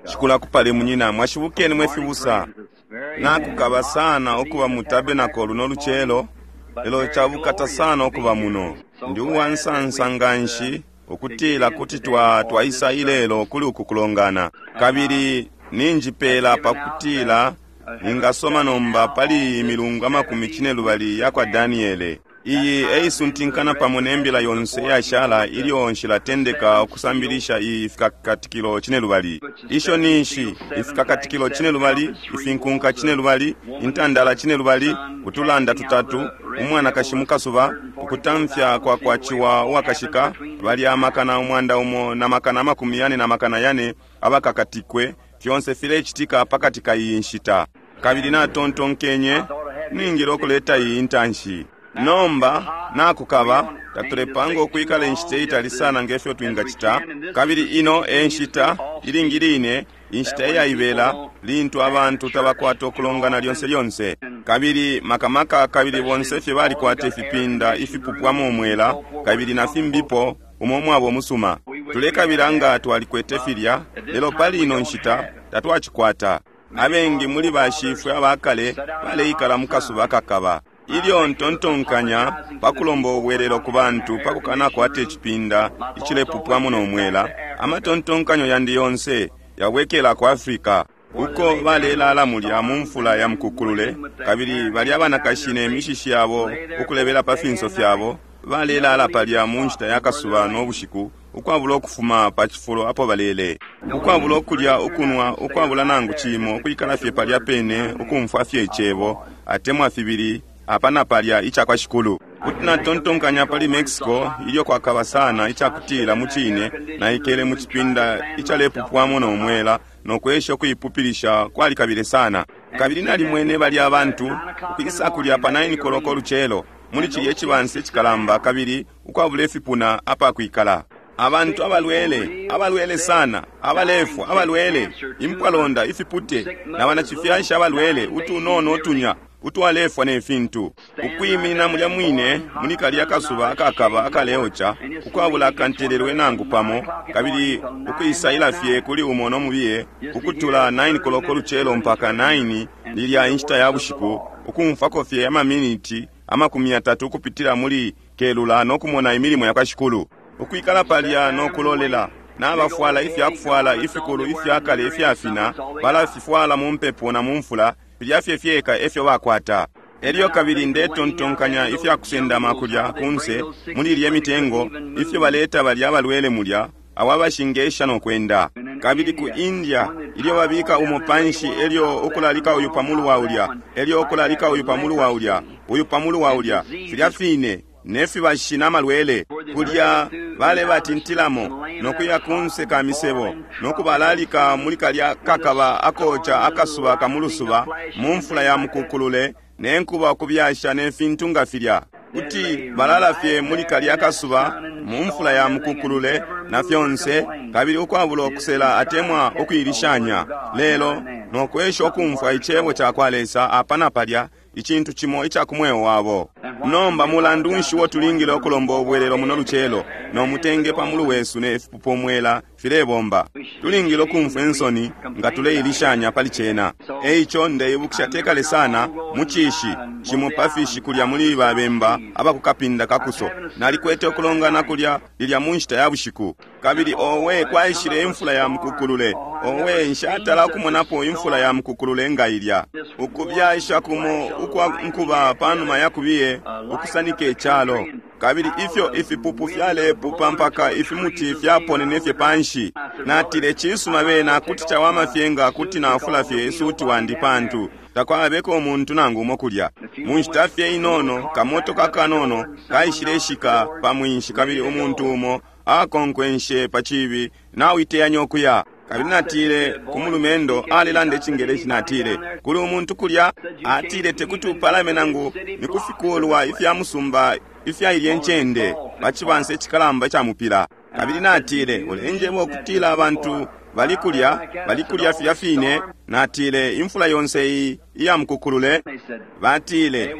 Shikulu akupale munyina mwashibukeni mwe fibusa. Nakukaba sana ukuba mu tabernacle luno lucelo, lelo cabukata sana ukuba muno. Ndi uwansansa nganshi ukutila kuti twa twaisa ilelo kuli uku kulongana. Kabili ninjipela pakutila ningasoma nomba pali iyi milungu amakumi cinelubali yakwa Daniele. Iyi eisuntinkana pamo ne mbila yonse iyashala ilyo nshilatendeka ukusambilisha iyi Ifikakatikilo Cinelubali. Isho ni nshi, Ifikakatikilo Cinelubali, Ifinkunka Cinelubali, Intandala Cinelubali, Utulanda Tutatu, Umwanakashi mu Kasuba, Ukutamfya kwa kwa Ciwa Uwakashika, balya amakana umwanda umo na makana amakumi yane na makana yane abakakatikwe, fyonse filecitika pakati ka iyi nshita. Kabili natontonkenye, Ningile ukuleta iyi intanshi. Nomba, nakukaba, tatulepanga ukwikala inshita itali sana nge fyo twingacita. Kabili ino e nshita, ilingi line, inshita iyaibela, lintu abantu tabakwata ukulongana lyonse lyonse. Kabili maka maka, kabili bonse fye balikwata ifipinda ifipupwamo umwela, kabili na fimbipo, umo umwaba umusuma. Tulekabila nga twalikwete filya, lelo pali ino nshita tatwacikwata. Abengi muli bashifwe abakale baleikala mu kasuba akakaba. Ilyo ntontonkanya pa kulomba ubwelelo ku bantu pa kukanakwata icipinda icilepupwamo no mwela, amatontonkanyo yandi yonse yabwekela ku Africa, uko balelala mulya mu mfula ya mukukulule, kabili balya banakashi ne mishishi yabo ukulebela pa finso fyabo, balelala palya mu nshita ya kasuba no bushiku, ukwabula ukufuma pa cifulo apo balele, ukwabula ukulya, ukunwa, ukwabula nangu cimo, ukwikala fye palya pene, ukumfwa fye Icebo, atemwa fibili apa na palya icakwa Shikulu. Kuti natontonkanya pali Mexico ilyo kwakaba sana icakutila mucine naikele mu cipinda icalepupwamo no mwela no kwesha ukuipupilisha kwalikabile sana. Kabili nalimwene balya bantu ukwisa kulya pa 9 koloko lucelo muli cilye cibansa icikalamba kabili ukwabula ifipuna apakwikala. Abantu abalwele, abalwele sana, abalefwa, abalwele, impwalonda, ifipute, na banacifyashi abalwele, utunono utunya utwalefwa ne fintu, ukwiminina mulya mwine muli kalya kasuba akakaba akaleoca, ukwabula akantelelwe nangu pamo, kabili ukwisaila fye kuli umo no mubiye, ukutula 9 koloko lucelo mpaka 9 lilya inshita ya bushiku, ukumfwako fye amaminiti 30 ukupitila muli kelula no kumona imilimo yakwa Shikulu. Ukwikala palya no kulolela, nabafwala ifyakufwala ifikulu ifyakale ifyafina, balafifwala mu mpepo na mu mfula, filya fye fyeka efyo bakwata. Elyo kabili ndetontonkanya ifya kusendama kulya kunse muli ilye mitengo, ifyo baleta balya abalwele mulya, abo abashingesha no kwenda. Kabili ku India, ilyo babika umo panshi elyo ukulalika uyu pa mulu wa ulya, elyo ukulalika uyu pa mulu wa ulya, uyu pa mulu wa ulya, filya fine, ne fibashi na malwele, kulya balebatintilamo, no kuya kunse ka misebo, no kubalalika muli kalya kakaba akoca akasuba ka mulusuba, mu mfula ya mukukulule, ne nkuba ukubyasha ne fintu nga filya. Kuti balala fye muli kalya kasuba, mu mfula ya mukukulule, na fyonse, kabili ukwabula ukusela atemwa ukuilishanya, lelo no kwesha ukumfwa Icebo cakwa Lesa apa na palya, icintu cimo ica ku mweo wabo. Nomba mulandu nshi uo tulingile ukulomba ubwelelo muno lucelo, no mutenge pa mulu wesu ne fipupo mwela filebomba? Tulingile ukumfwa insoni nga tuleilishanya pali cena. E ico ndeibukisha te kale sana, mu cishi, cimo pa fishi kulya muli ba bemba aba ku kapinda ka kuso, nalikwete ukulongana kulya lilya mu nshita ya bushiku. Kabili, owe, kwaishile imfula ya mukukulule. Owe, nshatala ukumonapo imfula ya mukukulule nga ilya. Ukubyasha kumo ukwa nkuba panuma ya kubiye, ukusanika icalo. Kabili ifyo ifipupu fyalepupa mpaka ifimuti fyaponene fye panshi. Natile, Cisuma, bena kuti cawama fye nga kuti nafula fye isuti wandi pantu takwabeko umuntu nangu umo kulya. Mu nshita fye inono, kamotoka akanono kaishileshika pa mwinshi kabili umuntu umo akonkwenshe pa cibi, Nauiteyanya ukuya? Kabili natile ku mulumendo, alelanda Icingeleshi, natile, Kuli umuntu kulya? Atile, Tekuti upalame nangu ni ku fikulwa ifya musumba ifya ilye ncende, pa cibansa icikalamba ica mupila. Kabili natile, Ulenjeba ukutila abantu bali kulya, bali kulya filya fine? Natile, Imfula yonse iyi iya mukukulule? Batile,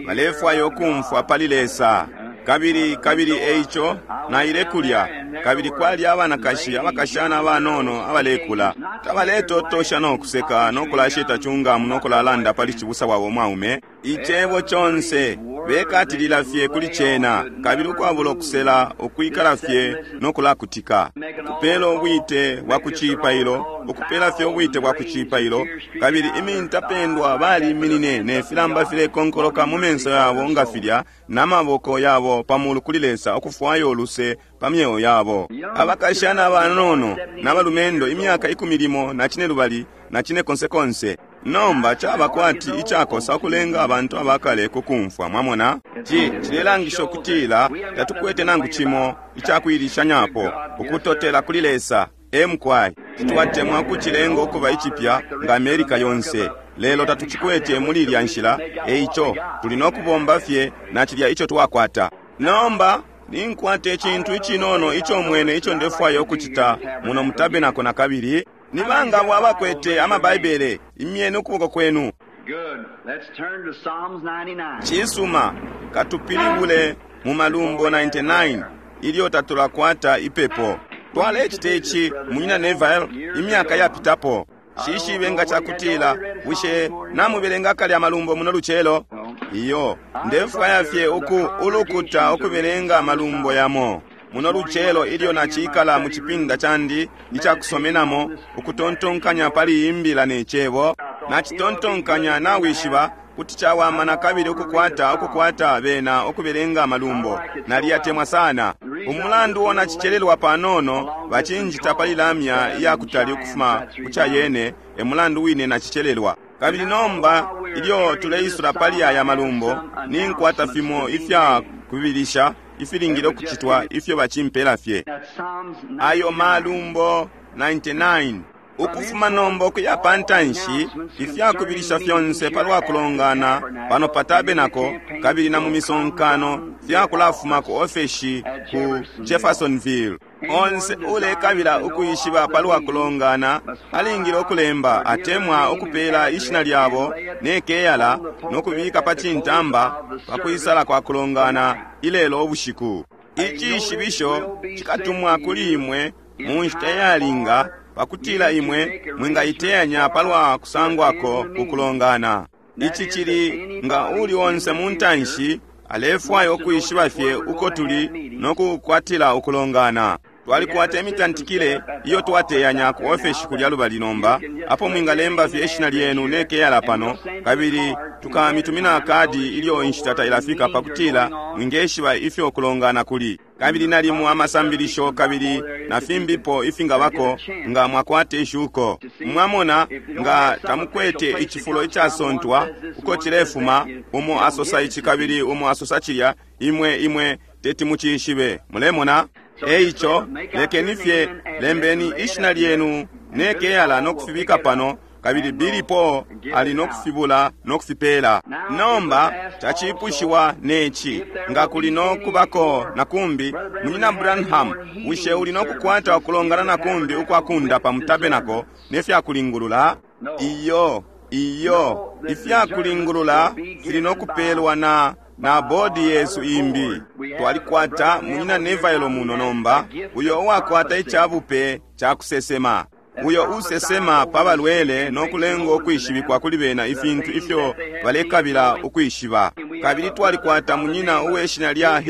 Balefwaya ukumfwa pali Lesa. Kabili, kabili eico naile kulya. Kabili kwali abanakashi, abakashana abanono abalekula, tabaletotosha no kuseka no kulasheta chungamu no kulalanda pali cibusa wabo mwaume. Icebo conse bekatilila fye kuli cena, kabili ukwabula ukusela, ukwikala fye no kulakutika, kupela ubwite bwa kucipailo, ukupela fye ubwite bwa kucipailo. Kabili imintapendwa baliminine ne filamba filekonkoloka mu menso yabo nga filya, na maboko yabo pamulu kuli Lesa, ukufwaya uluse pa myeo yabo. Abakashana abanono na balumendo, imyaka 12 na 10 konsekonse. Nomba caba kwati icakosa ukulenga abantu abakale kukumfwa, mwamona. Ci cilelangisha ukutila tatukwete nangu cimo icakuilishanyapo, ukutotela kuli Lesa. Emukwai, titwatemwa kucilenga ukuba icipya nga America yonse, lelo tatucikwete muli ilya nshila. Eico tuli no kubomba fye na cilya ico twakwata. Nomba ninkwata icintu icinono ico mwene ico ndefwaya ukucita muno mu tabernacle na kabili. Ni banga abo abakwete amabaibele? Imyeni ukuboko kwenu. Good. Let's turn to Psalms 99. Cisuma, katupilibule mu Malumbo 99 ilyo tatulakwata ipepo. Twalecita ici munyina Neville imyaka yapitapo. Shishibe nga cakutila bushe namubelenga kale amalumbo muno lucelo? Iyo, ndefwaya fye uku ulukuta ukubelenga amalumbo yamo muno lucelo ilyo nacikala mu cipinda candi icakusomenamo, ukutontonkanya pali imbila ne cebo. Nacitontonkanya, nawishiba, kuti cawama na kabili ukukwata ukukwata bena ukubelenga amalumbo. Naliyatemwa sana. Umulandu uo nacicelelwa panono, bacinjita pali lamya iyakutali ukufuma ku cayene, e mulandu wine nacicelelwa. Kabili nomba ilyo tuleisula pali aya malumbo, ninkwata fimo ifya kubilisha ifilingile ukucitwa ifyo bacimpela fye. That's Psalms 99. Ayo malumbo 99. Ukufuma nomba ukuya pa ntanshi, ifyakubilisha fyonse palwa kulongana pano pa tabernacle kabili na mu misonkano fyakulafuma ku ofeshi ku Jeffersonville. Onse ulekabila ukwishiba palwa kulongana alingile ukulemba atemwa ukupela ishina lyabo ne keyala no kubika pa cintamba pa kwisala kwa kulongana ilelo ubushiku. Icishibisho cikatumwa kuli imwe mu nshita iyalinga pakutila imwe mwingaiteyanya palwa kusangwako ku kulongana. Ici cili nga uli onse mu ntanshi alefwaya ukwishiba fye uko tuli no kukwatila ukulongana. Twalikwata imitantikile iyo twateyanya ku ofeshi kulya lubali nomba, apo mwingalemba fye ishina lyenu ne keyala pano, kabili tukamitumina kadi ilyo inshita tailafika pakutila mwingeshiba ifyo kulongana kuli. Kabili nalimo amasambilisho kabili na fimbipo ifingabako nga mwakwata ishuko. Mwamona, nga tamukwete icifulo icasontwa uko cilefuma, umo asosa ici kabili umo asosa cilya, imwe imwe teti mucishibe. Mulemona? Eico lekeni fye lembeni ishina lyenu ne keyala no kufibika pano, kabili Billy Paul ali no kufibula no kufipela. Nomba cacipushiwa neci, nga kuli no kubako na kumbi, munyina Branham, bushe uli no kukwata ukulongana na kumbi ukwa kundapa mu tabernacle ne fyakulingulula? Iyo, iyo, ifyakulingulula fili no kupelwa na na bodi yesu imbi. Twalikwata munyina Neville muno nomba, uyo uwakwata icabupe ca kusesema, uyo usesema pa balwele no kulenga ukwishibikwa kuli bena ifintu ifyo balekabila ukwishiba. Kabili twalikwata munyina uwe shina lya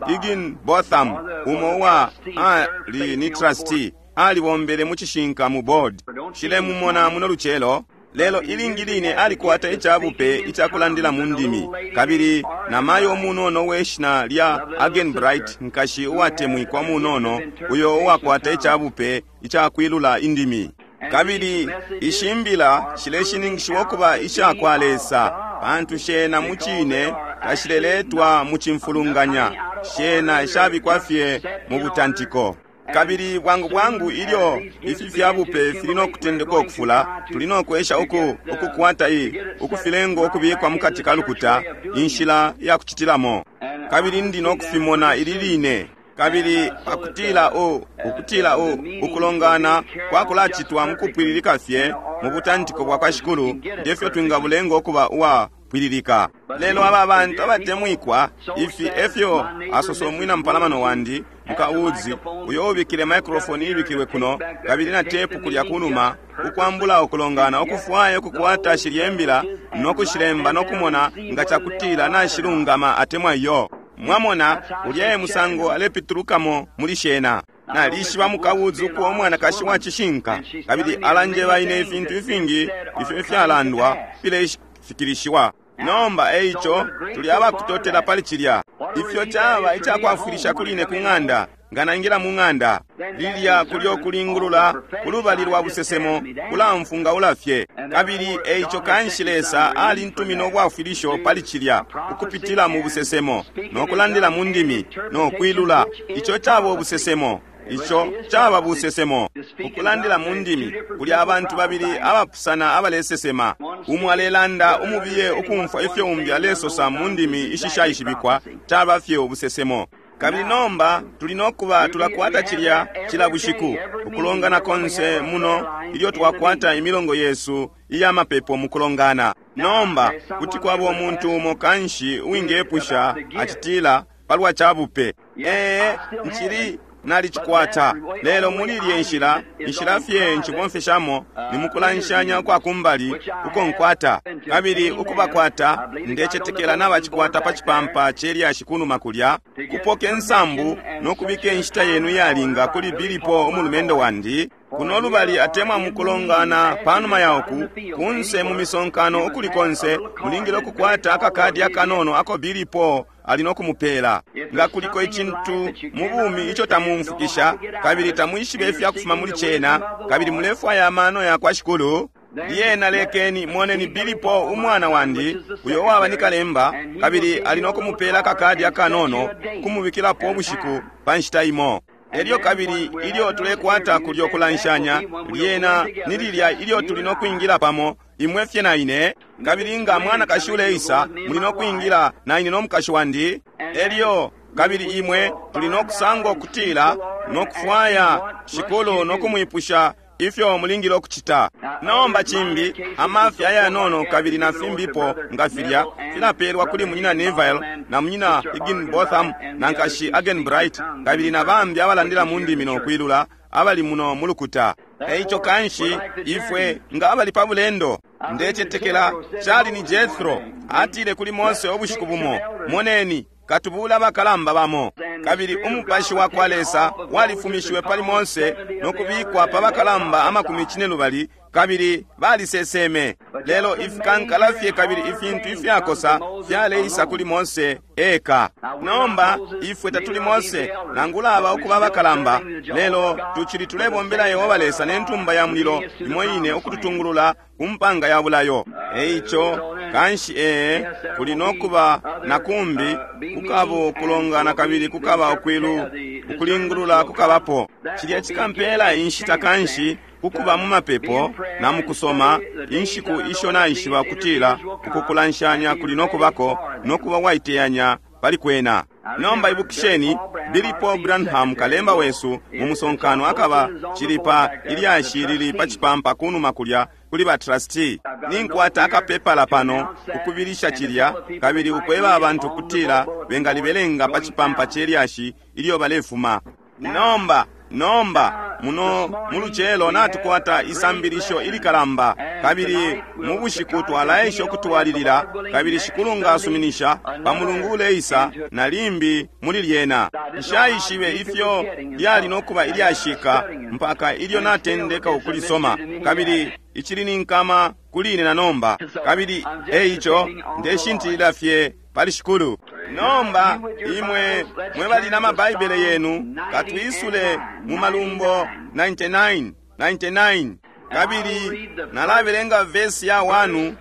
Higginbotham, umo uwa ali ni trustee, alibombele mu cishinka mu board. Shilemumona muno lucelo. Lelo ilingi line alikwata icabupe icakulandila mu ndimi. Kabili namayo munono we shina lya Agenbright, nkashi uwatemwikwa munono, uyo uwakwata icabupe icakwilula indimi. Kabili ishimbila shileshininkishiwa ukuba isha kwa Lesa, pantu shena mu cine tashileletwa mu cimfulunganya, shena shabikwa fye mu butantiko. Kabili bwangu bwangu ilyo ifi fyabupe fili no kutendeka ukufula, tuli no kwesha uku ukukwata i ukufilenga ukubikwa mukati ka lukuta, inshila ya kucitilamo. Kabili ndi no kufimona ili line. Kabili pakutila u ukutila u ukulongana kwakulacitwa mukupwililika fye mu butantiko bwa kwa Shikulu, ngefyo twingabulenga ukuba uwa pwililika. Lelo aba bantu abatemwikwa, ifi efyo asosa umwina mupalamano wandi, Muka Woods, uyo ubikile microphone ibikilwe kuno kabili na tepu kulya kunuma, ukwambula ukulongana ukufwaya ukukwata shilye mbila no kushilemba no kumona nga cakutila nashilungama atemwa iyo. Mwamona, ulya e musango alepitulukamo muli shena. Nalishiba Muka Woods ukuba umwanakashi wa cishinka, kabili alanjeba ine ifintu ifingi ifyo ifyalandwa filefikilishiwa. Nomba eico tuli abakutotela pali cilya. Ifyo caba icakwafwilisha kuli ine ku ng'anda, nga naingila mu ng'anda lilya kulyo kulingulula kulubali lwa busesemo kulamfungaula fye. Kabili eico kanshi Lesa alintumina ubwafwilisho pali cilya ukupitila mu busesemo no kulandila mu ndimi no kwilula. Ico caba ubusesemo. Ico caba busesemo. Ukulandila mu ndimi kuli abantu babili abapusana abalesesema. Umo alelanda umubiye ukumfwa ifyo umbi alesosa mu ndimi ishishaishibikwa, caba fye ubusesemo. Kabili nomba tuli nokuba tulakwata cilya cila bushiku ukulongana konse muno ilyo twakwata imilongo yesu iya mapepo mukulongana. Nomba kuti kwaba umuntu umo kanshi uwingepusha acitila palwa cabupe. Ee, ncili nalicikwata, lelo muli ilye nshila, inshila fye ncibomfeshamo ni mukulanshanya ukwa kumbali uko nkwata. Kabili ukubakwata, ndecetekela nabacikwata pa cipampa ce lyashi kunuma kulya, kupoke nsambu no kubika inshita yenu iyalinga kuli Billy Paul umulumendo wandi, kuno lubali atemwa mukulongana panuma ya uku, kunse mu misonkano ukuli konse, mulingile ukukwata akakadi akanono ako Billy Paul ali no kumupela. Nga kuliko icintu mu bumi ico tamumfukisha, kabili tamwishibe ifya kufuma muli cena, kabili mulefwaya amano ya kwa Shikulu, lyena lekeni moneni Billy Paul umwana wandi, uyo waba ni kalemba, kabili ali no kumupela akakadi akanono kumubikilapo ubushiku pa nshita imo. Elyo kabili ilyo tulekwata kulyo kulanshanya, lyena ni lilya ilyo tuli no kwingila pamo, imwe fye na ine, kabili nga mwanakashi uleisa, muli no kwingila na ine no mukashi wandi. Elyo kabili imwe tuli no kusanga ukutila no kufwaya Shikulu no kumwipusha ifyo mulingile ukucita. Nomba cimbi, amafya ayanono kabili na fimbipo nga filya filapelwa kuli munyina Neville na munyina Higginbotham na nkashi Arganbright kabili na bambi abalandila mu ndimi no kwilula abali muno mu lukuta. Eico kanshi ifwe nga abali pa bulendo, ndecetekela cali ni Jethro atile kuli Mose ubushiku bumo, moneni katubula abakalamba bamo. Kabili umupashi wa kwa Lesa walifumishiwe pali Mose no kubikwa pa bakalamba amakumi cinelubali, kabili baliseseme. Lelo ifikankala fye kabili ifintu ifyakosa fyaleisa kuli Mose eka. Nomba ifwe tatuli Mose nangula aba ukuba abakalamba, lelo tucili tulebombela Yehova Lesa ne ntumba ya mulilo imo ine ukututungulula ku mpanga ya bulayo. Eico kanshi ee, kuli nokuba na kumbi kukaba ukulongana kabili kukaba ukwilu ukulingulula kukabapo. Cilya cikampela inshita kanshi kukuba mu mapepo na mukusoma inshiku isho naishiba kutila ukukulanshanya kuli nokubako nokuba waiteyanya pali kwena. Nomba ibukisheni, Billy Paul Branham kalemba wesu mu musonkano akaba cili pa ilyashi lili pa cipampa kunuma kulya kuli ba trustee. Ninkwata akapepala pano ukubilisha cilya kabili ukweba abantu kutila bengalibelenga pa cipampa ce lyashi ilyo balefuma. Nomba nomba muno mulucelo natukwata isambilisho ilikalamba, kabili mu bushiku twalaesha ukutwalilila, kabili Shikulu nga asuminisha pa mulungu uleisa na limbi muli lyena. Nshaishibe ifyo lyali nokuba ilyashika mpaka ilyo natendeka ukulisoma, kabili icili ni nkama kuli ine na nomba, kabili eico ndeshintilila fye pali Shikulu. Nomba imwe mwe bali na mabaibele yenu, katwisule mu Malumbo 99, 99, kabili nalabelenga vesi ya 1,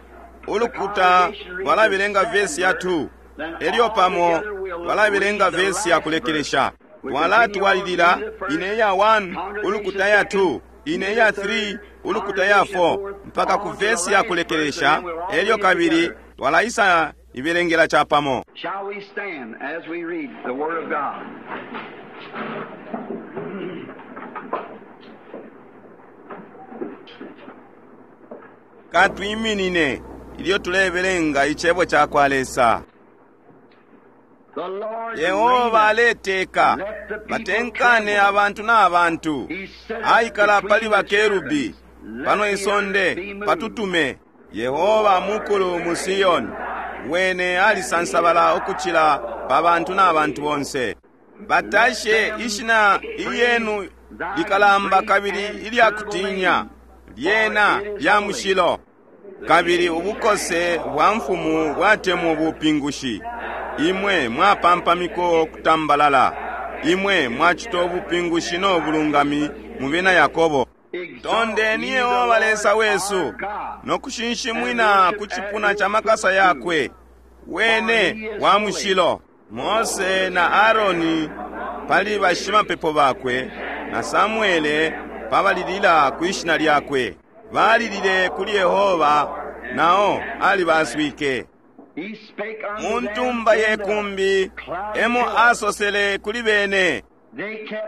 ulukuta lwalabelenga vesi ya 2, elyo pamo lwalabelenga vesi ya kulekelesha. Twalatwalilila ine ya 1, ulukuta ya 2, ine ya 3, ulukuta ya 4, mpaka ku vesi ya kulekelesha, elyo kabili twalaisa ibelengela chapamo. Shall we stand as we read the Word of God? Katwiminine ilyo tulebelenga icebo ca kwa Lesa. Yehova aleteka, batenkane abantu na bantu. Aikala pali bakerubi, pano isonde patutume. Yehova mukulu mu Siyoni, wene alisansabala ukucila pa bantu na bantu bonse. Batashe ishina ilyenu likalamba kabili ilyakutinya, lyena lya mushilo. Kabili ubukose bwa mfumu bwatemwa ubupingushi. Imwe mwapampamiko kutambalala, imwe mwacita ubupingushi no bulungami mu bena Yakobo. Tondeni Yehova Lesa wesu no kushinshimwina ku cipuna cha makasa yakwe, wene wa mushilo. Mose na Aaroni pali bashimapepo bakwe, na Samuele pabalilila kwi shina lyakwe. Balilile kuli Yehova, nao alibaswike. Mu ntumba ye kumbi emo asosele kuli bene.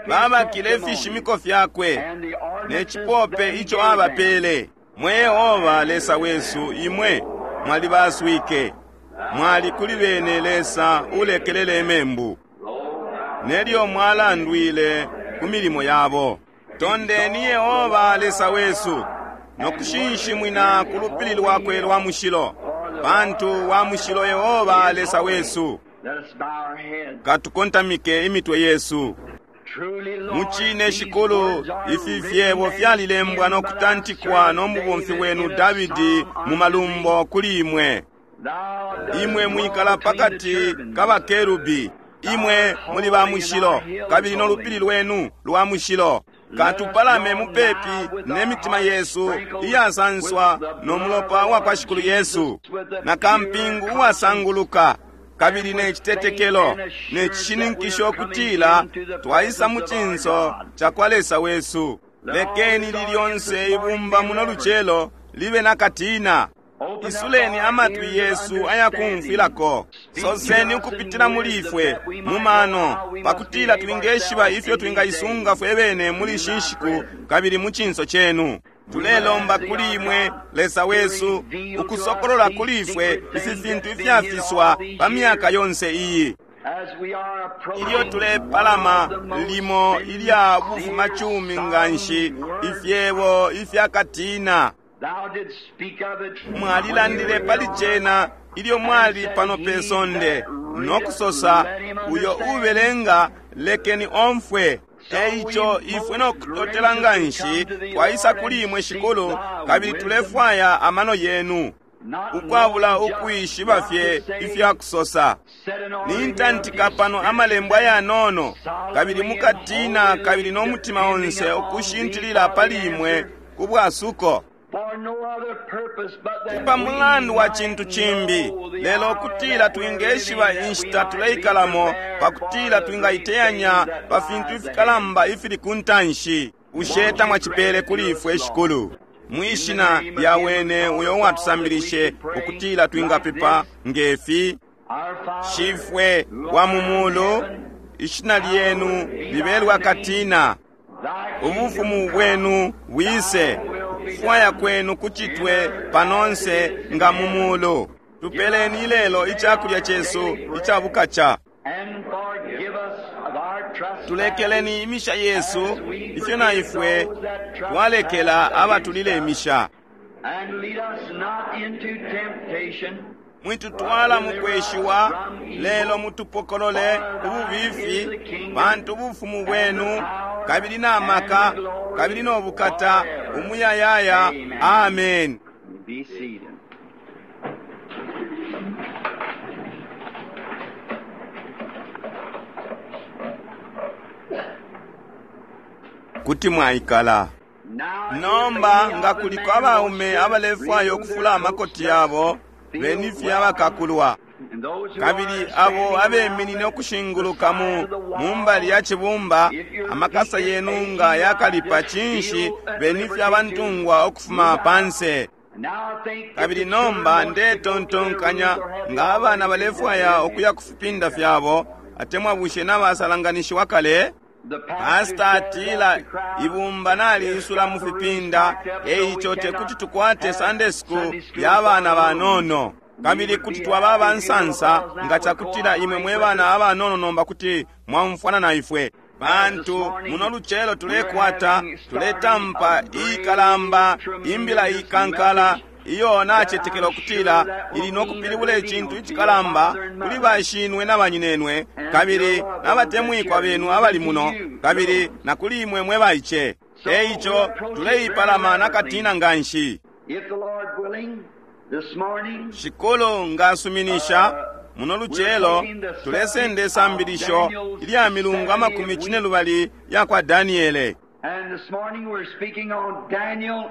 Babakile ifishimiko fyakwe ne cipope ico abapele. Mwe Yehova Lesa wesu, imwe mwalibaswike. Mwali kuli bene Lesa ulekelele imembu, nelyo mwalandwile ku milimo yabo. Tondeni Yehova Lesa wesu no kushinshimwina ku lupili lwakwe lwa mushilo, pantu wa mushilo Yehova Lesa wesu. Katukontamike imitwe yesu. Mucine Shikulu, ifi fyebo fyalilembwa no kutantikwa no mubomfi wenu Davidi mu malumbo kuli imwe. Imwe mwikala pakati ka bakerubi, imwe muli ba mushilo, kabili no lupili lwenu lwa mushilo. Katupalame mupepi ne mitima yesu iyasanswa no mulopa wa kwa Shikulu Yesu, na kampingu uwasanguluka, kabili ne citetekelo ne cishininkisho kutila twaisa mu cinso ca kwa Lesa wesu. Lekeni lilyonse ibumba muno lucelo libe na katina. Isuleni amatwi yesu ayakumfwilako. Soseni ukupitila muli ifwe mu mano, pakutila twingeshiba ifyo twingaisunga fwe bene muli ishi nshiku kabili mu cinso cenu. Tulelomba kuli imwe Lesa wesu ukusokolola kuli ifwe ifi fintu ifyafiswa pa myaka yonse iyi. Ilyo tulepalama limo ilya bufumacumi nganshi, ifyebo ifyakatina. Mwalilandile pali cena ilyo mwali pano pe sonde, no kusosa, uyo ubelenga lekeni omfwe. Eico ifwe no kutotela nganshi twaisa kuli imwe Shikulu, kabili tulefwaya amano yenu, ukwabula ukwishiba fye ifya kusosa. Nintantika pano amalembo ayanono, kabili mukatina kabili no mutima onse ukushintilila pali imwe ku bwasuko. Pa mulandu wa cintu cimbi, lelo kutila twingeshiba inshita tuleikalamo, pakutila twingaiteyanya pa fintu ifikalamba ifili ku ntanshi. Bushe tamwacipele kuli ifwe Shikulu? Mwishina lya wene uyo uwatusambilishe ukutila twingapepa ngefi: Shifwe wa mu mulu, ishina lyenu libelwa katina, ubufumu bwenu bwise, ukufwaya kwenu kucitwe panonse nga mu mulu. Tupeleni lelo icakulya cesu icabukaca. Tulekeleni imisha yesu ifyo na ifwe twalekela abatulile imisha. Mwitutwala mu kweshiwa, lelo mutupokolole ububifi, pantu ubufumu bwenu kabili na maka kabili no bukata umuyayaya. Amen. Kuti mwaikala. Nomba nga kuliko abaume abalefwaya ukufula amakoti yabo, beni fye abakakulwa. Kabili abo abeminine ukushinguluka mu mumbali ya cibumba, amakasa yenu nga yakalipa cinshi, beni fye abantungwa ukufuma panse. Kabili nomba ndetontonkanya nga abana balefwaya ukuya ku fipinda fyabo, atemwa bushe nabasalanganishiwa kale? Pastor atila ibumba naliisula mu fipinda, eico tekuti tukwate Sunday school ya bana banono. Kabili kuti twaba abansansa nga cakutila imwe mwe bana abanono nomba kuti mwaumfwana na ifwe. Pantu muno lucelo tulekwata, tuletampa iikalamba, imbila ikankala iyo nacetekela ukutila ili no kupilibula icintu icikalamba kuli bashinwe na banyinenwe, kabili nabatemwikwa benu abali muno, kabili na kuli imwe mwe baice. Eico tuleipalama nakatina nganshi. If the Lord willing, this morning, Shikulu ngasuminisha muno lucelo tulesenda isambilisho ilya milungu amakumi cine lubali ya kwa Daniele. and this morning we're speaking on Daniel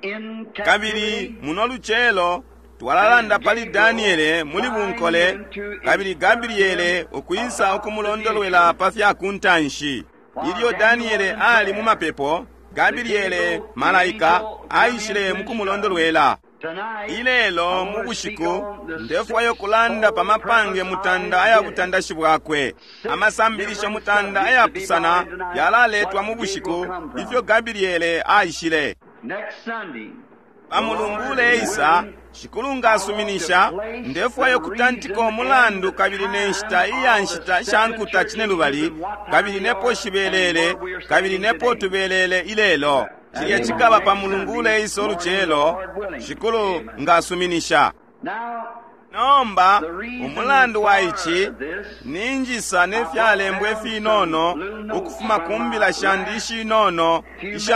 in Kabili captivity. muno lucelo twalalanda pali Daniele muli bunkole, kabili Gabriele ukwisa ukumulondolwela pa fya kuntanshi. Ilyo Daniele ali mu mapepo, Gabriele malaika aishile mu kumulondolwela. Tonight, Ilelo mu bushiku ndefwayo kulanda pa mapange mutanda aya butandashi bwakwe. Amasambilisho mutanda ayapusana yalaletwa mu bushiku ifyo Gabriele aishile. next Sunday, Pa mulungu uleisa, Shikulu ngasuminisha, ndefwayo kutantika umulandu kabili ne nshita iya nshita sha nkuta cine lubali, kabili nepo shibelele, kabili nepo tubelele ilelo. Cilya cikaba pa mulungu uleisa ulucelo, Shikulu ngasuminisha. now Nomba, umulandu wa ici, ninjisa ne fyalembwa ifinono ukufuma ku mbila shandi ishinono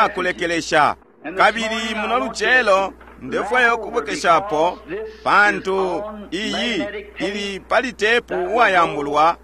ishakulekelesha. Kabili muno lucelo ndefwaya ukubwekeshapo, pantu iyi ili pali tepu uwayambulwa,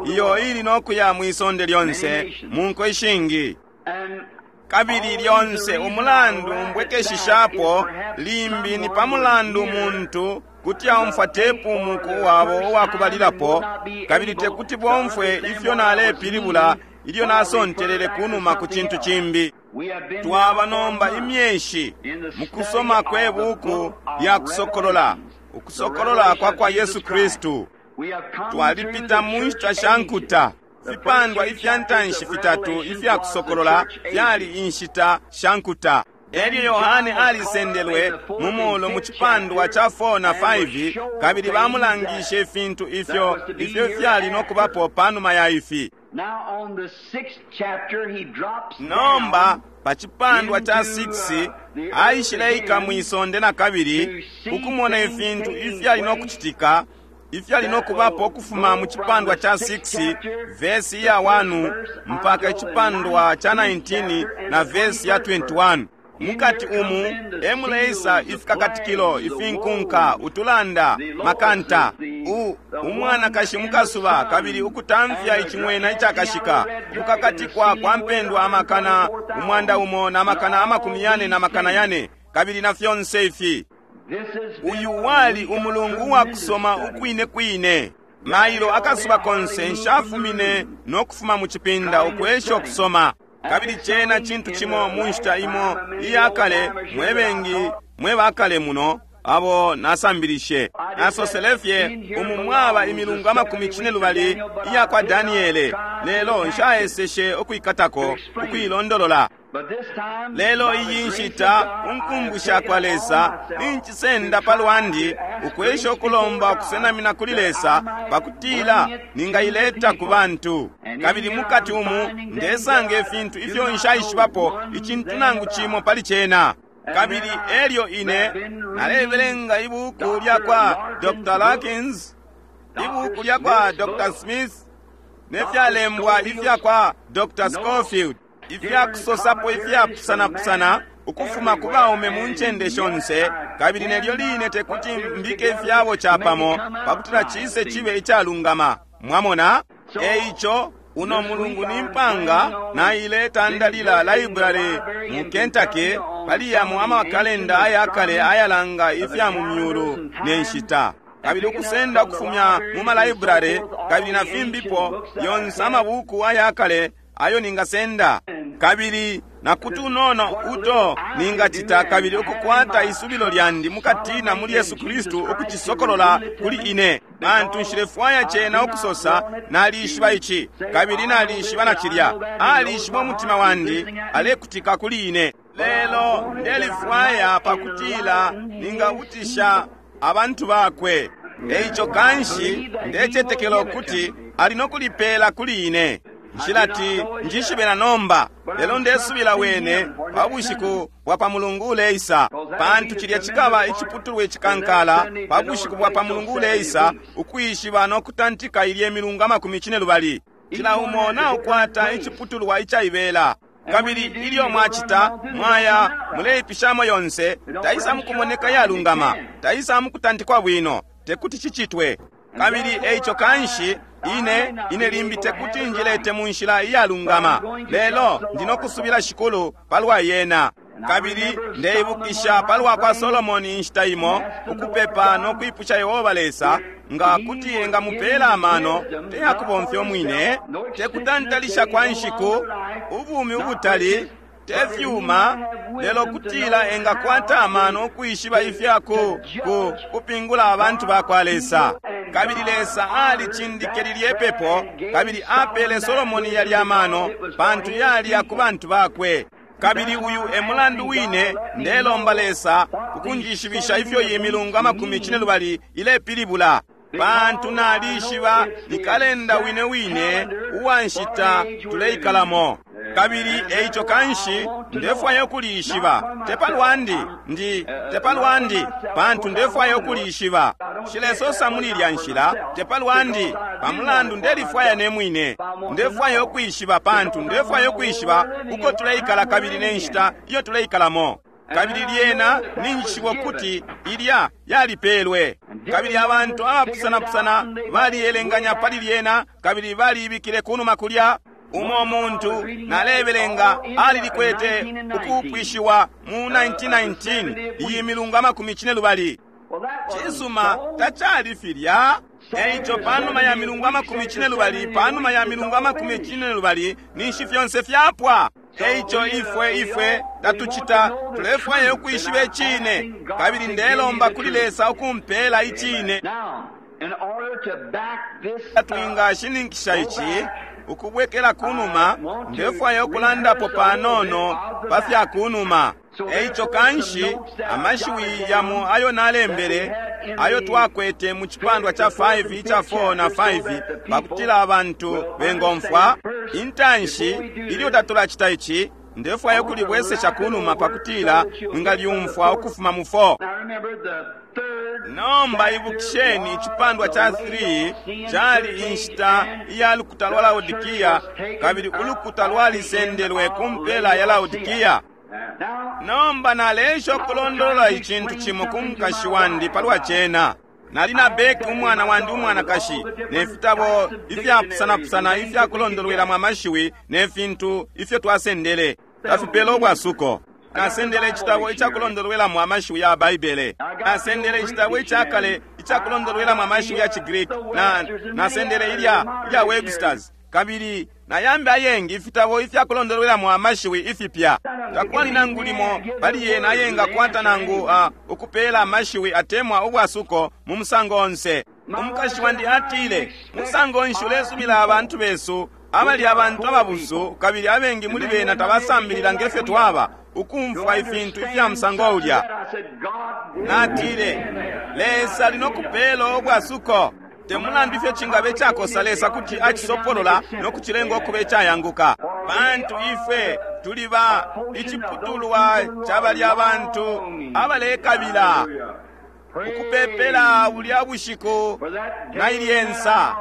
iyo ili no kuya mwi sonde lyonse mu nko ishingi. and Kabili lyonse umulandu mbwekeshishapo limbi ni pa mulandu muntu kuti aumfwa tepu umuku wabo uwakubalilapo, kabili tekuti bomfwe ifyo nalepilibula ilyo nasontelele kunuma ku cintu cimbi. we have been Twaba nomba imyeshi mu kusoma kwe buku lya kusokolola, ukusokolola kwa kwa Yesu Kristu. we have come Twalipita mu through the nshita church sha nkuta. ages. The Fipandwa first ifya ntanshi chapters of fitatu Revelation ifya was the kusokolola church ages. fyali inshita sha nkuta. Elyo Yohane alisendelwe mu muulu mu cipandwa ca 4 na 5, kabili bamulangishe ifintu ifyo ifyo fyali no kubapo panuma ya ifi. Now on the sixth chapter he drops Nomba down pa cipandwa ca 6 aishileika mwi sonde na kabili ukumona ifintu ifyali no kucitika ifyali no kubapo ukufuma mu cipandwa ca 6 vesi ya 1 mpaka icipandwa ca 19 na vesi ya 21. Mukati umu emuleisa ifikakatikilo, ifinkunka, utulanda, makanta, umwanakashi mukasuba, kabili ukutamfya icing'wena icakashika, ukukakatikwa kwa mpendwa amakana 1,000 na makana 400 na makana 400, kabili na fyonse ifi. This has been Uyu a wali week of umulungu wa tremendous kusoma study. ukwine kwine. Mailo akasuba konse nshafumine no kufuma mu cipinda ukwesha ukusoma. Kabili cena cintu cimo mu nshita imo iya kale, mwe bengi mwe bakale muno abo nasambilishe. Nasosele fye umu mwaba imilungu amakumi cine lubali iya kwa Daniele, lelo nshaeseshe ukwikatako ukuilondolola. But this time, Lelo by the iyi grace nshita of God, I have unkumbusha taken kwa upon Lesa myself nincisenda to pa try lwandi to ask ukwesha grace ukulomba before God ukusenamina kuli that Lesa I might pakutila bring it to the ningaileta ku people. bantu. And Kabili in here mukati I'm umu finding things ndesanga that I ifintu do ifyo not nshaishibapo know one icintu thing nangu about. cimo pali cena. And Kabili then I elyo ine have been reading nalebelenga ibuku Dr. lya kwa Larkin's Dr. book, Larkins, ibuku Dr. lya kwa Smith's Dr. book, Smith, ne Dr. fyalembwa ifya kwa Dr. Notes, Scofield, ifya different kusosapo commentaries ifyapusanapusana from man ukufuma ku everywhere, baume mu and ncende yet shonse, I kabili nelyo line cannot te put kuti them mbike together ifyabo to make it capamo come out pakutila right. cise See? cibe icalungama. Mwamona? So, Eico uno this mulungu week ni I'm mpanga planning on naile been tandalila visiting the library library mu in Kentucky Kentucky on pali some yamo of the amakalenda ancient ayakale astronomy ayalanga of the ifya mu calendars myulu and ne times, nshita. and Kabili picking up ukusenda from the ukufumya mu libraries and so malaibrare forth all kabili na the ancient fimbipo books that I yonse have. amabuku ayakale ayo ningasenda. And Kabili na kutunono what little uto I can do ningacita and kabili having ukukwata my isubilo trust lyandi mukatina solidly muli in Yesu Jesus Kristu Christ to ukucisokolola reveal it to kuli me, ine. Pantu because nshilefwaya I cena do not ukusosa want it nalishiba to ici say kabili I know this nalishiba na and I cilya. know that and he knows Alishiba my umutima heart and wandi listening at me. alekutika kuli ine. But I Lelo want it that I ndelifwaya might pakutila enlighten his ningabutisha people. abantu bakwe. Eico kanshi ndecetekela ukuti ali nokulipela kuli ine. Nshilati njishibe na nomba, lelo ndesubila wene pa bushiku bwa pa Mulungu uleisa, pantu cilya cikaba iciputulwa icikankala pa bushiku bwa pa Mulungu uleisa, ukwishiba no kutantika ilye milungu 50. Cila umo naukwata iciputulwa icaibela. Kabili ilyo mwacita, mwaya muleipishamo yonse, taisa mukumoneka yalungama, taisa mukutantikwa bwino, tekuti cicitwe. Kabili eico kanshi ine limbi tekuti njilete mu nshila iyalungama, lelo ndinokusubila Shikulu palwa yena. Kabili ndeibukisha palwa kwa Solomoni inshita imo, ukupepa no kwipusha Yehova Lesa nga kuti engamupela amano teyakubomfya umwine, tekutantalisha kwa nshiku, ubumi ubutali, te fyuma, lelo kutila engakwata amano ukwishiba ifya kupingula abantu ba kwa Lesa. Kabili Lesa alicindike lilye pepo, kabili apele Solomoni yalya amano, pantu yali ku bantu bakwe. Kabili uyu e mulandu wine ndelomba Lesa ukunjishibisha ifyo iyi milungu 50 ilepilibula, pantu nalishiba ni kalenda wine wine uwa nshita tuleikalamo. Kabili eico kanshi ndefwaya ukulishiba, te palwandi ndi te palwandi, pantu ndefwaya ukulishiba. Nshilesosa muli ilya nshila, te palwandi, pamulandu ndelifwaya ne mwine. Ndefwaya ukwishiba, pantu ndefwaya ukwishiba uko tuleikala kabili ne nshita iyo tuleikalamo. Kabili lyena ninjishiba ukuti ilya yalipelwe. Kabili abantu abapusanapusana baliyelenganya pali lyena, kabili baliyibikile kunuma kulya. Umo muntu nalebelenga alilikwete ukupwishiwa mu 1919 iyi milungu 50. Cisuma, tacali filya. Eico panuma ya milungu 50, panuma ya milungu 50, ninshi fyonse fyapwa. Eico ifwe tatucita, tulefwaya ukwishiba icine. Kabili ndelomba kuli Lesa ukumpela icine. Twingashininkisha ici ukubwekela kunuma, ndefwaya ukulandapo panono pa fya kunuma. Eico kanshi amashiwi yamo ayo nalembele ayo twakwete mu cipandwa ca 5 ica 4 na 5 pakutila abantu bengomfwa. Intanshi ilyo tatulacita ici, ndefwaya ukulibwesesha kunuma pakutila mwingalyumfwa ukufuma mu 4. Nomba ibukisheni icipandwa ca 3 cali inshita iya lukuta lwa Laodikia, kabili ulukuta lwalisendelwe ku mpela ya Laodikia. Nomba naleesha ukulondolola icintu cimo ku mukashi wandi palwa cena. Nali na Beki umwana wandi umwanakashi, ne fitabo ifyapusanapusana ifyakulondolwelamo amashiwi ne fintu ifyo twasendele. Tafipela ubwasuko. Nasendele icitabo icakulondolwelamo amashiwi ya Baibele. Nasendele icitabo icakale icakulondolwelamo amashiwi ya ciGreek. Nasendele ilya Webster's. Kabili nayambi ayengi ifitabo ifyakulondolwelamo amashiwi ifipya. Takwali nangu limo pali yena ayengakwata nangu ukupela amashiwi atemwa ubwasuko mu musango onse. Umukashi wandi atile, musango nshi ulesubila abantu besu abali abantu ababusu, kabili abengi muli bena tabasambilila ngefyo twaba, ukumfwa ifintu ifya musango ulya. Natile, Lesa ali nokupela ubwasuko. Te mulandu ifyo cingabe cakosa, Lesa kuti acisopolola no kucilenga ukuba icayanguka. Pantu ifwe tuli ba iciputulwa ca balya abantu abalekabila ukupepela bulya bushiku na ilyensa.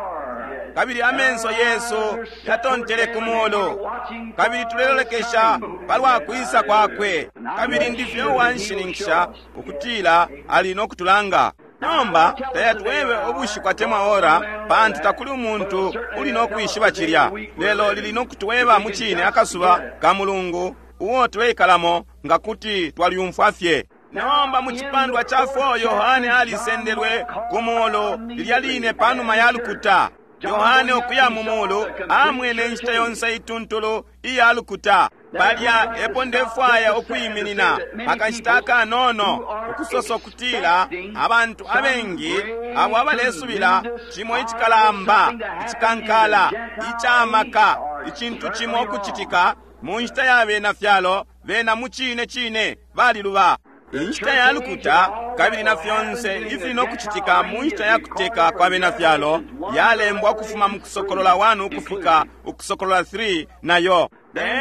Kabili amenso yesu yatontele ku mulu, kabili tulelolekesha palwa kwisa kwakwe. Kabili ndifye uwanshininkisha ukutila ali nokutulanga. Nomba tayatwebe ubushiku atemwa ora, pantu takuli umuntu uli nokwishiba cilya, lelo lili nokutweba mucine akasuba ka Mulungu uo tuleikalamo, nga kuti twalyumfwa fye. Nomba mu cipandwa ca 4 Yohane alisendelwe ku mulu lilya line panuma ya lukuta. Yohane ukuya mu mulu amwene inshita yonse ituntulu iya lukuta. Palya epo ndefwaya ukwiminina akashita akanono, ukusosa ukutila abantu abengi abo abalesubila cimo icikalamba, icikankala, icamaka, icintu cimo ukucitika mu nshita ya bena fyalo, bena mu cine cine baliluba. Inshita ya lukuta kabili na fyonse ifili no kucitika mu nshita ya kuteka kwa bena fyalo yalembwa ukufuma mu Kusokolola 1 ukufika Ukusokolola 3 nayo.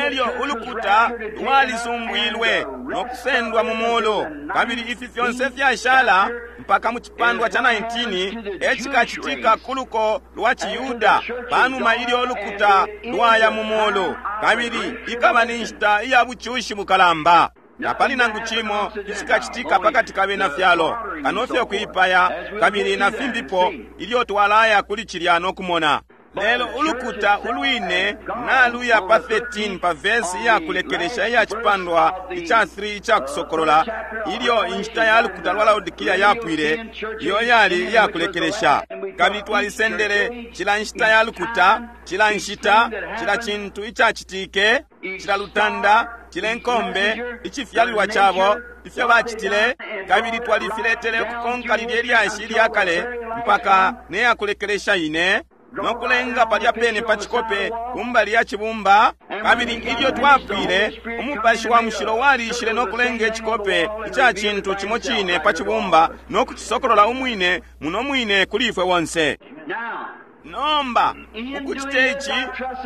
Elyo ulukuta lwalisumbwilwe no kusendwa mu mulu, kabili ifi fyonse fyashala mpaka mu cipandwa ca 19 e cikacitika ku luko lwa ciYuda panuma ilyo ulukuta lwaya mu mulu, kabili ikaba ni nshita iya bucushi bukalamba. Tapali nangu cimo icikacitika pakati ka bena fyalo kano fye ukuipaya kabili na fimbipo, ilyo twalaya kuli cilya no kumona. Lelo ulukuta ulwine naluya pa 13 pa vesi iyakulekelesha iya cipandwa ica 3 ica Kusokolola, ilyo inshita ya lukuta lwa Laodikia yapwile, iyo yali iyakulekelesha. Kabili twalisendele cila nshita ya lukuta, cila nshita, cila cintu icacitike, cila lutanda, cila nkombe, icifyalilwa cabo, ifyo bacitile, kabili twalifiletele ukukonka lilye lyashi ilya kale mpaka ne yakulekelesha ine, no kulenga palya pene pa cikope kumbali ya cibumba. Kabili ilyo twapwile, Umupashi wa Mushilo waliishile no kulenga icikope ica cintu cimo cine pa cibumba no kucisokolola umwine muno mwine kuli ifwe bonse. Nomba ukucita ici,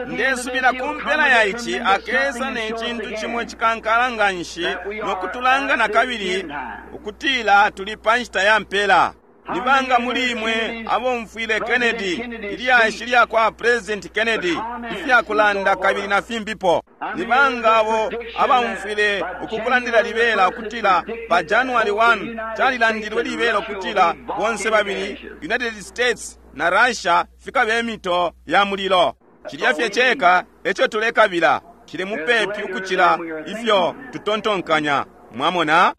ndesubila ku mpela ya ici akesa ne cintu cimo cikankala nga nshi no kutulanga na kabili ukutila tuli pa nshita ya mpela. Ni banga muli imwe abomfwile Kennedy, ilyashi lya kwa President Kennedy, ifyakulanda kabili na fimbipo? Ni banga abo abaumfwile ukukulandila libela ukutila pa January 1 calilandilwe libela ukutila bonse babili United States na Russia fikabe mito ya mulilo? Cilya fye ceka eco tulekabila, cili mupepi ukucila ifyo tutontonkanya. Mwamona?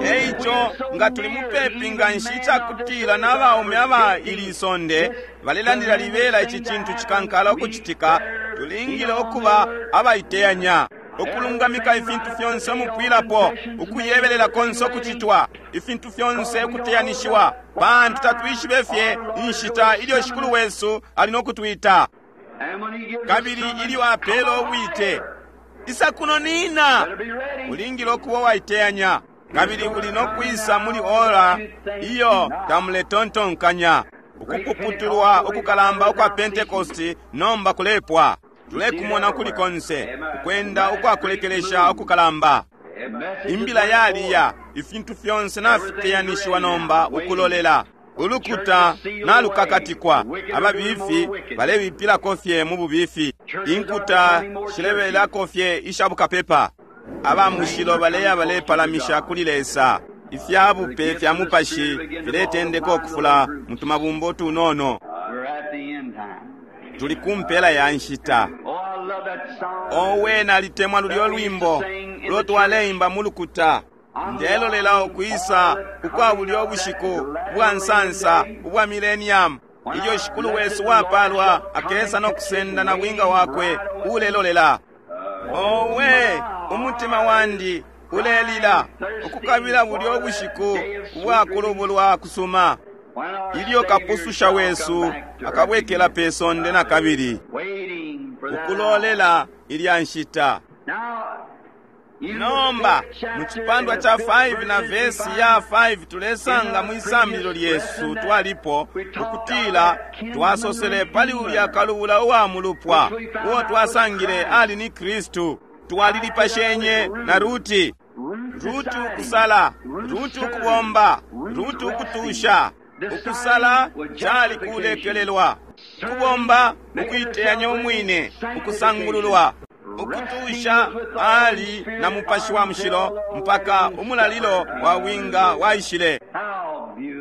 Eico nga tuli mupepi nga nshi icakutila na baume aba ili sonde balelandila libela ici cintu cikankala ukucitika, tulingile ukuba abaiteyanya ukulungamika ifintu fyonse umupwilapo, ukuyebelela konse ukucitwa, ifintu fyonse ukuteyanishiwa, pantu tatwishibe fye inshita ilyo Shikulu wesu ali no kutwita. Kabili ilyo apela ubwite, isa kuno nina, ulingile ukuba waiteyanya, kabili uli no kwisa muli ora iyo tamuletontonkanya. Ukupuputulwa ukukalamba ukwa Pentecost nomba kulepwa. Tulekumona kuli konse ukwenda ukwakulekelesha ukukalamba. Imbila yaliya, ifintu fyonse nafiteyanishiwa nomba ukulolela. Ulukuta nalukakatikwa, ababifi balebipilako fye mu bubifi, inkuta shilebelako fye isha bukapepa. Aba mushilo baleya balepalamisha kuli Lesa. Ifya bupe fya mupashi filetendeka ukufula mu tumabumba utunono. Tuli ku mpela ya nshita. Owe, nalitemwa lulyo lwimbo ulo twaleimba mu lukuta. Ndelolela ukwisa ukwa bulyo bushiku ubwa nsansa ubwa millennium, ilyo Shikulu wesu wapalwa akesa no kusenda na bwinga wakwe ulelolela. Owe, umutima wandi ulelila ukukabila bulyo bushiku ubwa kulubulwa kusuma, ilyo Kapususha wesu akabwekela pe sonde na kabili, ukulolela ilya nshita. Nomba mu cipandwa ca 5 na vesi ya 5 tulesanga mwi sambililo lyesu twalipo ukutila twasosele pali ulya kalubula uwa mulupwa uo twasangile ali ni Kristu. Twalilipashenye na Ruti. Ruti ukusala, Ruti ukubomba, Ruti ukutusha. Ukusala cali kulekelelwa, ukubomba ukuiteyanya umwine, ukusangululwa. Ukutusha ali na Mupashi wa Mushilo mpaka umulalilo wa winga waishile.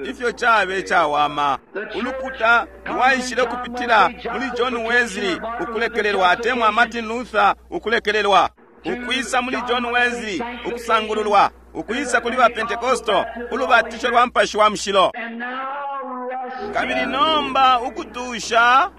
Ifyo cabe cawama! Ulukuta lwaishile kupitila muli John Wesley ukulekelelwa, atemwa Martin Luther ukulekelelwa, ukwisa muli John Wesley ukusangululwa, ukwisa kuli ba Pentecostal ulubatisho lwa Mupashi wa Mushilo. Kabili nomba ukutusha,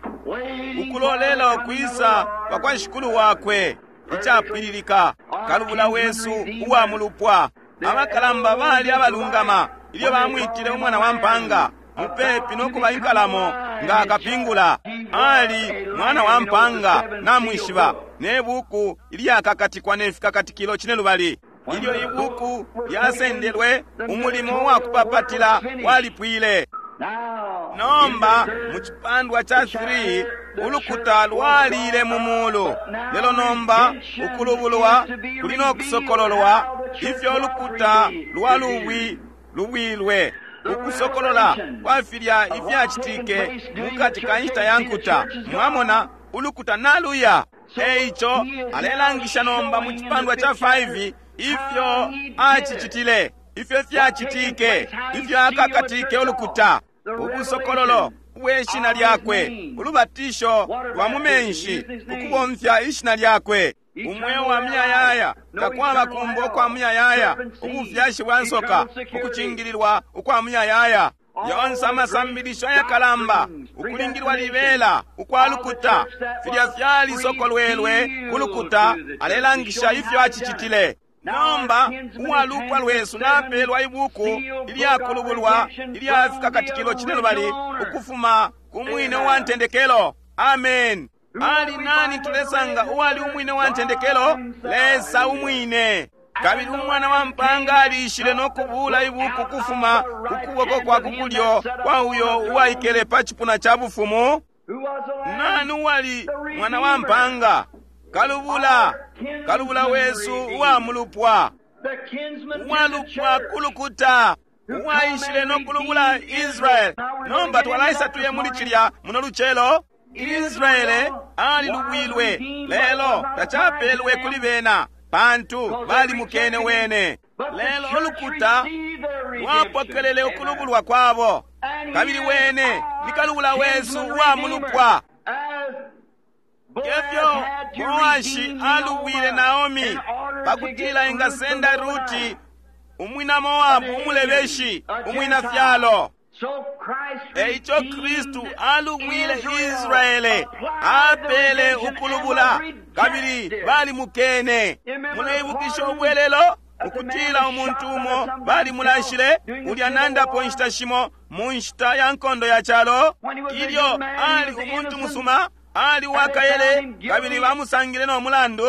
ukulolela ukwisa kwa kwa Shikulu wakwe icapwililika, kalubula wesu uwa mulupwa. Abakalamba bali abalungama ilyo bamwitile umwana wa mpanga mupepi no kuba inkalamo nga akapingula. Ali mwana wa mpanga, namwishiba, ne buku ilyakakatikwa ne fikakatikilo cine lubali. Ilyo ibuku lyasendelwe, umulimo wa kupapatila walipwile. Nomba mu cipandwa ca 3 ulukuta lwalile mu mulu, lelo nomba ukulubulwa kuli no kusokololwa ifyo ulukuta lwa lubwi lubwilwe. Ukusokolola kwa filya ifyacitike mukati ka nshita ya nkuta. Mwamona, ulukuta naluya. Eico alelangisha nomba mu cipandwa ca 5 ifyo acicitile, ifyo fyacitike, ifyo akakatike ulukuta, ubusokololo ubwe shina lyakwe, ulubatisho lwa mu menshi, ukubomfya ishina lyakwe, umweo wa muyayaya, takwaba kumbo kwa muyayaya, ubufyashi bwa nsoka, ukucingililwa ukwa muyayaya, yonse amasambilisho ayakalamba, ukulingilwa libela ukwa lukuta, filya fyalisokolwelwe ku lukuta, alelangisha ifyo acicitile. Nomba uwalupwa lwesu napelwa ibuku ilyakulubulwa ilya fikakatikilo cinelubali ukufuma ku mwine wa ntendekelo. Amen. Ali nani tulesanga uwali umwine wa ntendekelo? Lesa umwine. Kabili umwana wa mpanga aliishile no kubuula ibuku kufuma ku kuboko kwa kukulyo kwa uyo uwaikele pa cipuna ca bufumu. Nani uwali mwana wa mpanga? Kalubula, kalubula wesu uwa mulupwa, uwalupwa kulukuta, uwaishile no kulubula Israeli. Nomba twalaisa tuye muli cilya muno lucelo. Israele alilubwilwe, lelo tacapelwe kuli bena pantu balimukene wene. Lelo ulukuta lwapokelele ukulubulwa kwabo, kabili wene ni kalubula wesu uwa mulupwa. Efyo Boashi alubwile Naomi pakutila engasenda Ruti umwina Moabu umulebeshi umwina fyalo. Eico Kristu alubwile Israele, apele ukulubula, kabili balimukene. Muleibukisha ubwelelo ukutila umuntu umo balimulashile ulya nandapo inshita shimo mu nshita ya nkondo ya calo, ilyo ali umuntu musuma, ali wakayele, kabili bamusangile no mulandu.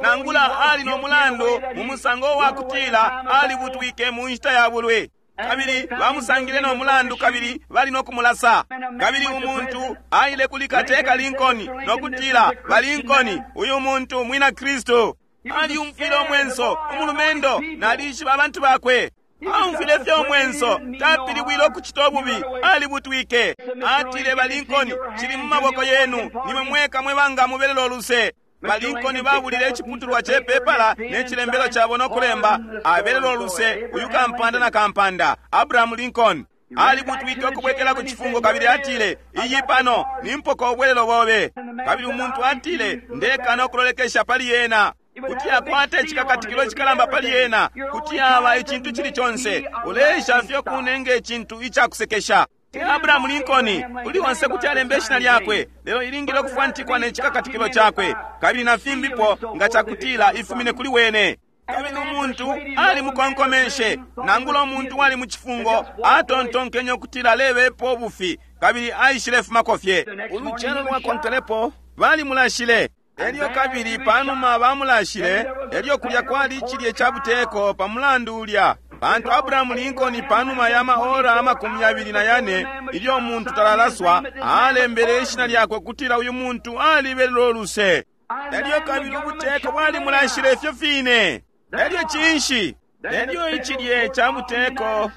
Nangula ali no mulandu mu musango wa kutila alibutwike mu nshita ya bulwi, kabili bamusangile no mulandu, kabili bali no kumulasa. Kabili umuntu aile kuli kateka Lincoln no kutila, ba Lincoln, uyu muntu mwina Kristu. Aliumfwile umwenso umulumendo, nalishiba abantu bakwe. Aumfwile fye umwenso, tapilibwile ukucita ububi, alibutwike. Atile, ba Lincoln, cili mu maboko yenu, nimwe mweka mwe banga mubelelo uluse. Ba Lincoln babulile iciputulwa ce pepala ne cilembelo cabo no kulemba, abelelo uluse uyu kampanda na kampanda, Abraham Lincoln. Alibutwike ukubwekela ku cifungo, kabili atile, iyi pano nimpoka ubwelelo bobe. Kabili umuntu atile, ndekana ukulolekesha pali yena, kuti akwata icikakatikilo cikalamba pali yena, kuti aba icintu cili conse, uleesha fye kunenga icintu icakusekesha. Abraham Lincoln uli onse kuti alembe ishina lyakwe, lelo ilingile ukufwantikwa ne cikakatikilo cakwe, kabili na fimbipo nga cakutila ifumine kuli wene. Kabili umuntu alimukonkomeshe, nangula umuntu wali mu cifungo atontonkenye ukutila alebepo ubufi, kabili aishilefumako fye. Ulucelo lwakonkelepo balimulashile. Elyo kabili panuma bamulashile, elyo kulya kwali icilye ca buteko pa mulandu ulya, pantu Abraham Lincoln panuma ya maora 24 ilyo umuntu talalaswa, alembele ishina lyakwe kutila uyu muntu alibelelo luse. Elyo kabili ubuteko bwalimulashile ifyo fine. Elyo cinshi? Elyo icilye ca buteko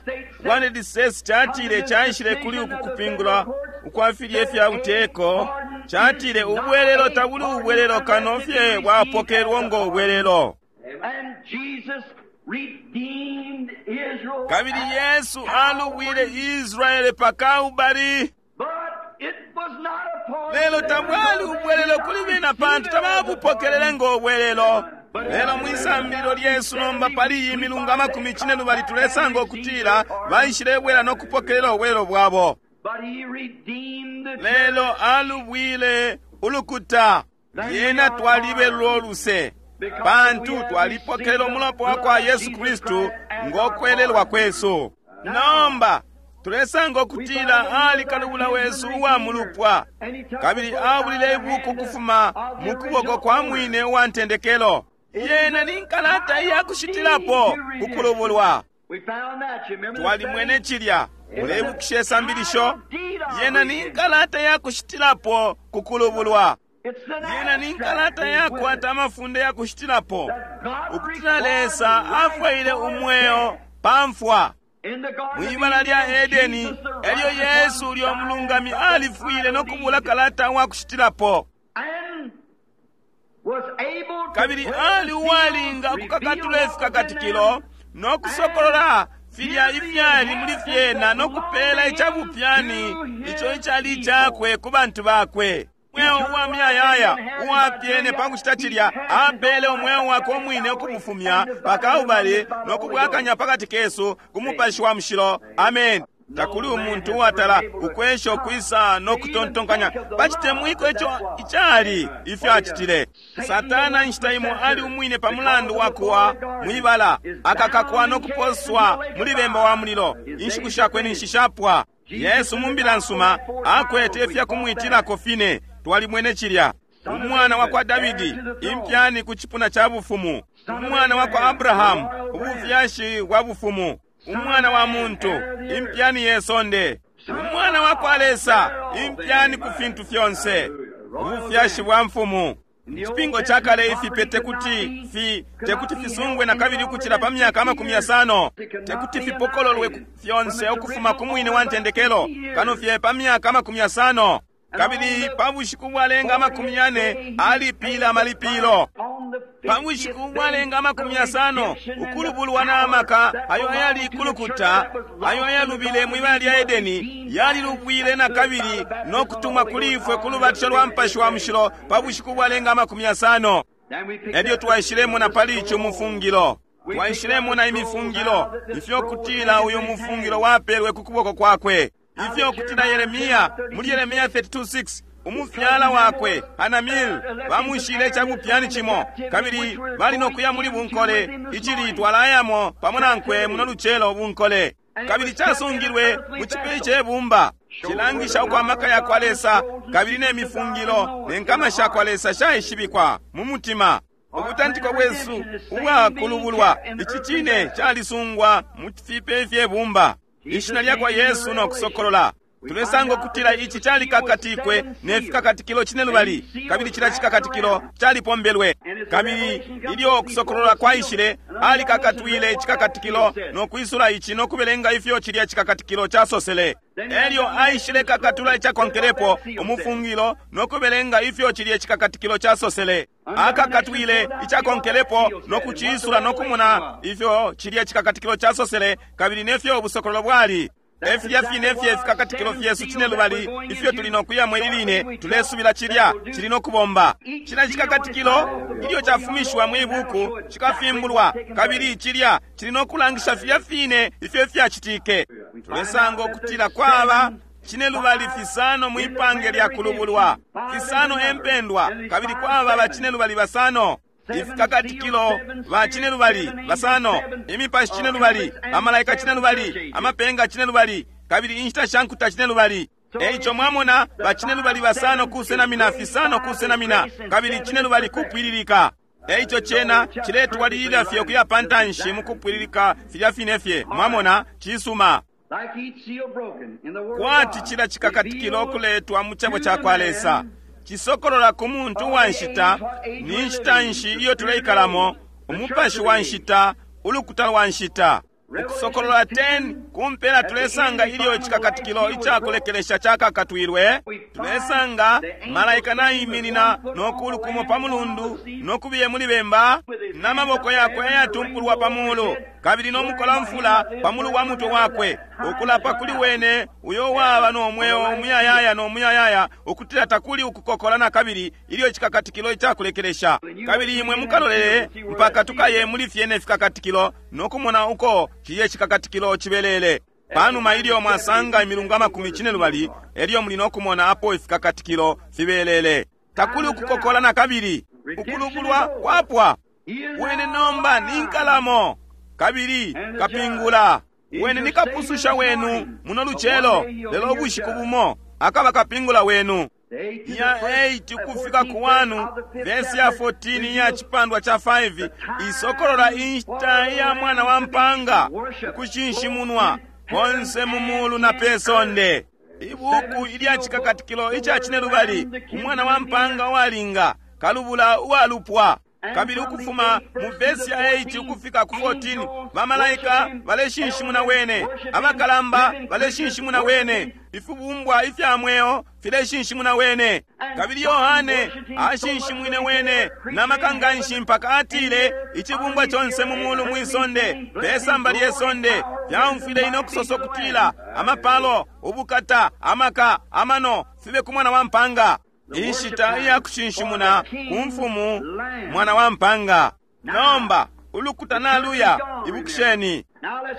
bwa United States catile caishile kuli uku kupingula ukwa filye fya buteko, catile ubwelelo tabuli ubwelelo kano fye bwapokelwa ngo ubwelelo. Kabili Yesu alubwile Israele pa Kalbari. Lelo tabwali ubwelelo kuli bena pantu tababupokelele ngo ubwelelo. Lelo mwisambililo lyesu nomba pali iyi milungu 40 tulesanga ukutila baishilebwela no kupokelela ubwelelo bwabo. Lelo alubwile ulukuta, lyena twalibelelwa uluse, pantu twalipokelela umulopa wa kwa Yesu Kristu ngo kwelelwa kwesu. Nomba tulesanga ukutila ali kalubula wesu uwa mulupwa, kabili abulile ibuku kufuma mu kuboko kwa mwine uwa ntendekelo. Yena ni nkalata iya kushitilapo ku kulubulwa. Twalimwene cilya. Muleibukisha isambilisho? Yena ni nkalata ya kushitilapo ku kulubulwa. Yena ni nkalata yakwata amafunde ya kushitilapo, ukutila Lesa afwaile umweo pa mfwa. Mwibala lya Edeni, elyo Yesu ulyo mulungami alifwile no kubula kalata wa kushitilapo, kabili ali uwalinga ukukakatula ifikakatikilo no kusokolola filya ifyali muli fyena no kupela icabupyani ico icali icakwe ku bantu bakwe. Umweo uwa muyayaya uwapyene pa kucita cilya apele umweo wakwe umwine ukubufumya pa Kalbale no kubwakanya pakati kesu ku Mupashi wa Mushilo. Amen. Takuli umuntu uwatala ukwesha ukwisa no kutontonkanya pa citemwiko ico icali ifyo acitile. Satana inshita imo ali umwine pa mulandu wa kuwa mwibala, akakakwa no kuposwa muli bemba wa mulilo. Inshiku shakwe ninshi shapwa. Yesu mu mbila nsuma akwete ifya kumwitilako fine. Twalimwene cilya. Umwana wa kwa Davidi, impyani ku cipuna ca bufumu. Umwana wa kwa Abrahamu, ubufyashi bwa bufumu. Umwana wa muntu, impyani ye sonde. Umwana wa kwa Lesa, impyani ku fintu fyonse, ubufyashi bwa mfumu. Icipingo ca kale ifipe tekuti fi tekuti fisungwe na kabili ukucila pa myaka 50, tekuti fipokololwe fyonse ukufuma ku mwine wa ntendekelo kano fye pa myaka 50. Kabili pa bushiku bwalenga 40 alipila amalipilo. Pa bushiku bwalenga 50 ukulubulwa na maka ayo ayali kulukuta ayo ayalubile mwibala lya Edeni yalilubwile na kabili no kutumwa kuli ifwe ku lubatisho lwa Mupashi wa Mushilo pa bushiku bwalenga 50. Elyo twaishilemo pali ico mufungilo. Twaishilemo na imifungilo ifyo kutila uyu mufungilo wapelwe ku kuboko kwakwe. Ifyo kutila Yeremia muli Yeremia 32:6 umufyala wakwe Hanamil bamushile icabupyani cimo, kabili bali no kuya muli bunkole icili twalayamo pamo nankwe muno lucelo bunkole, kabili casungilwe mu cipe cebumba. Cilangisha uko amaka ya kwa Lesa kabili ne mifungilo ne nkama sha kwa Lesa shaishibikwa mu mutima. Ubutantiko bwesu ubwakulubulwa ici cine calisungwa mu fipe fyebumba. Ishina lya kwa Yesu no kusokolola. Tulesanga ukutila ici calikakatikwe ne fikakatikilo cine lubali, kabili cila cikakatikilo calipombelwe. Kabili ilyo kusokolola kwaishile, alikakatwile icikakatikilo no kwisula ici no kubelenga ifyo cilya cikakatikilo casosele. Elyo aishile kakatula icakonkelepo umufungilo no kubelenga ifyo cilya cikakatikilo casosele. Akakatwile icakonkelepo no kuciisula no kumona ifyo cilya cikakatikilo casosele kabili nefyo ubusokololo bwali. Efilya fine fye fikakatikilo fyesu cine lubali ifyo tuli no kuyamo ili line tulesubila cilya cili no kubomba. Cila cikakatikilo ilyo cafumishwa mwi buku cikafimbulwa, kabili cilya cili no kulangisha filya fine ifyo fyacitike. Tulesanga ukutila kwaba cine lubali fisano mwipange lya kulubulwa, fisano empendwa, kabili kwaba ba cine lubali basano. Ifikakatikilo ba cine lubali basano, imipashi cine lubali, amalaika cine lubali, amapenga cine lubali, kabili inshita sha nkuta cine lubali. Eico mwamona ba cine lubali basano kusenamina, fisano kusenamina, kabili cine lubali kupwililika. Eico cena ciletwalilila fye ukuya pantanshi mukupwililika filya fine fye. Mwamona, cisuma. Kwati cila cikakatikilo kuletwa mu cebo ca kwa Lesa cisokolola ku muntu wa nshita, ni nshita nshi iyo tuleikalamo, umupashi wa nshita, ulukuta lwa nshita. Ukusokolola 10 kumpela tulesanga ilyo icikakatikilo icakulekelesha cakakatwilwe. Tulesanga malaika naiminina no kulukumo pa mulundu no kubiye muli bemba na maboko yakwe ayatumpulwa pa mulu, kabili no mukolamfula pa mulu wa mutwe wakwe, ukulapa kuli wene uyo waba no mweo umuyayaya no muyayaya, ukutila takuli ukukokola na kabili ilyo icikakatikilo icakulekelesha. Kabili imwe mukalolele mpaka tukaye muli fyene fikakatikilo no kumona uko ciye cikakatikilo cibelele. Panuma ilyo mwasanga imilungu 40, elyo muli no kumona apo ifikakatikilo fibelele. Takuli ukukokola na kabili, ukulubulwa kwapwa. Wene nomba ni nkalamo kabili kapingula. Wene ni kapususha wenu muno lucelo, lelo ubushiku bumo akaba kapingula wenu. Ya 8 ukufika ku 1 vesi ya 14 iya chipandwa cha 5 isokolola inshita ya mwana wa mpanga ukushinshimunwa konse mu mulu na pe sonde. Ibuku ilya chikakatikilo ica cinelubali, umwana wa mpanga uwalinga, kalubula uwalupwa. Kabili ukufuma mu vesi ya 8 ukufika ku 14, bamalaika baleshinshimuna wene, abakalamba baleshinshimuna wene, ifibumbwa ifya mweo fileshinshimuna wene. Kabili Yohane ashinshimwine wene na maka nganshi mpaka atile icibumbwa conse mu mulu mwisonde pesamba lye sonde fyaumfwile ine ukusosa ukutila amapalo, ubukata, amaka, amano fibe ku mwana wa mpanga. Inshita iya kushinshimuna ku mfumu mwana wa mpanga. Nomba ulukuta naluya, ibukisheni.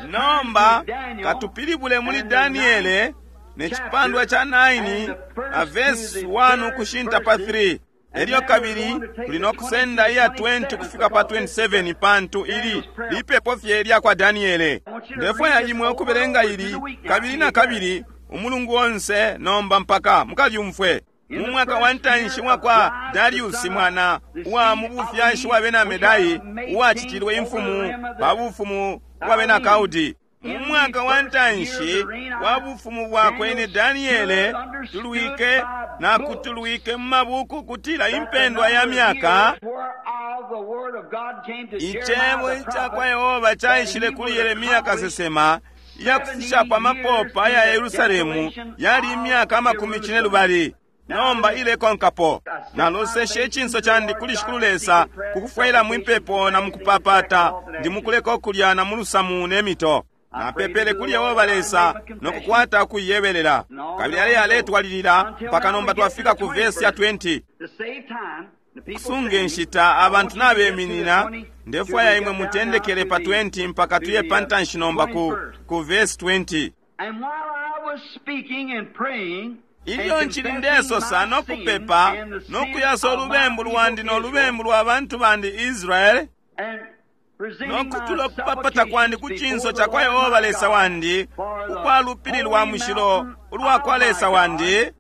Nomba katupilibule muli Daniele ne chipandwa cha 9 na verse 1 ukushinta pa 3. Elyo kabili tuli no kusenda iya 20 kufika pa 27, pantu ili lipepo fye lya kwa Daniele. Ndefwaya imwe ukubelenga ili kabili na kabili umulungu onse nomba mpaka mukalyumfwe. Mu mwaka wa ntanshi wa kwa Dariusi mwana uwa mu bufyashi wa bena Medai, uwacitilwe imfumu pa bufumu bwa bena Kaudi. Mu mwaka wa ntanshi wa bufumu bwakwe ne Daniele tulwike na kutulwike mu mabuku kutila impendwa ya myaka. Icebo ica kwa Yehova caishile kuli Yeremia kasesema iyakufishapo amapopa ya Yerusalemu yali imyaka 40. Nomba ilekonkapo. Naloseshe icinso candi kuli Shikulu Lesa kukufwaila mwipepo na mukupapata, ndi mukuleka ukulya na mulusamu ne mito. Napepele kuli Yehova Lesa nokukwata ukuyebelela. Kabili ale aletwalilila mpaka nomba twafika ku vesi ya 20. Kusunga inshita abantu nabeminina, ndefwaya imwe mutendekele pa 20 mpaka tuye pantanshi nomba ku vesi 20. Ilyo nchili ndesosa nokupepa nokuyasa olubembu lwandi nolubembu lwa bantu bandi Israeli, nokutula okupapata kwandi ku cinso ca kwa Yehova Lesa wandi, ukwa lupili lwa mushilo ulwa kwa Lesa wandi,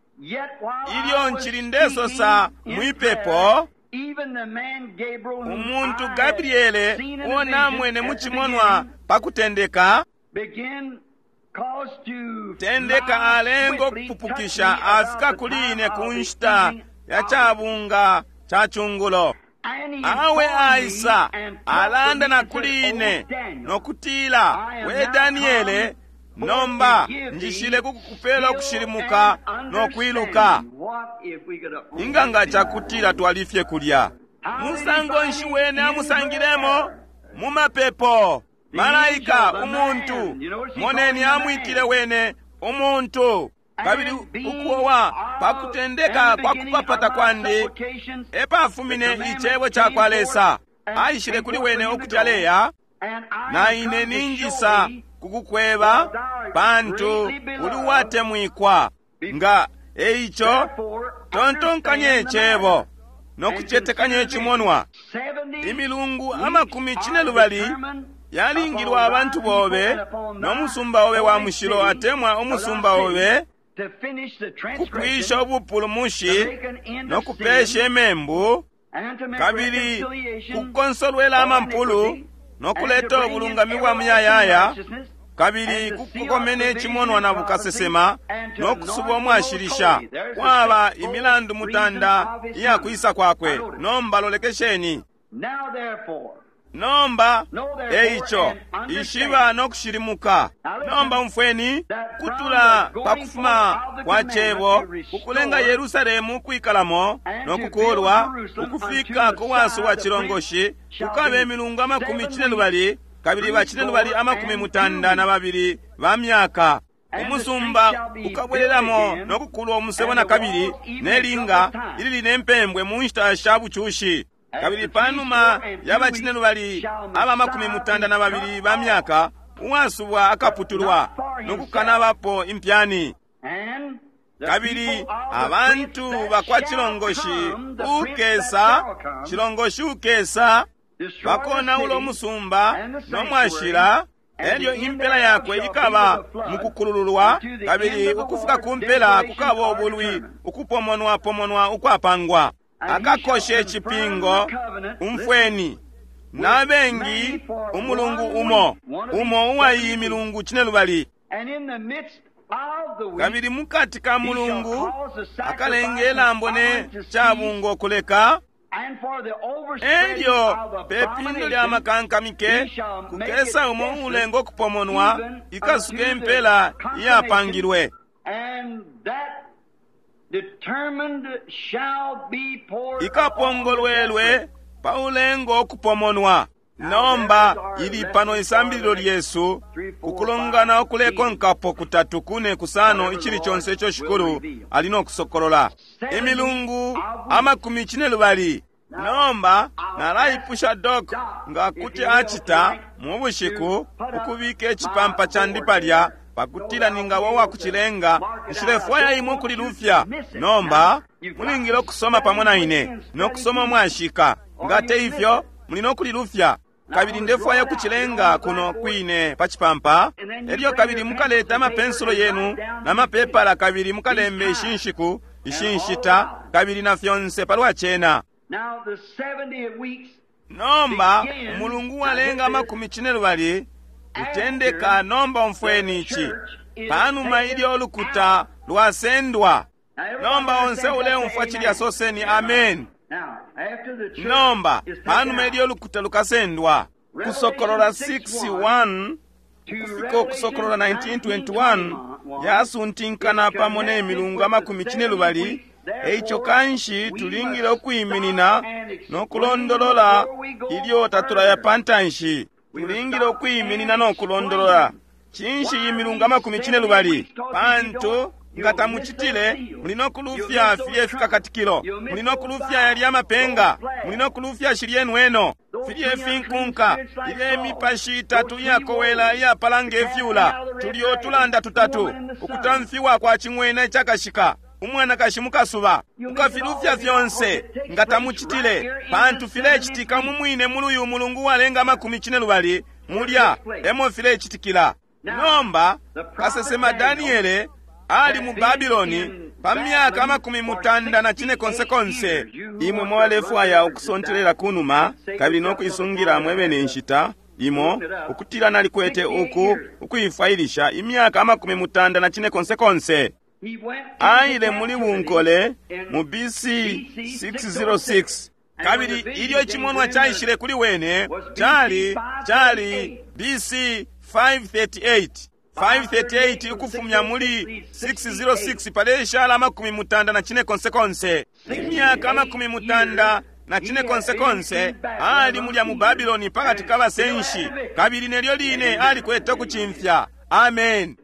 ilyo nchili ndesosa mwipepo, umuntu Gabriele uo namwene mu cimonwa pa kutendeka, tendeka alengo kupupukisha afika kuli ine ku nshita ya cabunga ca cungulo. Awe aisa alanda na kuli ine nokutila, we Daniele, nomba njishile kukupela ukushilimuka nokwiluka. Inganga cakutila twalifye kulya. Musango nshi wene amusangilemo? Mu mapepo. Malaika umuntu, moneni amwitile wene umuntu. Kabili ukuowa pakutendeka kwa kupapata kwandi epafumine icebo ca kwa Lesa. Aishile kuli wene ukuti aleya, na ine ninjisa kukukweba pantu uli uwatemwikwa. Nga eico tontonkanye icebo nokucetekanya icimonwa. Imilungu 40 yalingilwa abantu bobe no musumba obe wa mushilo atemwa umusumba obe, kupwisha ubupulumushi no kupesha imembu, kabili kukonsolwela amampulu no kuleta ubulungami bwa muyayaya, kabili kukukomene icimonwa na bukasesema no kusuba umwashilisha. Kwaba imilandu mutanda iya kwisa kwakwe. Nomba lolekesheni. Nomba eico ishiba no kushilimuka. Nomba umfweni kutula pa kufuma kwa cebo kukulenga Yerusalemu ukwikalamo no kukulwa ukufika ku wasu wa cilongoshi, kukabe imilungu 42 kabili bacinelubali 92 ba myaka. Umusumba ukabwelelamo no kukulwa umusebo na kabili ne linga ilili ne mpembwe mu nshita sha bucushi. Kabili panuma ya bacinelubali aba 92 ba myaka, uwasubwa akaputulwa no kukanabapo impyani. Kabili abantu bakwa cilongoshi ukesa, cilongoshi ukesa, bakonaula umusumba no mwashila, Elyo impela yakwe ikaba mukukulululwa, kabili ukufika ku mpela kukaba ubulwi ukupomonwapomonwa ukwapangwa. Akakoshe icipingo, umfweni, na bengi umulungu umo, umo uwa iyi milungu cinelubali. Kabili mukati ka mulungu akalenga ilambo ne cabungo kuleka. Elyo pe pindo lya makankamike kukesa umo uulenga ukupomonwa, ikasuke impela iyapangilwe. Ikapongolwelwe pa ulengo ukupomonwa. Nomba ili pano isambililo lyesu ukulongana ukulekonkapo kutatu kune kusano icili conse ico Shikulu ali no kusokolola. Imilungu 42. Nomba nalaipusha Doc nga kuti acita mu bushiku ukubika icipampa candi palya pakutila ningaba uwakucilenga. Nshilefwaya imwe ukulilufya. Nomba mulingile ukusoma pamo na ine no kusoma mwashika. Nga te ifyo muli no kulilufya. Kabili ndefwaya ukucilenga kuno kwine pa cipampa. Elyo kabili mukaleta amapensulo yenu na mapepala, kabili mukalembe ishi nshiku, ishi nshita, kabili na fyonse palwa cena. Nomba umulungu walenga 12 utendeka. Nomba umfweni ici, panuma ilyo ulukuta lwasendwa. Nomba onse uleumfwa cilya soseni amen. Nomba panuma ilyo ulukuta lukasendwa, Kusokolola 6:1 ukufika Ukusokolola 19:21 yasuntinkana pamo ne milungu 12. Eico kanshi tulingile ukwiminina no kulondolola ilyo tatulaya pantanshi. Tulingile ukwiminina no kulondolola cinshi iyi milungu 12, pantu nga tamucitile muli no kulufya filye fikakatikilo, muli no kulufya yalya mapenga, muli no kulufya shilye nweno, filye finkunka, ilye mipashi itatu iyakowela iyapala nge fyula, tulyo tulanda tutatu, ukutamfiwa kwa cing'wena icakashika, umwanakashi mukasuba. Mukafilufya fyonse nga tamucitile, pantu filecitika mu mwine muli uyu mulungu walenga 12, mulya emo filecitikila. Nomba kasesema Daniele ali mu Babiloni pa myaka 98. Imwe mwalefwaya ukusontelela kunuma kabili no kuisungira mwebene inshita imo ukutila nalikwete uku ukuifwailisha imyaka 98. Aile muli bunkole mu BC 606, kabili ilyo icimonwa caishile kuli wene cali cali BC 538. 538 ukufumya muli 606 paleshala 94. Imyaka 94 ali mulya mu Babiloni pakati ka basenshi, kabili nelyo line alikwete ukucimfya. Amen.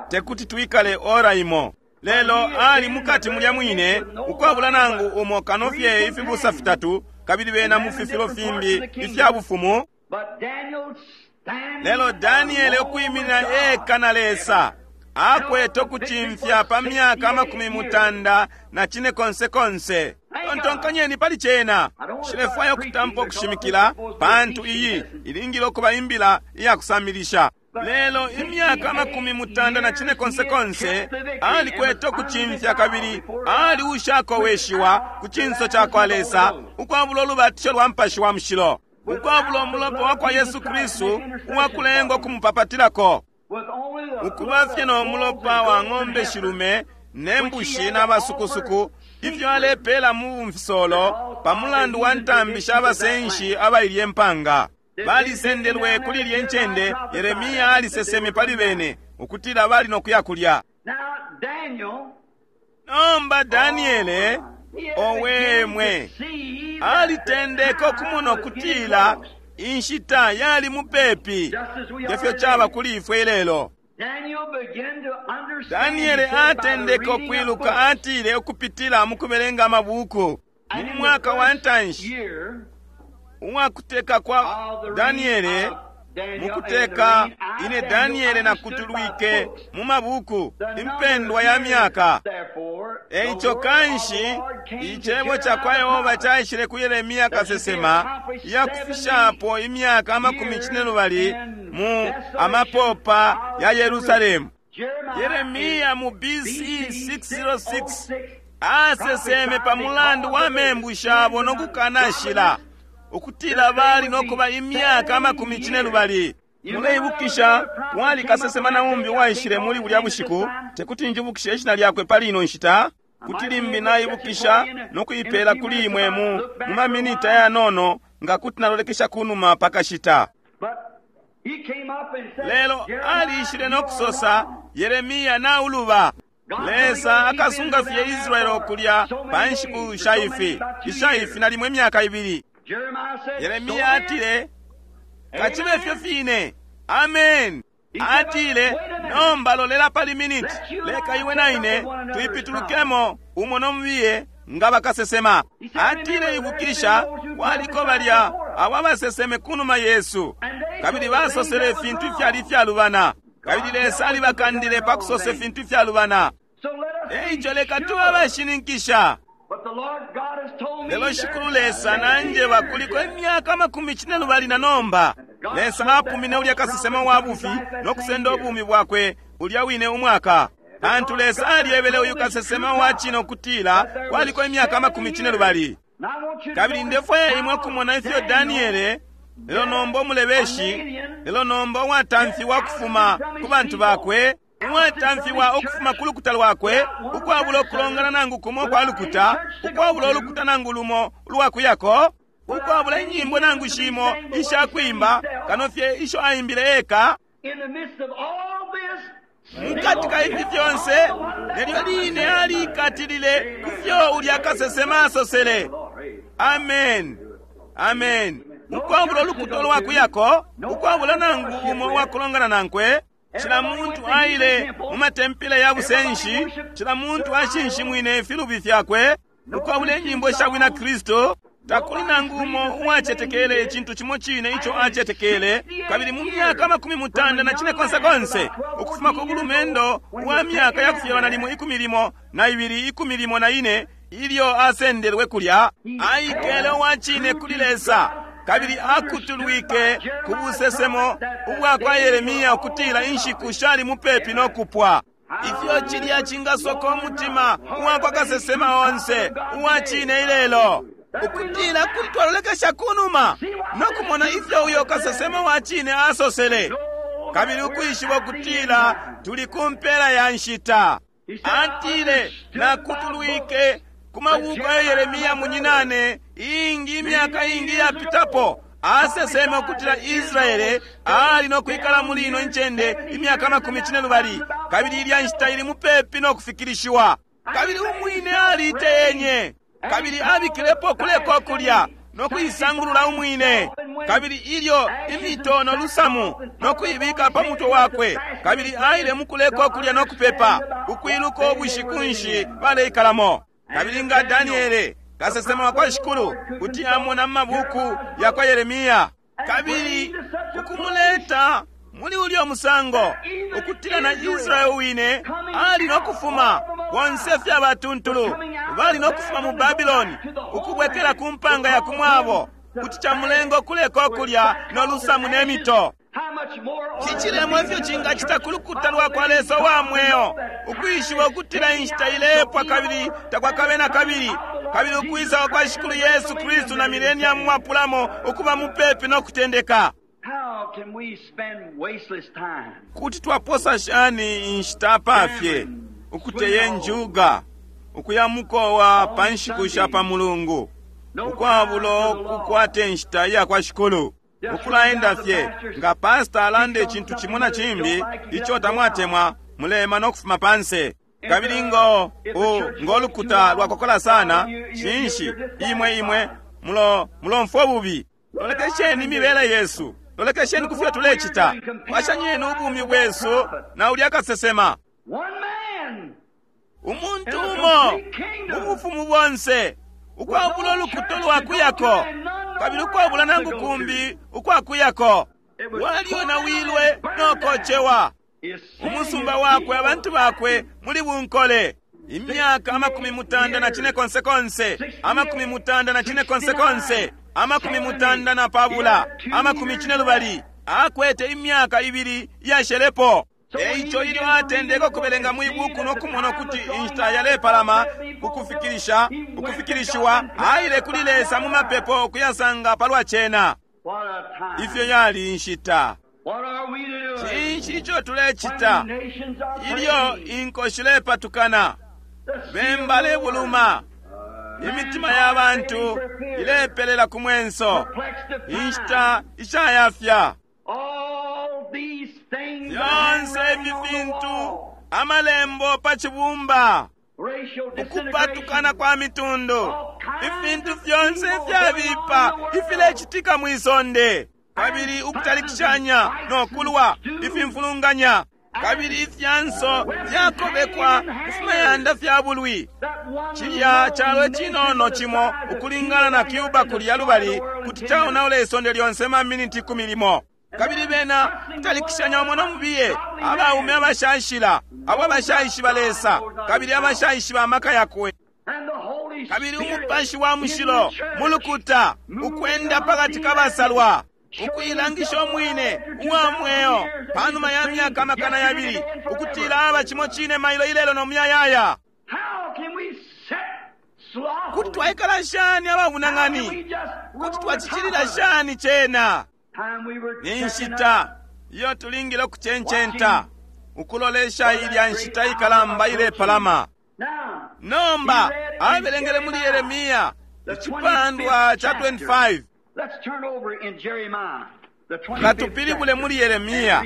Tekuti twikale ora imo, lelo ali mukati mulya mwine ukwabula nangu umo kano fye ifibusa fitatu, kabili bena mu fifilo fimbi ifya bufumu. Lelo Daniele ukwiminina eka na Lesa akwete ukucimfya pa myaka 94. Tontonkanyeni pali cena. Nshilefwaya ukutampa ukushimikila, pantu iyi ilingile ukuba imbila iyakusamilisha. Lelo imyaka 94 alikwete ukucimfya, kabili ali ushakoweshiwa ku cinso ca kwa Lesa ukwabula ulubatisho lwa Mupashi wa Mushilo, ukwabula umulopa wa kwa Yesu Kristu uwakulenga ukumupapatilako, ukuba fye no mulopa wa ng'ombe shilume ne mbushi na basukusuku ifyo alepela mu bumfisolo pa mulandu wa ntambi sha basenshi abailye mpanga. Balisendelwe kuli ilye ncende. Yeremia aliseseme pali bene ukutila bali no kuya kulya. Nomba Daniele owemwe alitendeka ukumona ukutila inshita yali mupepi, ngefyo caba kuli ifwe ilelo. Daniele atendeka ukwiluka, atile ukupitila mu kubelenga amabuku. Mu mwaka wa ntanshi uwakuteka kwa Daniele, Mukuteka ine Daniele nakutulwike mu mabuku impendwa ya myaka. Eico kanshi icebo ca kwa Yehova caishile ku Yeremia kasesema iyakufishapo imyaka 40 mu amapopa ya Yerusalemu. Yeremia mu BC 606 aseseme pa mulandu wa membu shabo no kukanashila ukutila bali no kuba imyaka 40. Muleibukisha wali kasesema na umbi uwaishile muli bulya bushiku, tekuti njibukishe ishina lyakwe pali ino nshita, kuti limbi naibukisha no kuipeela kuli imwe mu maminita yanono nga kuti nalolekesha kunuma pakashita. Lelo aliishile no kusosa, Yeremia nauluba. Lesa akasunga fye Israeli kulya pa nshiku shaifi ishaifi nalimo imyaka 2. Yeremia atile, kachibe fyo fine. Amen. Atile, nomba lolela pali miniti, leka iwe na ine tuipitulukemo umo nomubiye nga bakasesema. Atile, ibukisha waliko balya abo abaseseme kunuma Yesu, kabili basosele ifintu ifyali ifyalubana, kabili Lesa alibakandile pa kusosa ifintu ifyalubana. Eico leka tube abashininkisha. Lelo Shikulu Lesa nanjeba kuliko imyaka 42 na nomba. Lesa apumine ulya kasesema wa bufi no kusenda ubumi bwakwe ulya wine umwaka. Pantu Lesa alyebele uyu kasesema wa cine ukutila kwaliko imyaka 42. Kabili ndefwaya imwe kumona ifyo Daniele, lelo nomba umulebeshi, lelo nomba uwatamfiwa ukufuma ku bantu bakwe, uwatamfiwa ukufuma ku lukuta lwakwe, ukwabula ukulongana nangu kumo kwa lukuta, ukwabula ulukuta nangu lumo ulwakuyako, ukwabula inyimbo nangu shimo ishakwimba, kano fye isho aimbile eka. Mukati ka ifi fyonse, nelyo line aliikatilile ku fyo ulya kasesema asosele. Amen. Amen. Ukwabula ulukuta lwakuyako, ukwabula nangu umo uwakulongana nankwe, cila muntu aile mu matempile ya busenshi, cila muntu ashinshimwine ifilubi fyakwe, ukwabula inyimbo sha bwina Kristo, takuli nangu umo uwacetekele icintu cimo cine ico acetekele. Kabili mu myaka 94 ukufuma ku bulumendo wa myaka ya kufyalwa nalimo 12 14 ilyo asendelwe kulya, aikele uwacine kuli Lesa, kabili akutulwike ku busesemo ubwa kwa Yeremia ukutila inshiku shali mupepi no kupwa. Ifyo cilya cingasoka umutima uwa kwa kasesema onse uwacine ilelo, ukutila kuti twalolekesha kunuma no kumona ifyo uyo kasesema wa cine asosele, kabili ukwishiba ukutila tuli ku mpela ya nshita. Atile, nakutulwike ku mabuku ya Yeremia munyinane ingi imyaka ingi yapitapo, aseseme ukutila Israele ali no kwikala muli ino incende imyaka 42, kabili ilya nshita ili mupepi no kufikilishiwa. Kabili umwine aliteyenye, kabili abikilepo kuleko kulya no kuisangulula umwine, kabili ilyo imito no lusamu no kuibika pa mutwe wakwe, kabili aile mukuleko kulya no kupepa, ukwiluka ubushiku nshi baleikalamo. Kabili nga Daniele kasesema wa kwa Shikulu kuti amona mu mabuku ya kwa Yeremia, kabili ukumuleta muli ulyo musango ukutila na Israeli wine ali no kufuma bonse fye abatuntulu bali no kufuma mu Babiloni ukubwekela ku mpanga ya kumwabo, kuti camulenga ukuleka kulya no lusamu ne mito. Cicilemo ifyo cingacita ku lukuta lwa kwa Lesa wa mweo ukwishiba ukutila inshita ilepwa kabili takwakabe na kabili, kabili ukwisa kwa Shikulu Yesu Kristu na mileniamu wapulamo ukuba mupepi no kutendeka. Kuti twaposa shani inshita pafye ukuteye njuga, ukuya mukowa pa nshiku sha pa Mulungu, ukwabulo kukwate nshita iya kwa Shikulu, ukulaenda fye nga pasta alanda icintu cimo na cimbi ico tamwatemwa, mulema no kufuma panse. Kabili ngo lukuta lwakokola sana, cinshi imwe imwe mulomfwa bubi. Lolekesheni imibele yesu, lolekesheni kufyo tulecita, pashanyeni ubumi bwesu na ulya kasesema. Umuntu umo mu bufumu bonse ukwabula ulukuta lwakuyako, kabili ukwabula nangu kumbi ukwakuyako. Walyonawilwe no kocewa. Umusumba wakwe, abantu bakwe muli bunkole. Imyaka 84, 84, 82, 80. Akwete imyaka 2 yashelepo. Eico ilyo atendeka ukubelenga mwi buku no kumona ukuti inshita yalepalama kukufikirisha ukufikirishiwa, aile kuli Lesa mu mapepo kuyasanga palwa cena. Ifyo yali inshita! Cinshi ico tulecita ilyo inko shilepatukana, bemba lebuluma, imitima ya bantu ilepelela ku mwenso, inshita ishayafya? Fyonse ifi fintu amalembo pa cibumba, ukupatukana kwa mitundu, ifintu fyonse ifyabipa ifilecitika mwi sonde, kabili ukutalikishanya no kulwa, ifimfulunganya, kabili ifyanso fyakobekwa kufimayanda fya bulwi. Cilya calo cinono cimo ukulingana na Cuba kulya lubali kuti caonaula isonde lyonse ma miniti 10. Kabili bena kutalikishanya umo no mubiye, abaume abashashila, abo abashaishiba Lesa, kabili abashaishiba amaka yakwe. Kabili umupashi wa mushilo mulukuta ukwenda pakati kabasalwa, ukuilangisha umwine uwa mweo panuma ya myaka 200, ukutila aba cimo cine mailo ilelo no muyayaya. Kuti twaikala shani ababunang'ani? Kuti twacicilila shani cena? Ni nshita iyo tulingile ukucencenta, ukulolesha ilya nshita ikalamba ilepalama. Nomba abelengele muli Yeremia icipandwa cha 25. Katupilibule muli Yeremia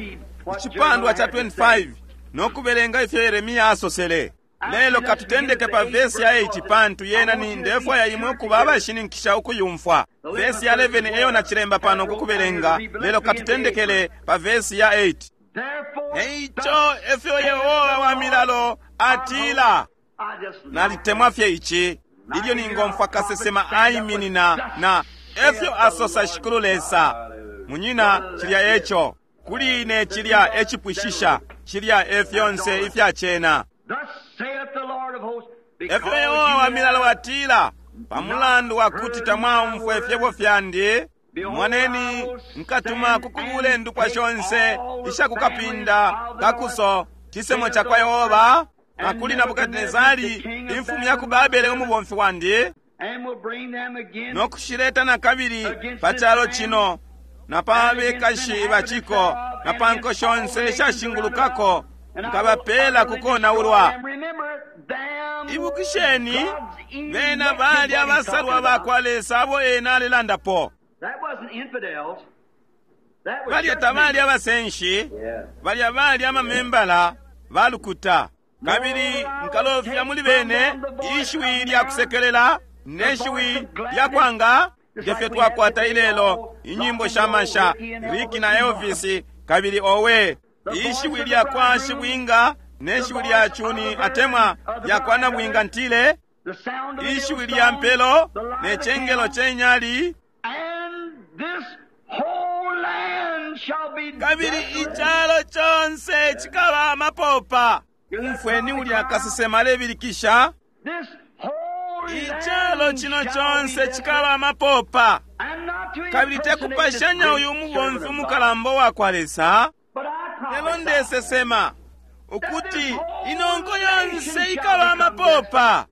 icipandwa cha 25 no kubelenga ifyo Yeremia asosele. Lelo katutendeke pa vesi ya 8, pantu yena ni ndefwaya imwe ukuba abashininkisha ukuyumfwa. Vesi ya 11 eyo nacilemba pano kukubelenga, lelo katutendekele pa vesi ya 8. Eico efyo Yehowa wa milalo atila. Nalitemwa fye ici ilyo ningomfwa kasesema aiminina na efyo asosa Shikulu Lesa. Munyina, cilya eco kuli ine, cilya ecipwishisha, cilya e fyonse ifyacena. Efyo Yehowa wa milalo atila, pamulandu wakuti tamwaumfwa ifyebo fyandi, moneni nkatuma kukubula indupwa shonse ishakukapinda kakuso cisemo cakwa Yehova, na kuli Nabukadinezari imfumu ya ku Babele umubomfi wandi, no kushileta na kabili pa calo cino na pa bekashi baciko na pa nko shonse ishashingulukako, nkabapela kukonaulwa. Ibukisheni, bena bali abasalwa bakwa Lesa abo ena alelandapo. Balya tabali abasenshi, balya bali amamembala balukuta. Kabili nkalofya muli bene ishiwi lya kusekelela ne shiwi lya kwanga, ngefyo twakwata ilelo inyimbo sha masha Ricky na Elvis, kabili owe ishiwi lya kwa shibwinga ne shiwi lya chuni atemwa lya kwa nabwinga ntile, ishiwi lya mpelo ne chengelo chenyali. Kabili icalo chonse chikaba amapopa. Umfweni ulya kasesema alebilikisha, icalo cino chonse chikaba amapopa. Kabili tekupashanya uyu mubomfi umukalamba wa kwa Lesa, lelo ndesesema ukuti inonko yonse ikaba amapopa.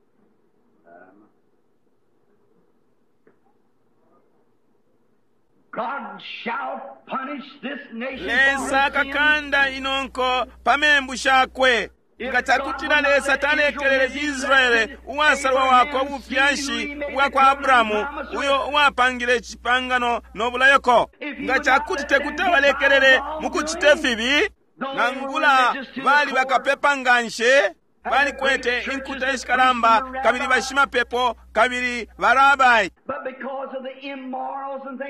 Lesa akakanda inonko pa membu shakwe. Nga cakutila Lesa talekelele Israele uwasalwa wakwe ubufyashi bwa kwa Abrahamu, uyo uwapangile icipangano no bulayoko, nga cakuti tekuti abalekelele mu kucite fibi, nangula bali bakapepa nganshi, balikwete inkuta ishikalamba, kabili bashimapepo, kabili barabai.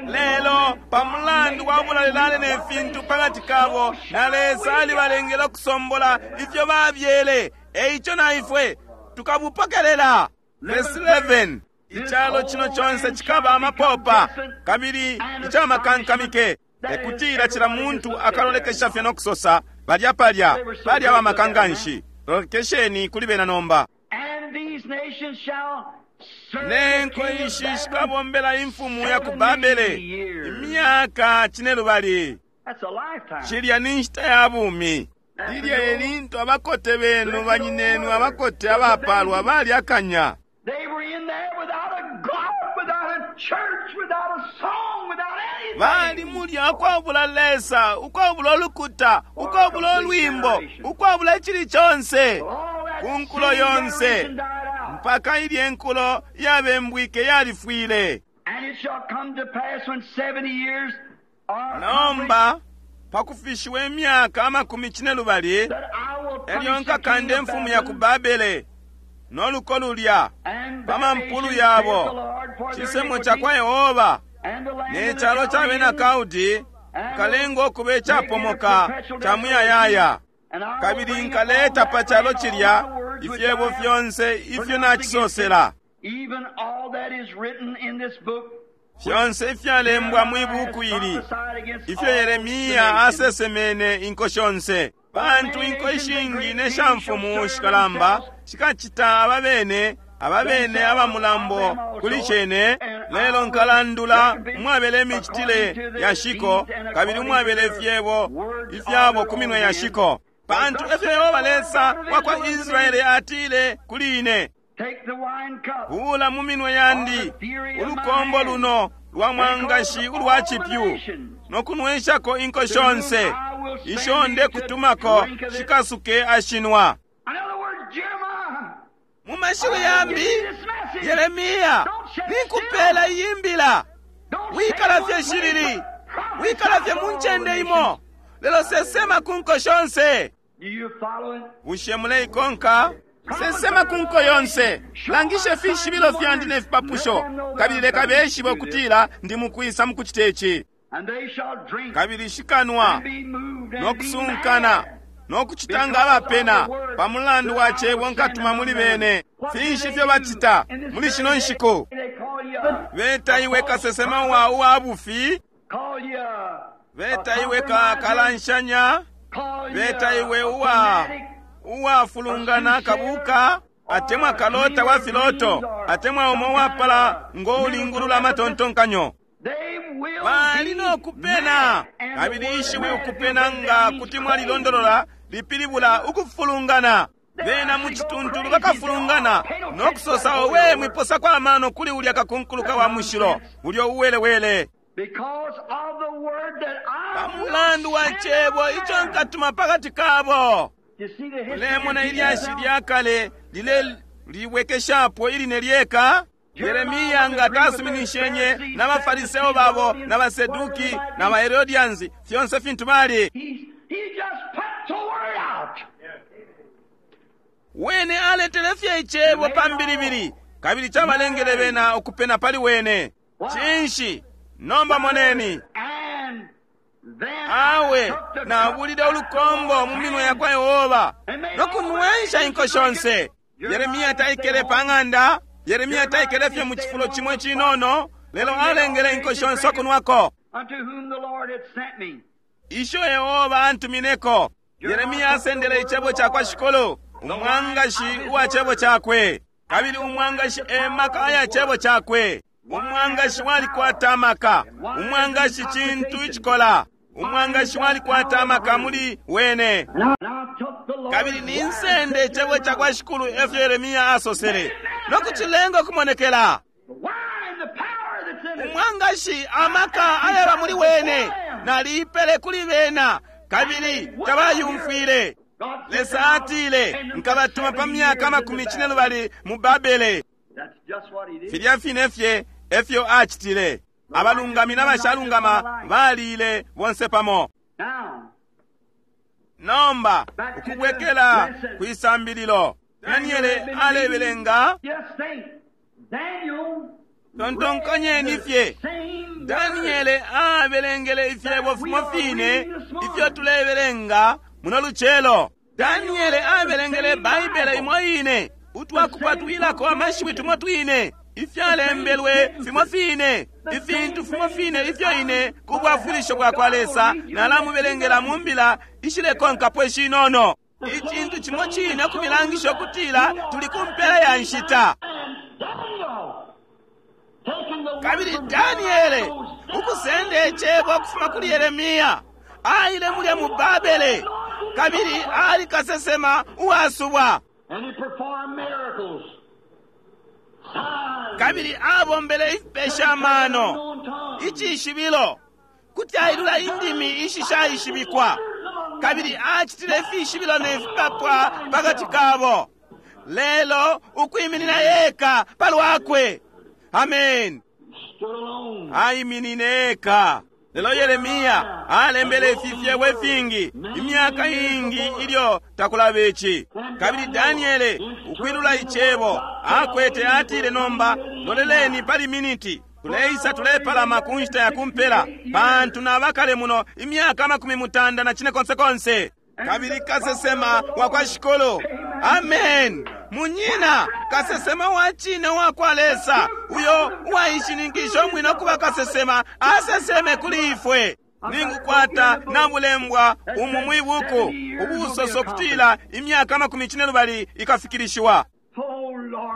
Lelo pamulandu wa bulalelale ne fintu pakati kabo, na Lesa alibalengele ukusombola ifyo babyele. Eico na ifwe tukabupokelela. Verse 11, icalo cino conse cikaba amapopa kabili icamakankamike. Ekutila cila muntu akalolekesha fye no kusosa, balya palya, bali abamaka nganshi. Lolekesheni kuli bena nomba. And these nations shall serve Ne the nko king of ishi Babylon shikabombela imfumu ya ku 70 Babele years. imyaka cinelubali. That's a lifetime. Cilya ni nshita ya bumi. Lilya e lintu abakote benu, banyinenu, abakote abapalwa bali akanya. They were in there without a God, without a church, without a song, without anything. Bali mulya ukwabula Lesa, ukwabula ulukuta, ukwabula ulwimbo, ukwabula icili conse. All that Ku nkulo sin yonse. generation died out. Mpaka ilye nkulo yabembwike yalifwile. And it shall come to pass when 70 years are Nomba, pakufishiwa imyaka amakumi cinelubali, that I will elyo punish the king nkakanda of imfumu ya ku Babylon Babele n'oluko lulya and pa that mampulu nation, yabo. saith the Lord, for their Cisemo ca kwa iniquity, Yehova and the land ne of the calo ca bena Chaldeans, Kaldi nkalenga okuba ecapomoka ca muyayaya. and I will Kabili bring nkaleta upon pa that calo land all cilya my words which ifyebo I have fyonse ifyo pronounced against nacisosela, it, even all that is written in this book, fyonse ifyalembwa mwi buku ili, ifyo Yeremiya asesemene inko shonse. Pantu inko ishingi ne shamfumu shikalamba shikacita ababene ababene aba mulambo kuli cene, lelo nkalandula umwabele imicitile ya shiko kabili umwabele ifyebo ifyabo ku minwe ya shiko. Pantu efyo Yehova Lesa wa kwa Israele atile kuli ine, Take the wine cup buula mu minwe yandi ulukombo luno lwa mwangashi ulwa cipyu no kunwenshako inko shonse isho ndekutumako shikasuke ashinwa. In other words, Jeremiah, Mu mashiwi I yambi, give you this message. Yeremiya, Don't sit ninkupela still. iyi mbila. Don't Wikala stay fye one shilili, place, but wikala fye prophesy mu to all ncende the imo, nations. lelo sesema ku nko shonse. Do you follow it? Bushe muleikonka? Sesema ku nko yonse, langishe fishibilo fyandi ne fipapusho, kabili leka beshibe ukutila ndi mukwisa mukucita ici. And they shall drink Kabili shikanwa and be moved no and be kusunkana mad. no kucita nga abapena pa mulandu wa cebo nkatuma muli bene. Finshi ifyo bacita muli shino nshiku? They call you a, Beta iwe kasesema wa uwa bufi, call you a, beta iwe ka kalanshanya, call you beta a, iwe a uwa fanatic, uwafulungana kabuka atemwa kalota wa filoto atemwa umo wapala ngo ulingulula amatontonkanyo. They will Bali be no kupena mad. And the kabili word ishiwi mad ukupena nga means kuti crazy. mwalilondolola lipilibula ukufulungana. Bena mu cituntulu bakafulungana no kusosa owe mwiposako amano kuli ulya kakunkuluka wa mushilo ulyo uwelewele. Because of the word that I Pa will mulandu wa send cebo among ico them. nkatuma pakati kabo. You see the history Mulemona of ilyashi Jesus now? lya kale lile liwekeshapo iline lyeka. Yeremiya nga tasuminishenye n'abafariseo babo n'abaseduki n'abaherodians fyonse fintu bali. He just put the word out. Wene aletele fye icebo pa mbilibili kabili cabalengele bena ukupena pali wene. Cinshi? Nomba moneni. And then I Awe took the cup nabulile ulukombo mu minwe ya kwa Yehova no kunwensha inko shonse. Yeremiya taikele pa ng'anda, Yeremiya taikele fye mu cifulo cimo icinono, lelo alengele inko shonse okunwako. unto whom the Lord had sent me. Isho Yehova antumineko. Yeremiya asendele icebo ca kwa Shikulu, umwangashi uwa cebo cakwe. Kabili umwangashi e maka aya cebo cakwe. Umwangashi walikwata amaka. Umwangashi cintu icikola. Umwangashi walikwata amaka muli wene. And I took the Lord's Kabili word ninsende icebo ca kwa Shikulu efyo Yeremiya asosele. No kucilenga okumonekela. the wine, the power that's in it. Umwangashi amaka ayaba muli wene. Naliipele kuli bena. Kabili tabayumfwile. God said, Lesa "I'll atile send them for nkabatuma pa 70 myaka years amakumi into cine Babylon." lubali mu Babele. That's just what he did. Filya fine fye efyo acitile. Abalungami n'abashalungama baliile bonse pamo. Now, Nomba ukubwekela kwisambililo. Daniele alebelenga just think, Daniel tontonkanyeni fye. same Daniele abelengele ifyebo fimo fine ifyo tulebelenga muno lucelo. Daniele abelengele Baibele imo ine, utwakupatwilako amashiwi tumo twine. Ifyalembelwe fimo fine, ifintu fimo fine ifyo ine ku bwafwilisho bwa kwa Lesa nalamubelengela mu mbila ishilekonkapo ishinono. Icintu cimo cine ukumilangisha ukutila tuli ku mpela ya nshita. Kabili Daniele ukusenda icebo ukufuma kuli Yeremia aile mulya mu Babele, kabili ali kasesema uwasubwa, kabili abombele ifipesha amano, icishibilo, kuti ailula indimi ishishaishibikwa, kabili acitile ifishibilo ne fipapwa pakati kabo, lelo ukwiminina eka palwakwe. Amen. Aiminine eka. Lelo Yeremia alembele ifi fyebo ifingi imyaka iingi ilyo takulaba ici. Kabili Daniele ukwilula icebo akwete atile, nomba loleleni pali miniti, tuleisa tulepalama ku nshita ya kumpela, pantu nabakale muno imyaka 95 konse. Kabili kasesema wa kwa Shikulu, amen, munyina, kasesema wa cine wa kwa Lesa, uyo uwaishininkisha umwine ukuba kasesema, aseseme kuli ifwe. Ningukwata nabulembwa umu mwibuku ubusoso kutila imyaka 42 ikafikilishiwa.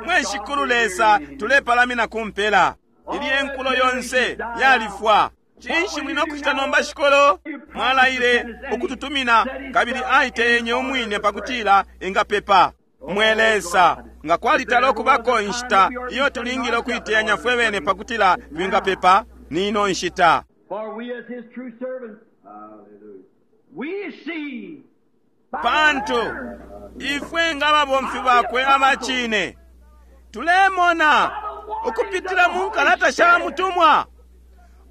Mwe Shikulu Lesa, tulepalamina ku mpela. Ilye nkulo yonse yalifwa. Cinshi muli nokucita nomba, Shikulu? Mwalaile ukututumina, kabili aiteyenye umwine pakutila engapepa. Mwe Lesa, nga kwalitala okubako inshita iyo tulingile ukuiteyanya fwe bene pakutila twingapepa, ni ino nshita. Pantu ifwe nga ababomfi bakwe abacine tulemona ukupitila mu nkalata sha mutumwa,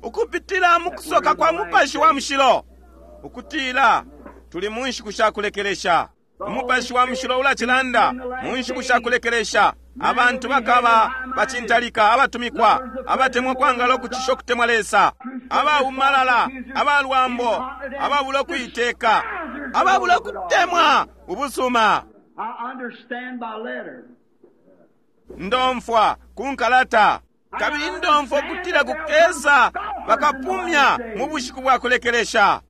ukupitila mu kusoka kwa Mupashi wa Mushilo, ukutila tuli mu nshiku sha kulekelesha. Umupashi wa Mushilo ulacilanda mu nshiku sha kulekelesha. Abantu bakaba bacintalika, abatumikwa, abatemwa kwangala ukucisha ukutemwa Lesa, abaumalala, abalwambo, ababula ukuiteka, ababula ukutemwa ubusuma. Ndomfwa ku nkalata, kabili ndomfwa ukutila kukesa bakapumya mu bushiku bwa kulekelesha.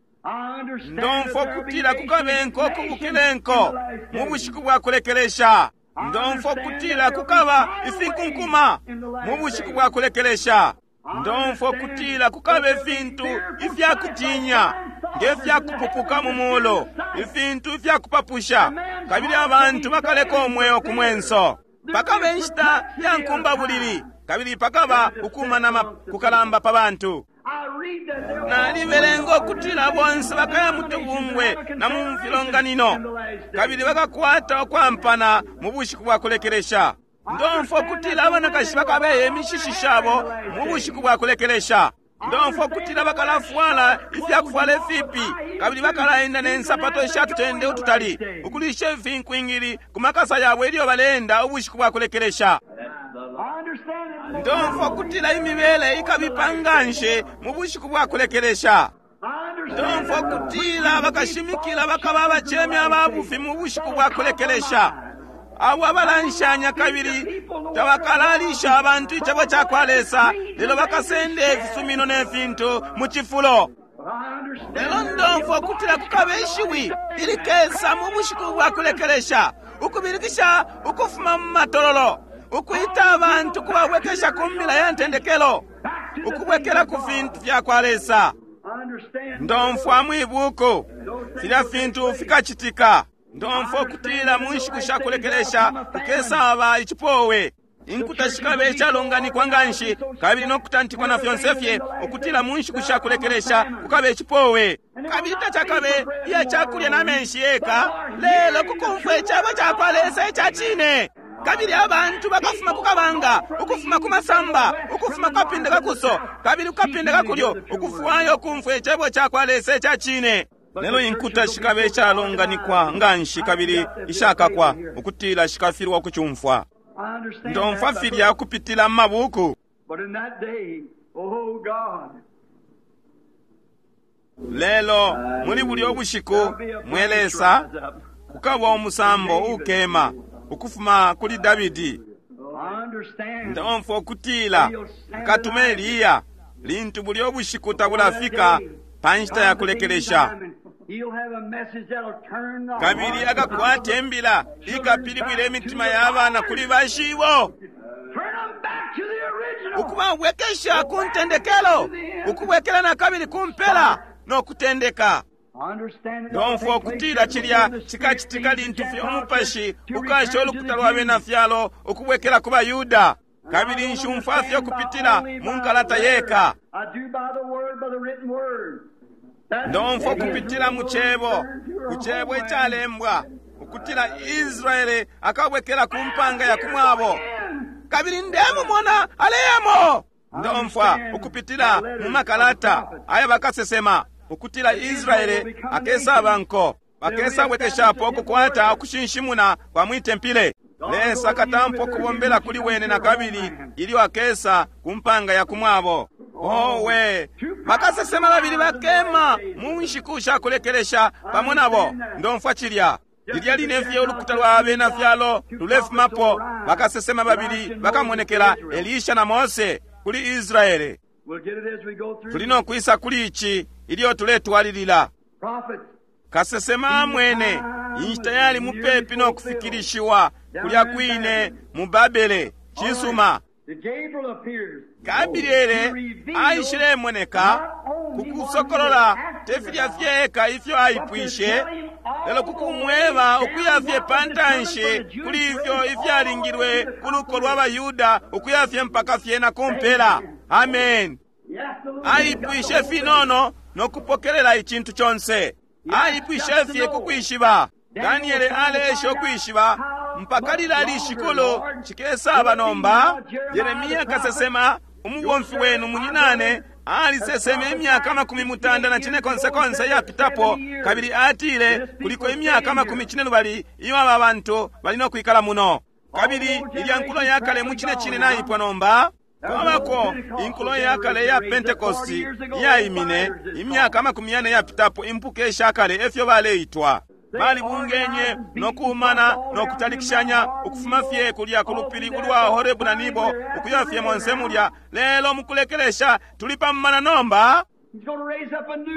Ndomfwa ukutila kukabe nko kubukile nko mu bushiku bwa kulekelesha. Ndomfwa ukutila kukaba ifinkunkuma mu bushiku bwa kulekelesha. Ndomfwa ukutila kukaba ifintu ifyakutinya nge fyakupupuka mu muulu, ifintu ifyakupapusha, kabili abantu bakaleka umweo ku mwenso. Pakaba inshita ya nkumbabulili, kabili pakaba ukumanama kukalamba pa bantu. Nalibelenga ukutila bonse bakaya mu tubungwe na mu filonganino, kabili bakakwata ukwampana mu bushiku bwa kulekelesha. Ndomfwa ukutila abanakashi bakabeya imishishi shabo mu bushiku bwa kulekelesha. Ndomfwa ukutila bakalafwala ifyakufwala ifipi, kabili bakalaenda ne nsapato ishatutende ututali, ukulisha ifinkwingili ku makasa yabo ilyo baleenda ubushiku bwa kulekelesha. Ndomfwa ukutila imibele ikabipa nganshi mu bushiku bwa kulekelesha. Ndomfwa ukutila bakashimikila bakaba abacemi ababufi mu bushiku bwa kulekelesha, abo abalanshanya kabili tabakalalisha abantu icebo ca kwa Lesa, lelo bakasenda ifisumino ne fintu mu cifulo. Lelo ndomfwa ukutila kukaba ishiwi ilikesa mu bushiku bwa kulekelesha, ukubilikisha ukufuma mu matololo, ukwita abantu kubabwekesha ku mbila ya ntendekelo, ukubwekela ku fintu fya kwa Lesa. Ndomfwa mwibuku filya fintu fikacitika. Ndomfwa ukutila mu nshiku sha kulekelesha kukesaba icipowe, inkuta shikabe ishalonganikwa nganshi kabili no kutantikwa na fyonse fye, ukutila mu nshiku sha kulekelesha kukabe icipowe, kabili tacakabe iya cakulya na menshi yeka, lelo kukumfwa icebo ca kwa Lesa ica cine. Kabili abantu bakafuma ku kabanga, ukufuma ku masamba, ukufuma ku kapinda kakuso kabili ku kapinda kakulyo, ukufwayo kumfwa icebo ca kwa Lesa ica cine. Lelo inkuta shikabe ishalonganikwa nganshi kabili ishakakwa, ukutila shikafilwa ukucumfwa. Ndomfwa filya ukupitila mu mabuku. Lelo muli bulyo bushiku, mwe Lesa, kukaba umusambo ukema ukufuma kuli Dabidi. Ndomfwa ukutila akatuma Eliya lintu bulya ubushiku tabulafika pa nshita ya kulekelesha, kabili akakwata imbila ikapilibwila imitima ya bana kuli bashibo, ukubabwekesha ku ntendekelo, ukubwekela na kabili ku mpela no kutendeka. Ndomfwa ukutila cilya cikacitika lintu fye umupashi ukasha ulukuta lwa bena fyalo ukubwekela ku baYuda. Kabili nshumfwa fye ukupitila mu nkalata yeka. Ndomfwa ukupitila mu cebo, ku cebo icalembwa, ukutila Israele akabwekela ku mpanga ya kumwabo. Kabili ndemumona aleyamo. Ndomfwa ukupitila mu makalata aya bakasesema ukutila Israele akesaba nko, bakesabwekeshapo ukukwata ukushinshimuna kwa mwitempile. Lesa akatampa ukubombela kuli wene na kabili ilyo akesa ku mpanga ya kumwabo. Owe, bakasesema babili bakema mu nshiku sha kulekelesha pamo nabo. Ndomfwa cilya. Lilya line fye ulukuta lwa bena fyalo lulefumapo, bakasesema babili bakamonekela, Elisha na Mose, kuli Israele. Tuli no kwisa kuli ici ilyo tuletwalilila. Kasesema amwene inshita yali mupepi no kufikilishiwa kulya kwine mu Babele. Cisuma. Gabriele aishilemoneka ku kusokolola te filya fyeka ifyo aipwishe, lelo kukumweba ukuya fye pa ntanshi kuli ifyo ifyalingilwe ku luko lwa baYuda ukuya fye mpaka fye na ku mpela. Amen. Aipwishe finono no kupokelela icintu conse. Aipwishe fye ku kwishiba. Daniele aleesha ukwishiba mpaka lilali shikulu cikesaba nomba. Yeremia kasesema, umubomfi wenu munyinane, aliseseme imyaka 94 yapitapo, kabili atile kuliko imyaka 42 iyo aba bantu bali no kwikala muno. Kabili ilya nkulo yakale mu cine cine naipwa nomba. Kwabako inkulo yakale ya Pentekosti iyaimine imyaka 40 yapitapo, impuka ishakale efyo baleitwa. Balibungenye no kuumana no kutalikishanya ukufuma fye kulya ku lupili ulwa Horebu na Nibo ukuya fye monse mulya. Lelo mukulekelesha tuli pamumana nomba.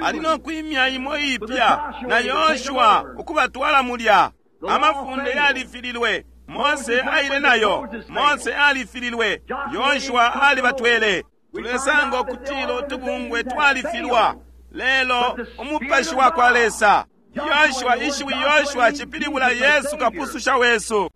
Ali no kwimya imo ipya na Yoshua ukubatwala mulya. Amafunde yalifililwe, Mose aile nayo. Mose alifililwe, Yoshua alibatwele. Tulesanga ukutila utubungwe twalifilwa, lelo umupashi wa kwa Lesa. Yoshua, ishiwi Yoshua cipilibula Yesu kapususha wesu.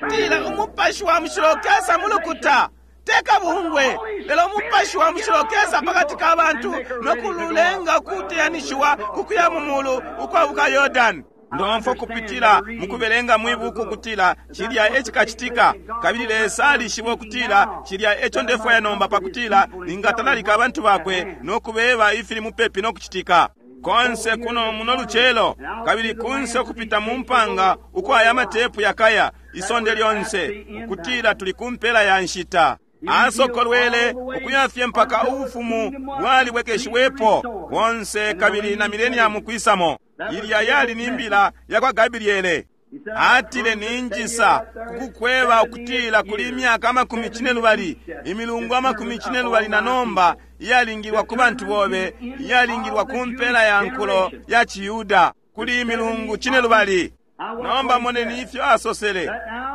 Tila umupashi wa mushilo ukesa mulukuta, teka bungwe, lelo umupashi wa mushilo ukesa pakati ka bantu no kululenga kuteyanishiwa kukuya mu mulu ukwabuka Yordani. Ndomfwa kupitila mukubelenga mwibuku kutila cilya ecikacitika, kabili Lesa alishiba ukutila cilya eco ndefwaya nomba pakutila ningatalalika abantu bakwe no kubeba ifili mupepi no kucitika. Konse kuno muno lucelo, kabili kunse ukupita mu mpanga uko aya matepu yakaya isonde lyonse, ukutila tuli ku mpela ya nshita. Asokolwele ukuya fye mpaka ubufumu bwalibwekeshiwepo bonse kabili na mileniamu kwisamo. Ilya yali ni mbila ya kwa Gabriele. Atile ninjisa kukukweba ukutila kuli imyaka 42, imilungu 42 na nomba iyalingilwa ku bantu bobe, iyalingilwa ku mpela ya nkulo ya Chiyuda, kuli imilungu 12. Nomba moneni ifyo asosele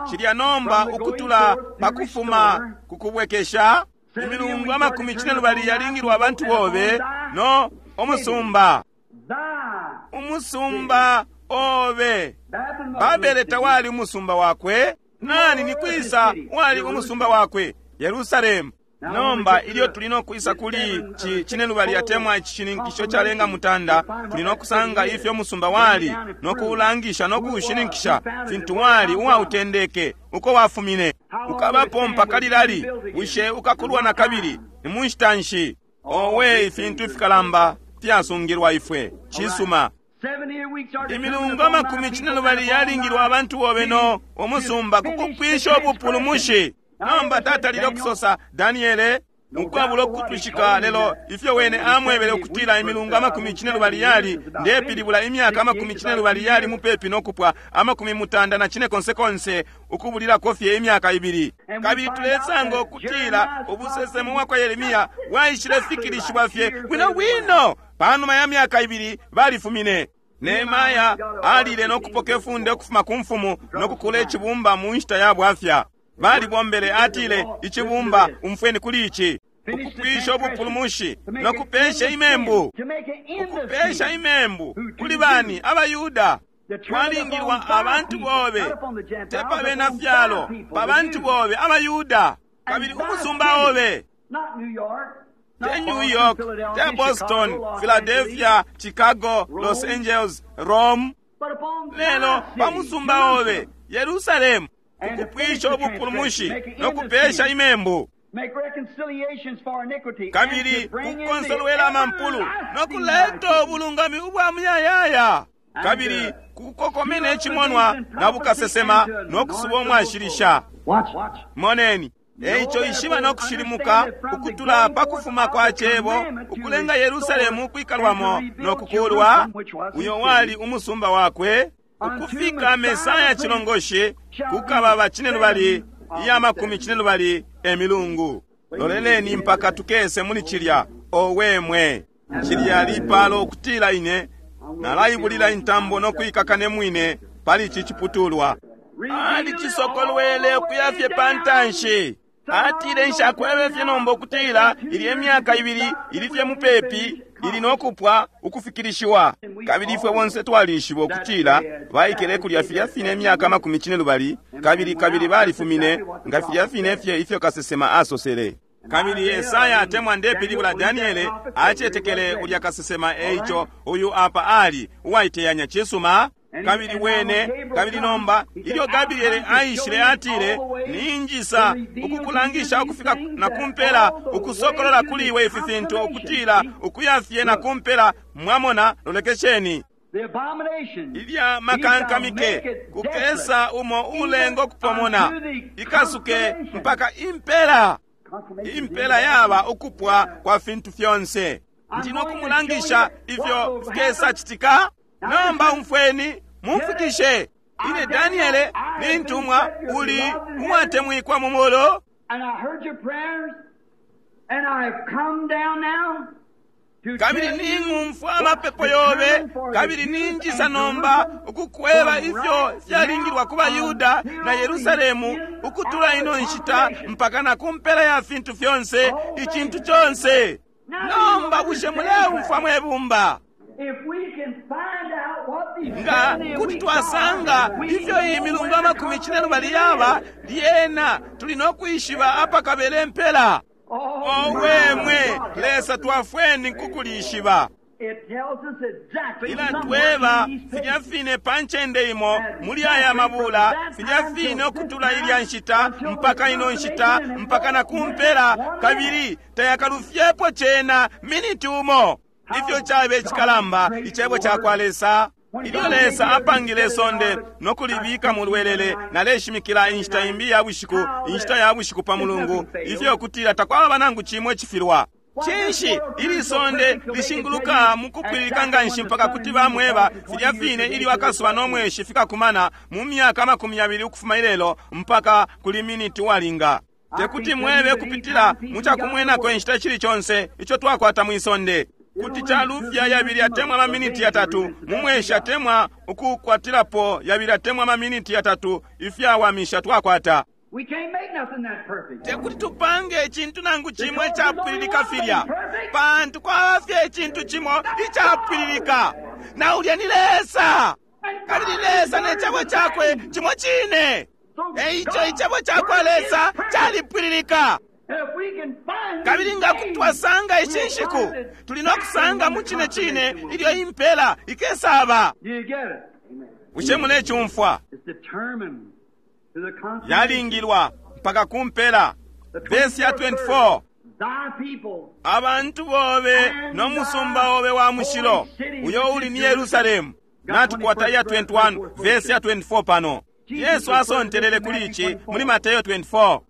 cilya nomba ukutula pakufuma kukubwekesha imilungu 42 yalingilwa abantu bobe no umusumba. Umusumba obe. Babele tawali umusumba wakwe. Nani ni kwisa wali umusumba wakwe? Yerusalemu. Nomba ilyo tuli no kwisa kuli cinelubali atemwa icishininkisho calenga mutanda, tuli no kusanga ifyo umusumba wali no kuulangisha no kuushininkisha fintu wali uwautendeke, uko wafumine. Ukabapo mpaka lilali? Bushe ukakulwa na kabili? Ni mu nshita nshi? Owe, ifintu ifikalamba fyasungilwa ifwe. Cisuma. Imilungu 42 yalingilwa abantu bobe no umusumba kukupwisha ubupulumushi. Nomba tatalile ukusosa Daniele. Ukwabula ukutwishika, lelo ifyo wene amwebele ukutila imilungu amakumi cinelubali yali, ndepilibula imyaka amakumi cinelubali yali mupepi no kupwa, 95 konse ukubulilako fye imyaka ibili. Kabili tulesanga ukutila ubusesemo bwa kwa Yeremia bwaishile fikilishiwa fye bwino bwino. Panuma ya myaka ibili balifumine. Nehemaya alile no kupoka ifunde ukufuma ku mfumu no kukula icibumba mu nshita ya bwafya. Balibombele, atile, icibumba, umfweni kuli ici, ukupwisha ubupulumushi no kupesha imembu. Ukupesha imembu kuli bani? AbaYuda. Kwalingilwa abantu bobe, te pa bena fyalo, pa bantu bobe abaYuda, kabili umusumba obe. Te New York, te Boston, Philadelphia, Chicago, Los Angeles, Rome, lelo pa musumba obe, Yerusalemu, ukupwisha ubupulumushi no kupesha imembu, kabili kukonsolwela amampulu no kuleta ubulungami ubwa muyayaya, kabili kukokomena icimonwa na bukasesema no kusuba umwashilisha. Moneni. Eico ishiba no kushilimuka ukutula pa kufuma kwa cebo ukulenga Yerusalemu ukwikalwamo no kukulwa, uyo wali umusumba wakwe, ukufika Mesaya cilongoshi kukaba ba cinelubali iya makumi cinelubali emilungu. Loleleni mpaka tukese muli cilya. Owe mwe, cilya lipalo ukutila ine nalaibulila intambo no kuikaka ne mwine pali ici ciputulwa. Alicisokolwele ukuya fye pa ntanshi. Atile, nshakwebe fye nomba ukutila ili emyaka ibili ili fye mupepi ili no kupwa ukufikilishiwa. Kabili ifwe bonse twalishiba ukutila baikele kulya filya fine imyaka 80, kabili kabili balifumine nga filya fine fye ifyo kasesema asosele. Kabili Yesaya atemwa ndepilibula Daniele acetekele ulya kasesema. Eico uyu apa ali uwaiteyanya cisuma. Kabili wene, kabili nomba ilyo Gabriele aishile atile, ninjisa ukukulangisha ukufika na kumpela, ukusokolola kuli iwe ifi fintu, ukutila ukuya fye na kumpela. Mwamona, lolekesheni ilya makankamike kukesa umo ulengo kupomona ikasuke mpaka impela. Impela yaba ukupwa kwa fintu fyonse. Ndi no kumulangisha ifyo fikesa citika. Nomba umfweni, mumfikishe. Ine Daniele ni ntumwa uli uwatemwikwa mu mulo. Kabili ning'umfwa amapepo yobe, kabili ninjisa nomba ukukweba ifyo fyalingilwa ku baYuda na Yerusalemu ukutula ino nshita mpaka na kumpela ya fintu fyonse, icintu conse. Nomba bushe muleumfwa mwe bumba? Nga kuti twasanga ifyo iyi milungu 80 yaba, lyena tuli no kwishiba apakabele impela. Owe mwe Lesa, twafweni kukulishiba. Ilatweba filya fine pa ncende imo muli aya mabula, filya fine ukutula ilya nshita mpaka ino nshita mpaka na kumpela, kabili tayakalufyepo cena miniti umo. Ifyo cabe cikalamba icebo ca kwa Lesa. Ilyo Lesa apangile sonde no kulibika mu lwelele, naleshimikila inshita imbi ya bushiku, inshita ya bushiku pa mulungu, ifyo kutila takwaba nangu cimo icifilwa. Cinshi ili sonde lishinguluka mu kupwililika nganshi mpaka kuti bamweba filya fine ilyo akasuba no mweshi fikakumana mu myaka 20 ukufuma ilelo mpaka kuli miniti walinga. Tekuti mwebe kupitila mu cakumwenako inshita cili conse ico twakwata mwi sonde. Kuti calufya yabili atemwa amaminiti yatatu mu mweshi, atemwa ukukwatilapo yabili atemwa amaminiti yatatu ifyawamisha twakwata. Tekuti tupange icintu nangu cimo icapwililika filya, pantu kwaba fye icintu cimo icapwililika, na ulya ni Lesa. Kabili Lesa ne cebo cakwe cimo cine. Eico icebo cakwa Lesa calipwililika. Kabili nga kuti twasanga ishi nshiku, tuli no kusanga mu cine cine ilyo impela ikesaba. Bushe mulecumfwa? Yalingilwa mpaka kumpela. Vesi ya 24, abantu bobe no musumba obe wa mushilo uyo uli ni Yerusalemu. Natukwata iya 21 vesi ya 24 pano. Yesu asontelele kuli ici muli Mateyo 24.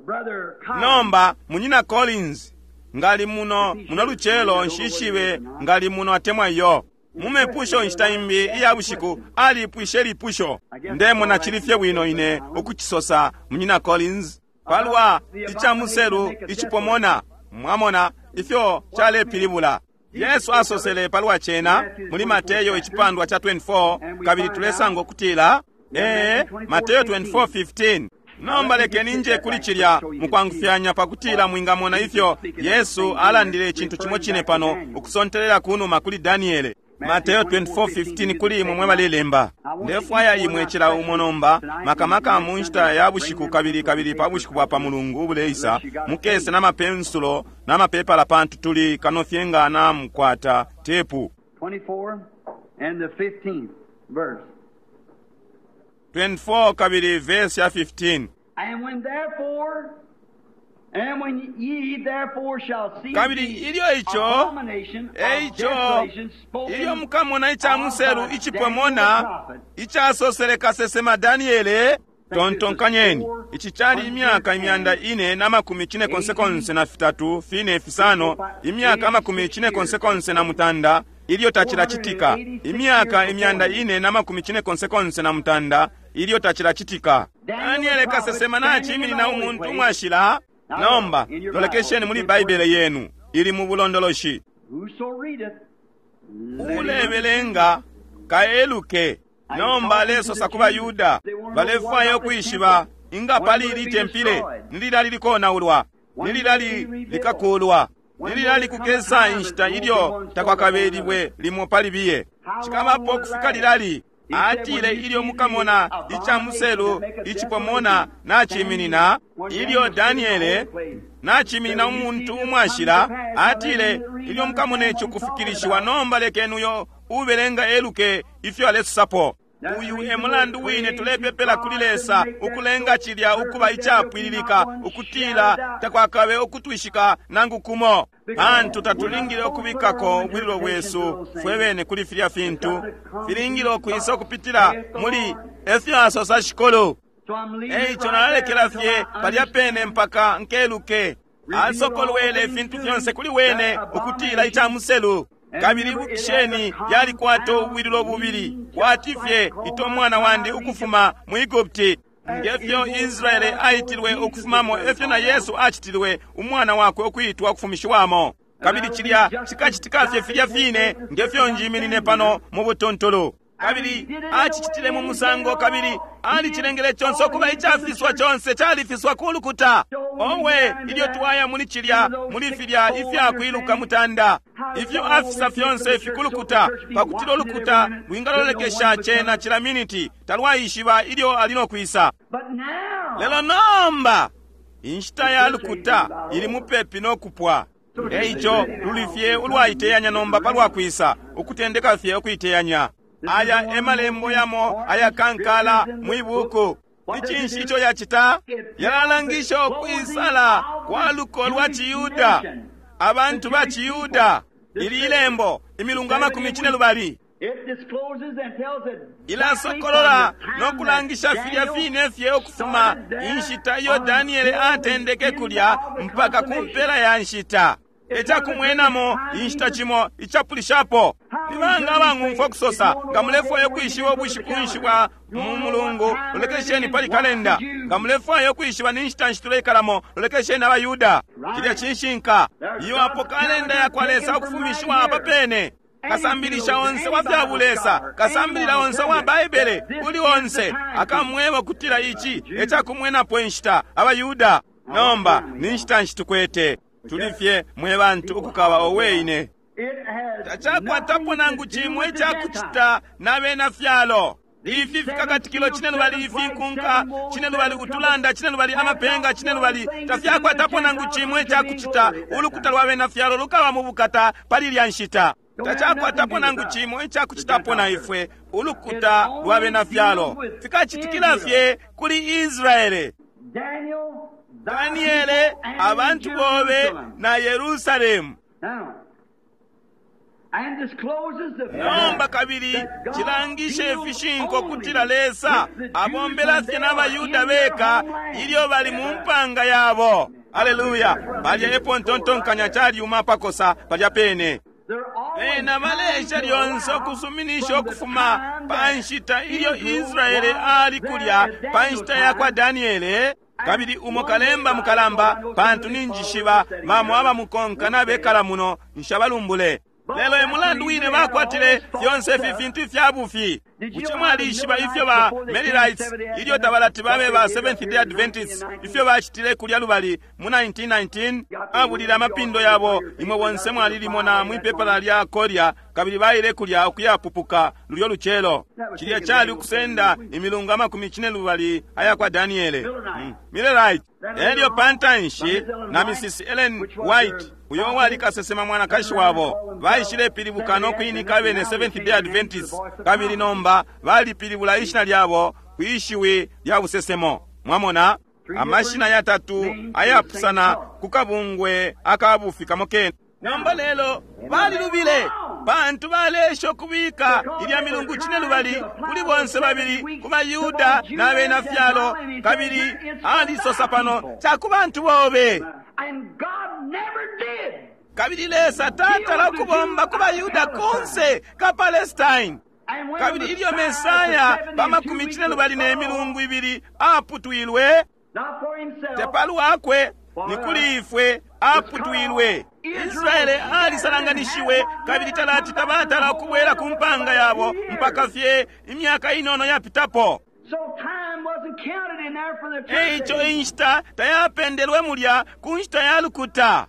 Brother Collins, Nomba munyina Collins ngali muno muno lucelo, nshishibe ngali muno atemwa iyo. Mumepusho inshita imbi iya bushiku alipwishe lipusho. Ndemona chili fye bwino ine ukuchisosa, munyina Collins, palwa icamuselu icipomona. Mwamona ifyo chalepilibula. Yesu asosele palwa cena muli Mateyo icipandwa cha 24, kabili tulesanga ukutila Mateyo 24:15. Nomba lekeni nje kuli cilya mukwangufyanya pakutila mwingamona ifyo Yesu alandile icintu cimo cine pano ukusontelela kunuma kuli Daniele. Mateyo 24:15 kuli imwe mwe balelemba. Ndefwaya imwe cila umo nomba, makamaka mu nshita ya bushiku kabili kabili pa bushiku bwa pa mulungu ubuleisa, mukese n'amapensulo n'amapepala pantu tuli kano fye nga namukwata tepu. 24 and the 15th verse. 24 kabili verse ya 15. And when therefore, and when ye therefore shall see Kabili the ilyo ico, abomination of eico, desolation spoken ilyo mukamona ica muselu of by icipomona, Daniel the prophet, icasosele kasesema Daniele, tontonkanyeni ici cali imyaka 483 4 5, imyaka 98 ilyo tacilacitika, imyaka 498 ilyo tacilacitika. Daniele kasesema naciminina umuntu umwashila. Nomba lolekesheni muli Baibele yenu ili mu bulondoloshi. Whoso readeth, let him Ulebelenga kaeluke. Nomba alesosa ku baYuda balefwaya ukwishiba inga pali ili tempile nililali likonaulwa, nililali likakulwa, nililali kukesa inshita ilyo takwakabelibwe limo pali biye, cikabapo ukufika lilali. Atile ilyo mukamona ica muselu icipomona naciminina, ilyo Daniele naciminina umuntu umwashila, atile ilyo mukamona ici kufikilishiwa, nomba lekeni uyo ubelenga eluke ifyo alesosapo. Uyu e mulandu wine tulepepela kuli Lesa ukulenga cilya ukuba icapwililika, ukutila takwakabe ukutwishika nangu kumo, pantu tatulingile ukubikako ubwililo bwesu fwe bene kuli filya fintu. Filingile ukwisa ukupitila muli efyo asosa Shikulu. So I'm leaving it Eico right nalalekela there fye until I palya pene mpaka nkeluke. Asokolwele ifintu fyonse kuli wene ukutila ica muselu. Kabili ibukisheni, yalikwata ubwililo bubili, kwati fye ito mwana wandi ukufuma mu Egupti. Ngefyo Israele aitilwe ukufumamo, efyo na Yesu acitilwe umwana wakwe ukuitwa ukufumishiwamo. Kabili cilya cikacitika fye filya fine ngefyo njiminine pano mu butuntulu. Kabili acicitile mu musango, kabili alicilengele conse ukuba icafiswa, conse califiswa ku lukuta. Owe, ilyo twaya muli cilya, muli filya ifyakwiluka mutanda, ifyo afisa fyonse fikulukuta, pakutila ulukuta lwingalolekesha cena cila miniti, talwaishiba ilyo ali no kwisa. But now, Lelo nomba inshita ya lukuta ili mupepi no kupwa. Eico luli fye ulwaiteyanya nomba palwa kwisa, ukutendeka fye ukuiteyanya. Aya e malembo yamo ayakankala mwi buku. Ni cinshi ico yacita? Yalalangisha ukwisala kwa luko lwa Ciyuda, abantu ba Ciyuda. Ili ilembo imilungu 12 it discloses and tells it ilasokolola no kulangisha filya fine fye ukufuma inshita iyo Daniele atendeke kulya mpaka ku mpela ya nshita. Ecakumwenamo inshita cimo icapulishapo. Ni banga abang'umfwa ukusosa nga mulefwaya ukwishiba ubushiku nshi bwa mu mulungu, lolekesheni pali kalenda. Nga mulefwaya ukwishiba ni nshita nshi tuleikalamo, lolekesheni abaYuda. Cilya cinshinka. Iyo apo kalenda ya kwa Lesa ukufumishiwa apa pene. Kasambilisha onse wa fya bulesa, kasambilila onse wa Baibele, uli onse akamweba ukutila ici ecakumwenapo inshita abaYuda. Nomba ni nshita nshi tukwete? Tuli fye mwe bantu ukukaba owe ine. It has Tacakwatapo nothing nangu to do cimwe with the icakucita na bena fyalo. Ifi fikakatikilo cine lubali, ifinkunka cine lubali, utulanda cine lubali, amapenga cine lubali, tafyakwatapo nangu cimwe icakucita. Ulukuta lwa bena fyalo lukaba mu bukata pali ilya nshita. Tacakwatapo nangu cimwe icakucitapo na ifwe, ulukuta lwa bena fyalo. Fikacitikila fye kuli Israele. Daniel, thy Daniele, people and abantu bobe Jerusalem. na Yerusalemu. Now, Nomba kabili cilangishe ifishinka ukutila Lesa abombela fye n'abaYuda beka ilyo bali mu mpanga yabo. Aleluya! Palya epo ntontonkanya calyuma apakosa palya pene. Bena baleesha lyonse ukusuminisha ukufuma pa nshita ilyo Israele ali kulya pa nshita ya kwa Daniele. Kabili umo kalemba mukalamba, pantu ninjishiba bamo abamukonka nabekala muno, nshabalumbule. Lelo e mulandu wine bakwatile fyonse ifi fintu ifya bufi. Bushe mwalishiba ifyo ba Millerites, ilyo tabalati babe ba Seventh Day Adventists, ifyo bacitile kulya lubali mu 1919? Babulile amapindo yabo, imwe bonse mwalilimona mwi pepala lya Korea, kabili baile kulya ukuyapupuka lulyo lucelo. Cilya cali ukusenda imilungu amakumi cine lubali aya kwa Daniele. Millerite. Elyo pantanshi na Mrs. Ellen White, uyo wali kasesema mwanakashi wabo, baishile pilibuka no kuinika abene Seventh Day Adventists, kabili nomba balipilibula ishina lyabo kwishiwi lya busesemo. Mwamona amashina yatatu ayapusana ku kabungwe akabufi kamo kene. Nomba lelo balilubile, pantu balesha ukubika ilya milungu cine lubali kuli bonse babili, ku baYuda na bena fyalo, kabili alisosa pano ca ku bantu bobe. Kabili Lesa tatala ukubomba ku baYuda kunse ka Palestine. Kabili ilyo Mesaya pa makumi cine lubali ne milungu ibili aputwilwe, te palwakwe, ni kuli ifwe aputwilwe. Israele alisalanganishiwe kabili talati tabatala ukubwela ku mpanga yabo mpaka fye imyaka inono yapitapo. Eico inshita tayapendelwe mulya ku nshita ya lukuta.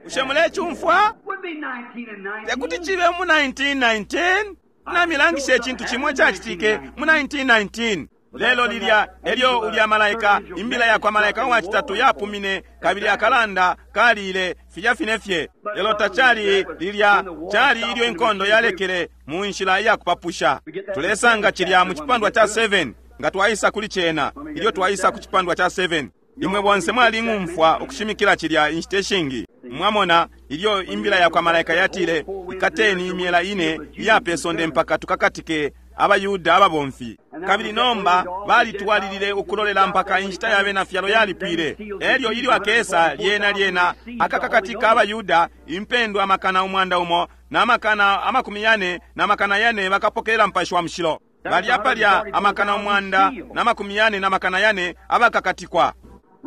Bushe mulecumfwa? Tekuti cibe mu 1919. Namilangisha icintu cimo cacitike mu 1919. Lelo lilya elyo ulya malaika, imbila yakwa malaika wa citatu yapumine, kabili akalanda kalile filya fine fye. Lelo tacali lilya, cali ilyo inkondo yalekele mu nshila iya kupapusha. Tulesanga cilya mu cipandwa ca 7 nga twaisa kuli cena, ilyo twaisa ku cipandwa ca 7. Imwe bonse mwaling'umfwa ukushimikila cilya inshita ishingi. Mwamona ilyo imbila yakwa malaika yatile, ikateni imyela ine iya pe sonde mpaka tukakatike abaYuda ababomfi. Kabili nomba balitwalilile ukulolela mpaka inshita ya bena fyalo yalipwile. Elyo ilyo akesa lyena lyena akakakatika abaYuda impendwa 144,000 400 bakapokelela Mupashi wa Mushilo. Balya palya 144,000 abakakatikwa.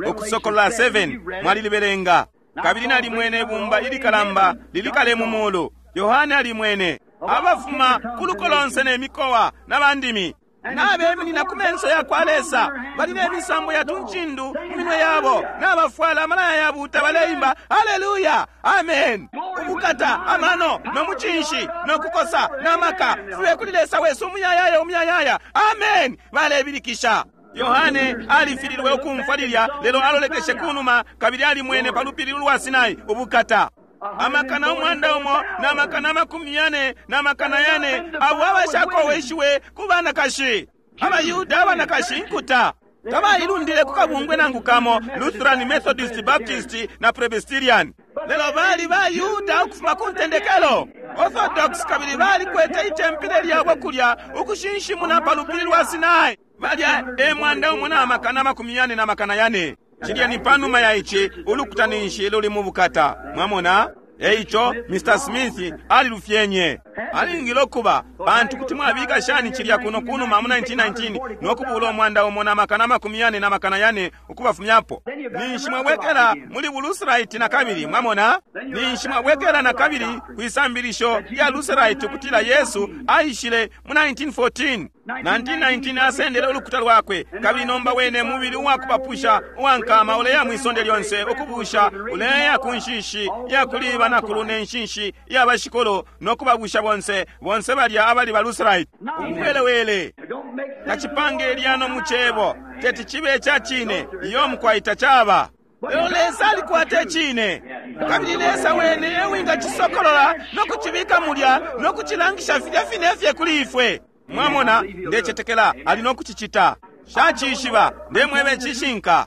Ukusokolola 7 mwalilibelenga. Kabili nalimwene ibumba ilikalamba lilikale mu mulu. Yohane alimwene abafuma ku luko lonse ne mikowa na bandimi nabeminina ku menso ya kwa Lesa, bali ne misambo ya tuncindu mu minwe yabo, nabafwala amalaya yabuuta, baleimba haleluya, amen, ubukata, amano, no mucinshi, no kukosa, na maka fibe kuli Lesa wesu umuyayaya umuyayaya, amen. Balebilikisha. Yohane alifililwe ukumfwa lilya, lelo alolekeshe kunuma kabili alimwene pa lupili lwa Sinai ubukata 144,000 abo abashakoweshiwe ku banakashi. AbaYuda abanakashi inkuta tabailundile ku kabungwe nangu kamo, Lutheran, Methodist, Baptist na Presbyterian. Lelo bali baYuda ukufuma ku ntendekelo, Orthodox, kabili balikwete itempile lyabo kulya ukushinshimuna pa lupili lwa Sinai. Balya e 144,000. Cilya ni panuma ya ici ulukuta ninshi luli mu bukata. Mwamona? Eico Mr. Smith alilufyenye. Alingile ukuba, pantu kuti mwabika shani cilya kuno kunuma mu 1919 no kubula 144,000 ukubafumyapo? Ninshi mwabwekela muli buLutherite na kabili, mwamona? Ninshi mwabwekela na kabili kwisambilisho lya Lutherite ukutila Yesu aishile mu 1914. 1919 asendele ulukuta lwakwe, kabili nomba wene mubili uwakupapusha uwankama uleya mwisonde lyonse ukubusha, uleya ku nshishi ya kuli banakulu ne nshishi ya bashikolo no kubabusha bonse, bonse balya abali ba Lutherite. Ubuwelewele tacipange lyano mu cebo, teti cibe ca cine, iyo mukwaita caba. Lelo Lesa alikwata icine, kabili Lesa wene ewingacisokolola no kucibika mulya no kucilangisha filya fine fye kuli ifwe. Mwamona, ndecetekela ali no kucicita. Shacishiba, ndemwebe cishinka.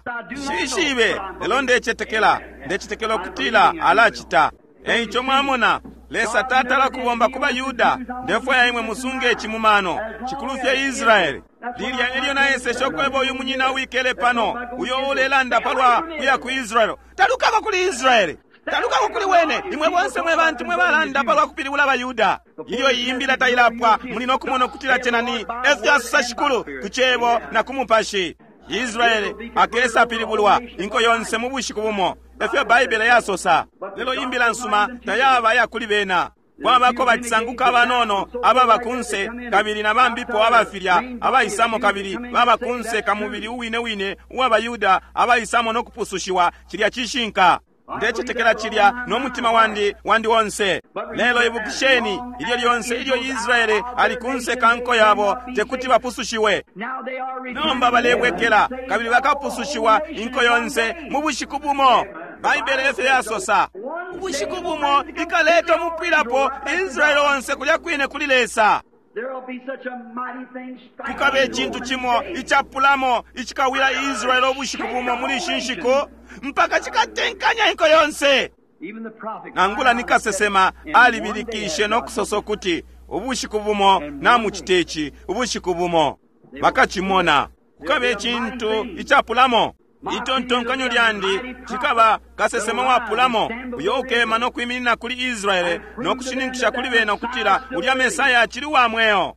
Shishibe, lelo ndecetekela, ndecetekela ukutila alacita. Eico mwamona, Lesa tatala kubomba ku baYuda. Ndefwaya imwe musunge ici mu mano. Cikulu fye Israele. Lilya elyo naeseshe ukweba uyu munyina uwikele pano, uyo ulelanda palwa kuya ku Israele. Talukako kuli Israele. Talukako kuli wene. Imwe bonse mwe bantu mwe balanda palwa kupilibula abaYuda. Ilyo iyi imbila tailapwa, muli no kumona ukutila cena ni efyo asosa Shikulu ku cebo na ku mupashi. Israele akesa pilibulwa inko yonse mu bushiku bumo, efyo Baibele yasosa. Lelo imbila nsuma tayaba ya kuli bena. Kwabako bacisanguka abanono ababa kunse, kabili na bambipo abafilya abaisamo, kabili baba kunse ka mubili uwine wine uwa baYuda abaisamo no kupusushiwa. Cilya cishinka. Ndecetekela cilya no mutima wandi wandi onse. Lelo ibukisheni, ilyo lyonse ilyo Israele ali kunse ka nko yabo, tekuti bapusushiwe. Nomba balebwekela, kabili bakapusushiwa inko yonse mu bushiku bumo. Baibele efyo yasosa. Ubushiku bumo ikaleta umupwilapo Israele onse kulya kwine kuli Lesa. Kukabe icintu cimo icapulamo icikawila Israele ubushiku bumo muli ishi nshiku, mpaka cikatenkanya inko yonse. Nangula ni kasesema alibilikishe no kusosa ukuti ubushiku bumo namucita ici, ubushiku bumo bakacimona. Kukabe icintu icapulamo. Itontonkanyo lyandi cikaba kasesema wapulamo uyo ukema no kwiminina kuli Israele no kushininkisha kuli bena ukutila ulya Mesaya acili wa mweo.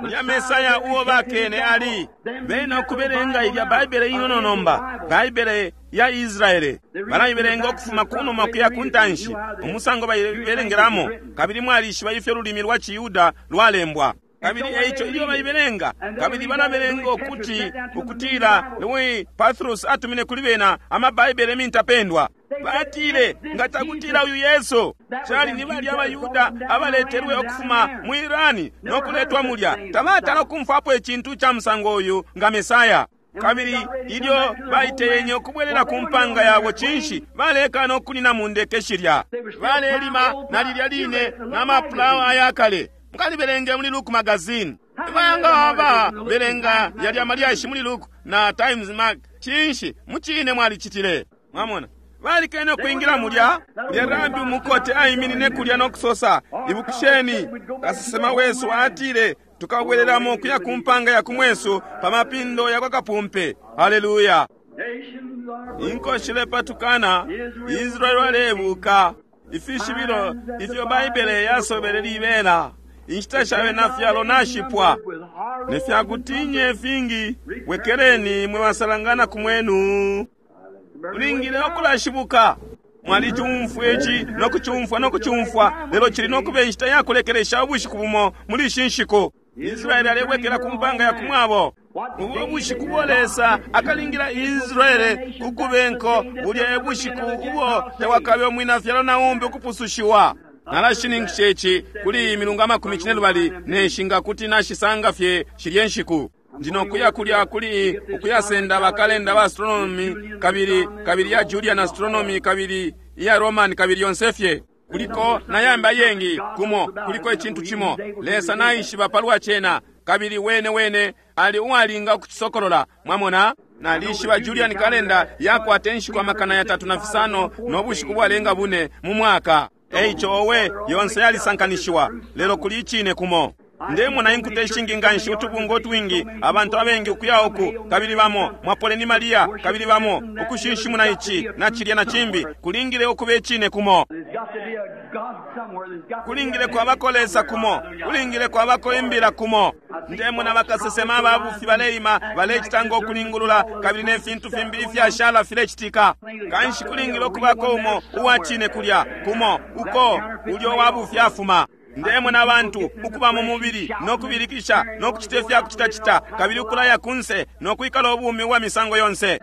Ulya Mesaya uo bakene ali bena ukubelenga ilya Baibele inono nomba, Baibele ya Israele. Balaibelenga ukufuma kunuma kuya ku ntanshi, umusango baibelengelamo, kabili mwalishiba ifyo lulimi lwa ciYuda lwalembwa. Kabili eico ilyo baibelenga, kabili balabelenga ukuti ukutila Louis Pathrus atumine kuli bena amabaibele mintapendwa. Batile, nga cakutila uyu Yesu cali ni balya abaYuda abaletelwe ukufuma mu Irani no kuletwa mulya, tabatala kumfwapo icintu ca musango uyu nga Mesaya. Kabili ilyo baiteyenye ukubwelela ku mpanga yabo, cinshi balekana ukunina mu ndeke shilya balelima na lilya line na mapulawa ayakale. Mukalibelenge muli Luke magazine. Banga aba belenga yalya malyashi muli Luke na Times Mag. Cinshi mucine mwalicitile. Mwamona, balikene ukwingila mulya. Ulya rabi umukote aiminine kulya no kusosa, ibukisheni kasesema wesu atile tukabwelelamo kuya ku mpanga ya kumwesu pa mapindo ya kwa kapumpe. Haleluya! Inko shilepatukana, Israeli alebuka. Ifishibilo ifyo Baibele yasobele libela. Inshita sha bena fyalo nashipwa. Ne fya kutinye fingi, bwekeleni mwe basalangana ku mwenu. Ulingile ukulashibuka. Mwalicumfwa ici no kucumfwa no kucumfwa, lelo cili no kuba inshita ya kulekelesha ubushiku bumo muli ishi nshiku. Israeli alebwekela ku mpanga ya kumwabo. Ubo bushiku bo Lesa akalingila Israele kukube nko, bulya e bushiku ubo tawakabe umwina fyalo na umbi ukupusushiwa. Nalashininkisha ici kuli iyi milungu amakumi cinelubali ne nshinga kuti nashisanga fye shilye nshiku. Ndi no kuya kulya kuli ukuyasenda bakalenda ba astronomy kabili kabili ya Julian astronomy kabili iya Roman kabili yonse fye. Kuliko na yambi ayengi kumo, kuliko icintu cimo. Lesa naishiba palwa cena, kabili wene wene ali uwalinga ukucisokolola. Mwamona? Nalishiba Julian kalenda yakwata inshiku 305 no bushiku bwalenga bune mu mwaka. Eico owe yonse yalisankanishiwa, lelo kuli icine kumo. Ndemona inkuta ishingi nganshi, utubunga utwingi, abantu abengi ukuya uku, kabili bamo mwapoleni Maria, kabili bamo ukushinshimuna ici na cilya na cimbi. Kulingile ukuba icine kumo. Kulingile kwabako Lesa kumo. Kulingile kwabako imbila kumo. Ndemona bakasesema ababufi baleima, balecita ngo kulingulula, kabili ne fintu fimbi ifyashala filecitika. Kanshi kulingile ukubako umo uwa cine kulya kumo, uko ulyo wabufi afuma. Ndemona abantu ukuba mu mubili no kubilikisha no kucita ifya kucitacita, kabili ukulaya kunse no kwikala ubumi ubwa misango yonse.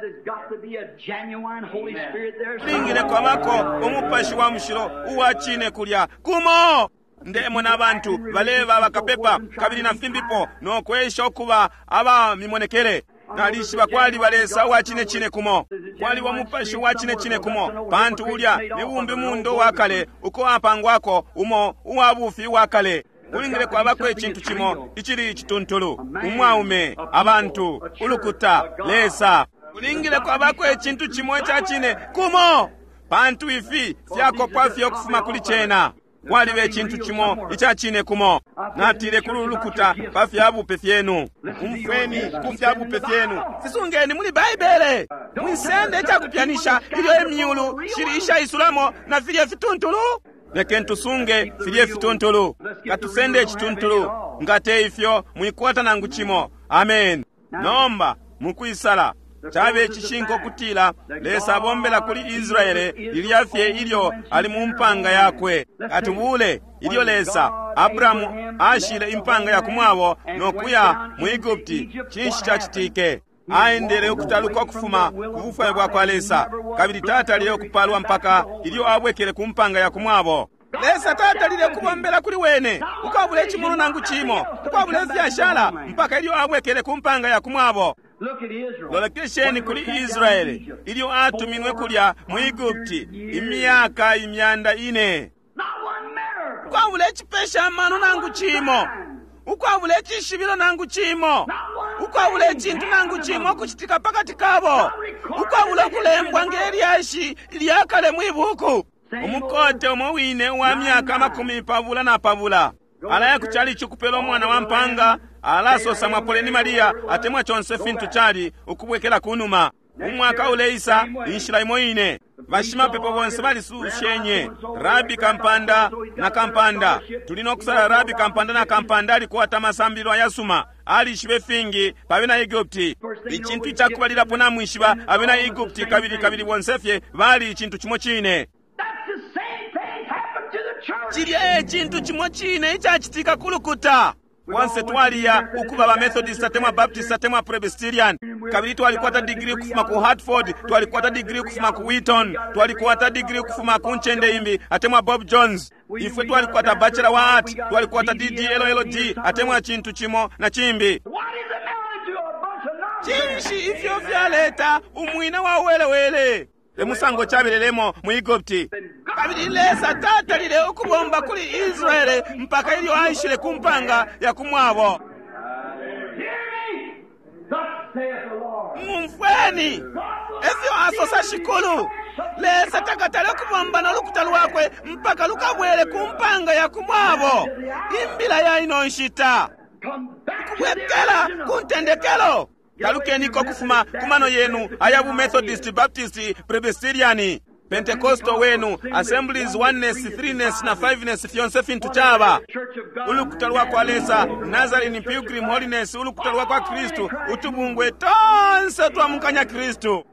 Kulingile kwabako umupashi wa mushilo uwa cine kulya kumo. Ndemona abantu baleba bakapepa kabili na fimbipo no kwesha ukuba aba mimonekele. Nalishiba kwaliba Lesa uwa cine cine kumo, kwaliba umupashi uwa cine cine kumo, pantu ulya ni bumbi mundo wa kale uko apangwako umo uwa bufi wa kale. Kulingile kwabako icintu cimo icili icituntulu, umwaume, abantu, ulukuta, Lesa. Kulingile kwabako icintu cimo ica cine kumo, pantu ifi fyakopwa fye ukufuma kuli cena. Kwaliba icintu cimo ica cine kumo. Natile kuli ulukuta pa fya bupe fyenu. Umfweni ku fya bupe fyenu. Fisungeni muli Baibele. Mwisende icakupyanisha ilyo imyulu shili ishaisulamo na filye fituntulu. Lekeni tusunge filye fituntulu. Katusende icituntulu. Nga te ifyo mwikwata nangu cimo. Amen. Nomba mukwisala cabe icishinka ukutila Lesa abombela kuli Israele lilya fye ilyo ali mu mpanga yakwe. Katubule ilyo Lesa Abrahamu ashile impanga ya kumwabo no kuya mu Egupti, cinshi cacitike? Aendele ukutaluka ukufuma ku bufwayo bwa kwa Lesa, kabili tatalile ukupalwa mpaka ilyo abwekele ku mpanga ya kumwabo. Lesa tatalile kubombela kuli wene ukwabula icimulo nangu cimo, ukwabula ifyashala, mpaka ilyo abwekele ku mpanga ya kumwabo. Lolekesheni kuli Israele ilyo atuminwe kulya mu Egupti imyaka 400. Ukwabula icipesha amano nangu cimo, ukwabula icishibilo nangu cimo, ukwabula icintu nangu cimo ukucitika pakati kabo, ukwabula ukulembwa nge lyashi lyakale mwi buku. Umukote umo wine uwa myaka 24 alaya ku chalichi ukupela umwana wa mpanga, alasosa mwapoleni Maria atemwa conse fintu cali ukubwekela kunuma. Umwaka uleisa inshila imo ine. Bashimapepo bonse balisushenye rabi kampanda na kampanda. Tuli no kusala rabi kampanda na kampanda alikwata amasambililo ayasuma, alishibe fingi pa bena Egupti. Icintu icakubalilapo namwishiba, abena Egupti kabili kabili bonse fye bali icintu cimo cine. Cilya e cintu cimo cine icacitika ku lukuta. Bonse twaliya ukuba ba Methodist atemwa Baptist atemwa Presbyterian, kabili twalikwata degree ukufuma ku Hartford, twalikwata degree ukufuma ku Wheaton, twalikwata degree ukufuma ku ncende imbi atemwa Bob Jones. Ifwe twalikwata Bachelor wa Art, twalikwata DDLLD atemwa cintu cimo na cimbi. Cinshi ifyo fyaleta umwina wa welewele? Emusango cabelelemo mu Egupti. Kabili Lesa tatalile ukubomba kuli Israele mpaka ilyo aishile ku mpanga ya kumwabo. Mumfweni, efyo asosa Shikulu. Lesa takatale ukubomba no lukuta lwakwe mpaka lukabwele ku mpanga ya kumwabo. Imbila ya ino nshita kubwekela ku ntendekelo. Talukeniko kufuma kumano yenu aya bu Methodist, Baptist, Presbyterian, Pentecostal wenu, Assemblies, Oneness, Threeness na Fiveness, fyonse fintu caba. Ulukuta lwa kwa Lesa, Nazarene, Pilgrim Holiness, ulukuta lwa kwa Kristu, utubungwe tonse twamukanya Kristu.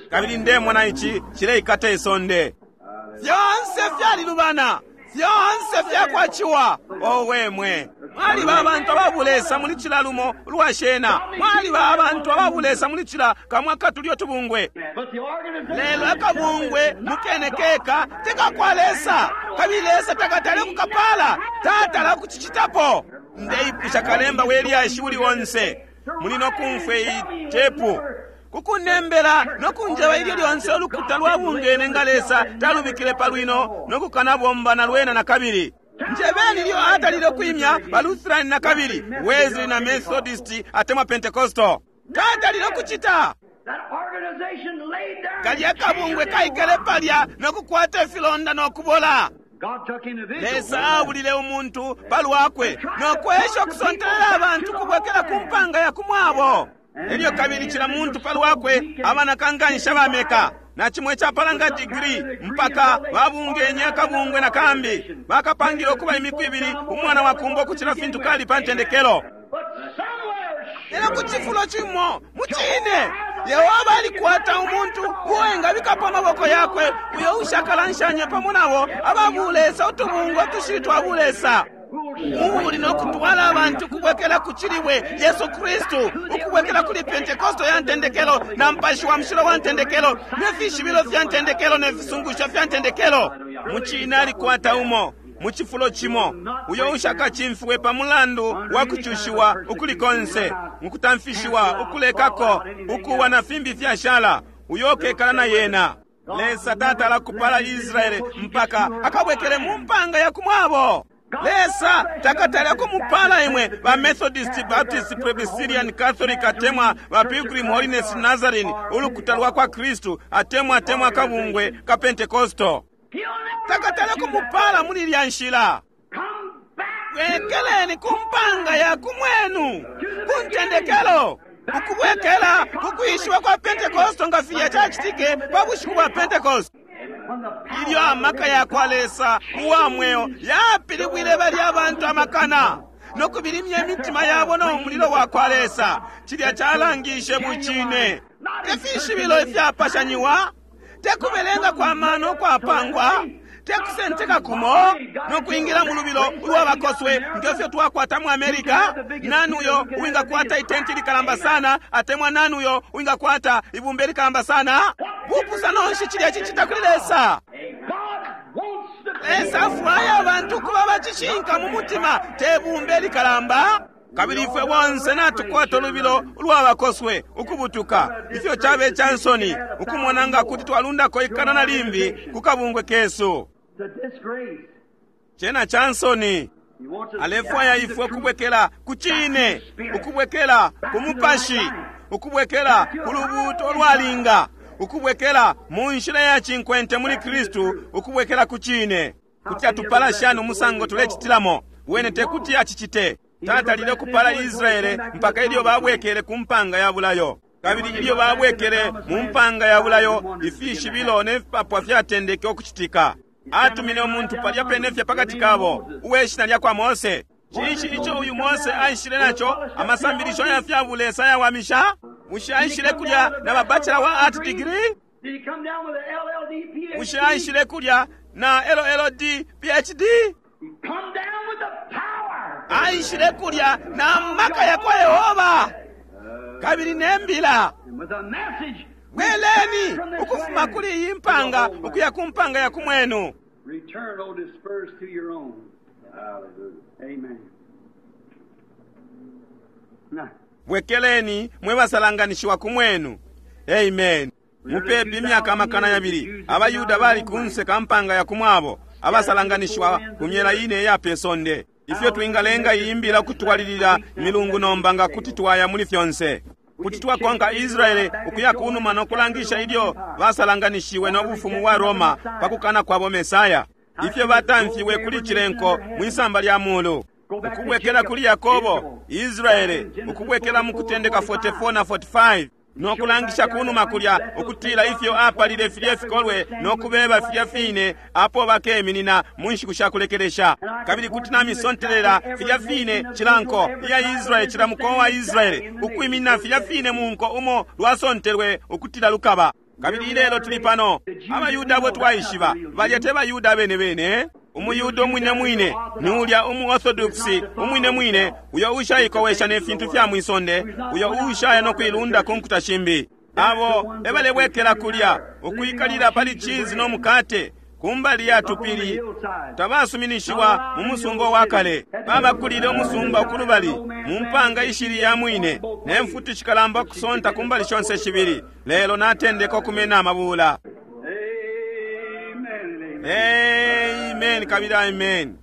Kabili ndemona ici cileikata isonde. Fyonse fyalilubana, fyonse fyakwaciwa. Owe mwe, mwaliba abantu ababulesa muli cila lumo lwashena, mwaliba abantu ababulesa muli cila kamwa katulyo tubungwe. Lelo akabungwe mukene keka tekakwa Lesa, kabili Lesa takatale kukapala, tatala kucicitapo. Ndeipusha kalemba welyashi uli onse muli nokumfwe itepu kukunembela nokunjeba ilyo lyonse ulukuta lwabungene nga Lesa talubikile palwino nokukanabomba na lwena na kabili. Njebeni ilyo atalile kwimya ba Lutheran na kabili, Wesley na Methodist atemwa Pentecostal. Tatalile kucita. Kalya kabungwe kaikele palya nokukwata ifilonda nokubola. Lesa abulile umuntu palwakwe nokwesha ukusontelela abantu kubwekela ku mpanga ya kumwabo. Elyo kabili cila muntu palwakwe abanakankansha bameka na cimwe capalanga digiri mpaka babungenye akabungwe na kambi bakapangile ukuba imiku ibili umwana wa kumbo ukucila fintu kali pa ntendekelo. Lelo ku cifulo cimo mucine Yehova alikwata umuntu uwengabikapo amaboko yakwe uyo ushakalanshanya pamo nabo ababulesa utubungwe tushili twa bulesa. Uli nokutwala abantu kubwekela ku cilibwe Yesu Kristu, ukubwekela kuli Pentekosto ya ntendekelo na mpashi wa mushilo wa ntendekelo ne fishibilo fya ntendekelo ne fisungusho fya ntendekelo. Mucine alikwata umo mu cifulo cimo uyo ushakacimfiwe pa mulandu wa kucushiwa ukuli konse, mukutamfishiwa ukulekako ukuwa na fimbi fyashala, uyo ukekala na yena. Lesa tatala kupala Israele mpaka akabwekele mu mpanga ya kumwabo. Lesa takatale kumupala imwe ba Methodist, Baptist, Presbyterian, Catholic atemwa ba Pilgrim Holiness, Nazarene, ulukuta lwa kwa Kristu atemwa atemwa kabungwe ka Pentecostal. Takatale kumupala muli ilya nshila. Bwekeleni ku mpanga ya kumwenu, ku ntendekelo, ukubwekela ku kwishiba kwa Pentekoste nga filya cacitike pa bushiku bwa Pentekoste, ilyo amaka ya kwa Lesa uwa mweo yapilibwile balya abantu amakana no kubilimya imitima yabo no mulilo wa kwa Lesa. Cilya calangishe bucine, te fishibilo ifyapashanyiwa, te kubelenga kwa mano kwapangwa, te kusenteka kumo no kwingila mu lubilo ulwa bakoswe ngefyo twakwata mu America. Nani uyo uwingakwata itenti likalamba sana, atemwa nani uyo uwingakwata ibumba likalamba sana? Bupusano nshi cilya cicita kuli Lesa? Lesa afwaya abantu kuba bacishinka mu mutima, te bumba likalamba. Kabili ifwe bonse natukwata ulubilo ulwa bakoswe ukubutuka. Ifyo cabe ca nsoni ukumona nga kuti twalundako ikana na limbi ku kabungwe kesu. Cena ca nsoni. Alefwaya ifwe ukubwekela ku cine, ukubwekela ku mupashi, ukubwekela ku lubuuto lwalinga, ukubwekela mu nshila ya cinkwente muli Kristu, ukubwekela ku cine. Kuti atupala shani umusango tulecitilamo? Wene te kuti acicite. Tatalile ukupala Israele mpaka ilyo babwekele ku mpanga ya bulayo. Kabili ilyo babwekele mu mpanga ya bulayo, ifishibilo ne fipapwa fyatendeke ukucitika. Atumine umuntu palya pene fye pakati kabo, uwe shina lya kwa Mose. Cinshi ico uyu Mose aishile naco? Amasambilisho ya fya bulesa ayawamisha? Bushe aishile kulya na ba bachelor wa art degree? Bushe aishile kulya na LLD PhD? Aishile kulya na maka ya kwa Yehova kabili ne mbila. Bweleni ukufuma kuli iyi mpanga ukuya ku mpanga ya kumwenu. Return, O dispersed to your own. Amen. Now, Bwekeleni mwe basalanganishiwa kumwenu. Amen. Mupepi imyaka 200 abayuda bali kunse ka mpanga ya kumwabo, abasalanganishiwa ku myela ine iya pe sonde. Ifyo twingalenga iyi mbila ukutwalilila milungu nomba nga kuti twaya muli fyonse. Kuti twakonka Israele ukuya kunuma no kulangisha ilyo basalanganishiwe no bufumu bwa Roma pa kukana kwabo Mesaya. Ifyo batamfiwe kuli cilenko mwisamba lya mulu. Ukubwekela kuli Yakobo, Israele, ukubwekela mu kutendeka 44 na 45 no kulangisha kunuma kulya ukutila ifyo apalile filye fikolwe no kubeba filya fine apo bakeminina mu nshiku sha kulekelesha. Kabili kuti namisontelela filya fine cila nko iya Israele, cila mukowa wa Israele ukwiminina filya fine mu nko umo lwasontelwe ukutila lukaba. Kabili ilelo tuli pano abayuda abo twaishiba balya te bayuda bene bene. Umuyuda umwine mwine ni ulya umuorthodox umwine mwine, uyo ushaikowesha ne fintu fya mwisonde, uyo ushaya no kuilunda ku nkuta shimbi. Abo ebalebwekela kulya ukwikalila pali cheese no mukate kumbali ya tupili, tabasuminishiwa mu musumba wa kale. Babakulile umusumba ukulubali mu mpanga ishili ya mwine, ne mfuti shikalamba kusonta kumbali shonse shibili. Lelo natendeka okumena amabula. Amen. Amen. Amen kabili amen.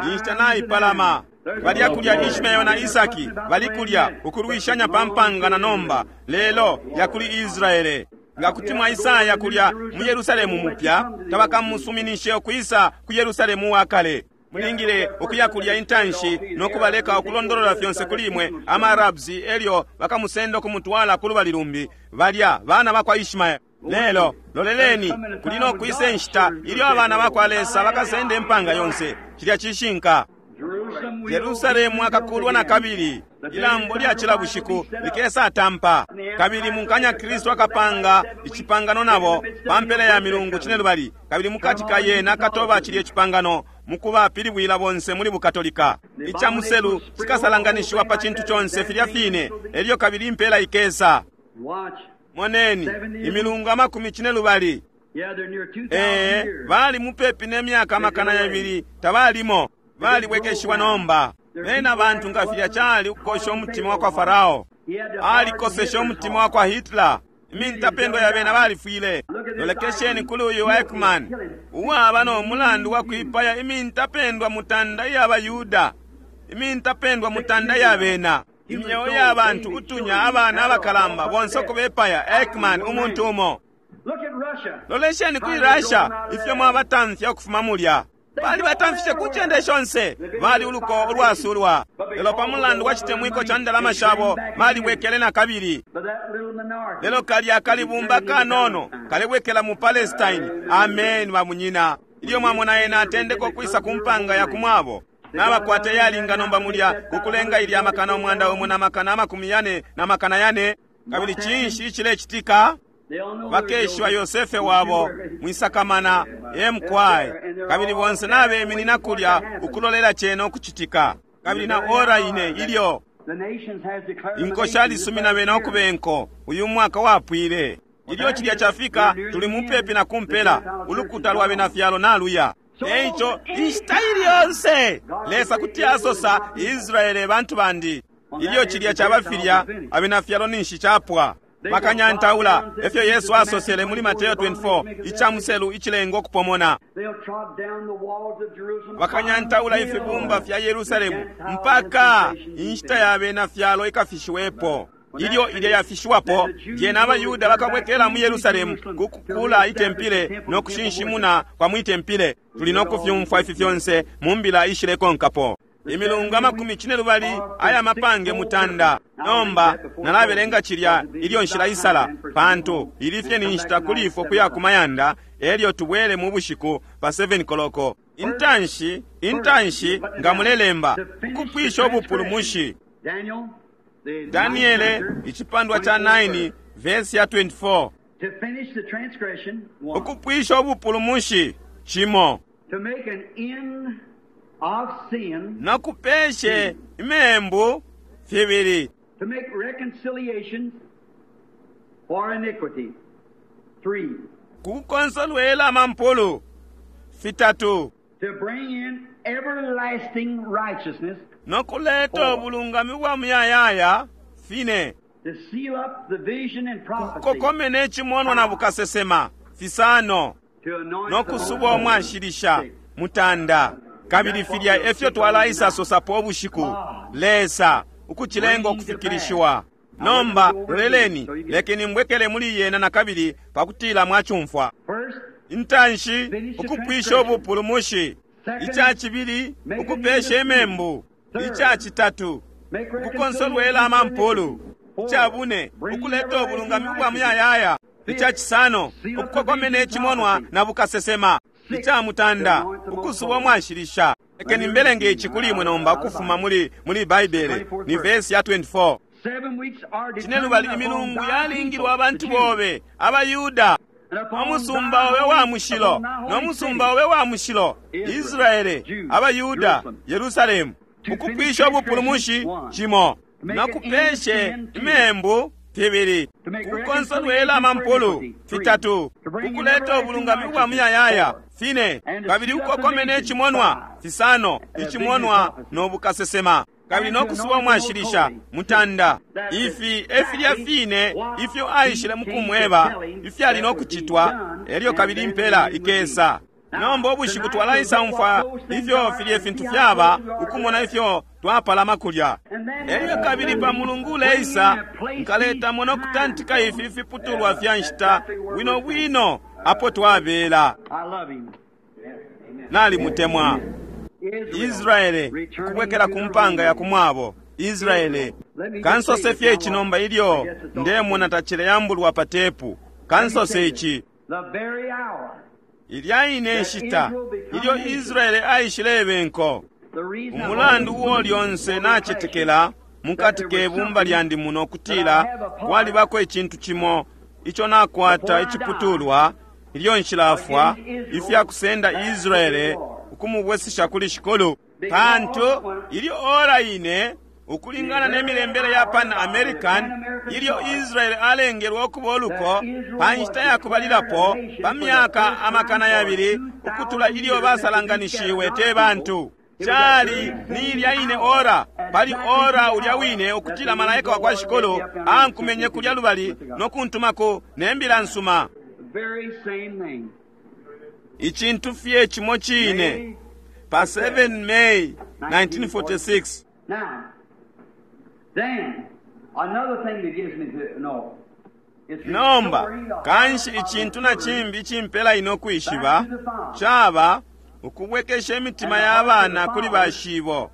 Inshita naipalama. Balya kulya Ishmael na Isaki bali kulya ukulwishanya pa mpanga na nomba, lelo yakuli Israele. Nga kuti mwaisaya kulya mu Yerusalemu mupya, tabakamusuminishe ukwisa ku Yerusalemu wa kale. Mulingile ukuya kulya intanshi no kubaleka ukulondolola fyonse kuli imwe ama Arabs, elyo bakamusenda ukumutwala ku lubali lumbi. Balya bana bakwa Ishmael. Lelo loleleni, kuli no kwisa inshita ilyo abana bakwa Lesa bakasenda impanga yonse. Cilya cishinka. Yerusalemu akakulwa na kabili, ilambo lya cila bushiku likesa tampa. Kabili munkanya Kristu akapanga icipangano nabo pa mpela ya milungu cinelubali, kabili mukati ka yena akatoba cilye cipangano mukuba pilibwila bonse muli bukatolika. Ica muselu cikasalanganishiwa pa cintu conse filya fine, elyo kabili impela ikesa. Watch. Moneni imilungu 40. Yeah, they're near 2,000 Ee, years. bali mupepi ne myaka 200 tabalimo, balibwekeshiwa nomba. Bena bantu nga filya cali ukukosha umutima wa kwa Farao, alikoseshe umutima wa kwa Hitler. Imintapendwa ya bena balifwile. Lolekesheni kuli uyu Eichmann uwaba no mulandu wa kwipaya imintapendwa mutanda iya bayuda, imintapendwa mutanda ya bena, imyeo ya bantu utunya abana abakalamba bonse ukubepaya. Eichmann umuntu umo. Lolesheni kuli Russia, ifyo mwabatamfya ukufuma mulya. Bali batamfishe ku ncende shonse, bali uluko ulwasulwa. Lelo pa mulandu wa citemwiko ca ndalama shabo, balibwekele na kabili. Lelo kalya kalibumba kanono kalebwekela mu Palestine. Amen, bamunyina. Ilyo mwamona ena atendeka ukwisa ku mpanga ya kumwabo, nabakwata iyalinga nomba mulya kukulenga ilya 1,144,000. Kabili cinshi icilecitika? Bakeshiba Yosefe wabo, mwisakamana, emkwai. Kabili bonse nabeminina kulya ukulolela cena ukucitika. Kabili na ora ine ilyo inko shalisumina bena ukube nko, uyu mwaka wapwile. Ilyo cilya cafika, tuli mupepi na kumpela, ulukuta lwa bena fyalo naluya. Eico inshita ili yonse Lesa kuti asosa, Israele bantu bandi. Ilyo cilya caba filya, abena fyalo ninshi capwa. Bakanyantaula, efyo Yesu asosele muli Mateo 24, ica muselu icilengo kupomona. Bakanyantaula ifibumba fya Yerusalemu mpaka inshita ya bena fyalo ikafishiwepo. Ilyo ilya yafishiwapo, lyena abaYuda bakabwekela mu Yerusalemu ku kukula itempile no kushinshimuna kwa mwi tempile. Tuli no kufyumfwa ifi fyonse mu mbila ishilekonkapo. Imilungu 80 aya mapange mutanda. Nomba nalabelenga cilya ilyo nshila isala, pantu ili fye ni nshita kuli ifwe kuya ku mayanda, elyo tubwele mu bushiku pa 7 koloko. Intanshi, intanshi nga mulelemba, ukupwisha ubupulumushi. Daniele icipandwa ca 9 verse ya 24. Ukupwisha ubupulumushi cimo. No kupeshe imembu fibili. Kukukonsolwela amampulu fitatu. No kuleta ubulungami bwa muyayaya fine. Kukokomene icimonwa na bukasesema fisano. No kusuba umwashilisha mutanda. Kabili filya efyo twalaisa sosapo ubushiku. Lesa ukucilenga ukufikilishiwa. Nomba loleleni, lekeni mbwekele muli yena na kabili pakutila mwacumfwa. Intanshi, ukupwisha ubupulumushi. Ica cibili, ukupesha imembu. Ica citatu, ukukonsolwela amampulu. Ica bune, ukuleta ubulungami ubwa muyayaya. Ica cisano, ukukokomena icimonwa na bukasesema. Ica mutanda, ukusuba umwashilisha. Lekeni mbelenge ici kuli imwe nomba ukufuma muli muli Baibele, ni verse ya 24. Cinelubali imilungu yalingilwa abantu bobe abayuda, umusumba obe wa mushilo no musumba obe wa mushilo Israele, abayuda, Yerusalemu. Ukupwisha ubupulumushi cimo, no kupeshe imembu fibili, kukonsolwela amampulu fitatu, kukuleta ubulungami ubwa muyayaya fine, kabili ukokomene icimonwa fisano, icimonwa no bukasesema, kabili no kusuba umwashilisha mutanda. Ifi efilya fine ifyo aishile mukumweba ifyali no kucitwa, elyo kabili impela ikesa. Nomba ubushiku twalaisa umfwa ifyo filye fintu fyaba, ukumona ifyo twapalama kulya. Elyo kabili pa mulungu uleisa nkaletamo no kutantika ifi fiputulwa fya nshita bwino bwino apo twabela. Nalimutemwa Israele kubwekela ku mpanga ya kumwabo. Israele, kansose fye ici nomba ilyo ndemona tacileyambulwa pa tepu. Kansose ici. Ilya ine nshita ilyo Israele aishilebe nko, umulandu uo lyonse nacetekela mukati ke bumba lyandi muno kutila kwalibako icintu cimo ico nakwata iciputulwa ilyo nshilafwa ifya kusenda Israele ukumubwesesha kuli Shikulu. Pantu ilyo ora ine ukulingana ne milembele ya Pan American, ilyo Israele alengelwe ukuba uluko pa nshita ya kubalilapo pa myaka 2,000 ukutula ilyo basalanganishiwe te bantu. Cali ni ilya ine ora, pali ora ulya wine ukutila malaika wa kwa Shikulu ankumenye kulya lubali no kuntumako ne mbila nsuma. Icintu fye cimo cine pa 7 May 1946. Now, then, another thing that gives me to know. Nomba kanshi icintu na cimbi icimpela ine ukwishiba caba ukubwekesha imitima ya bana kuli bashibo,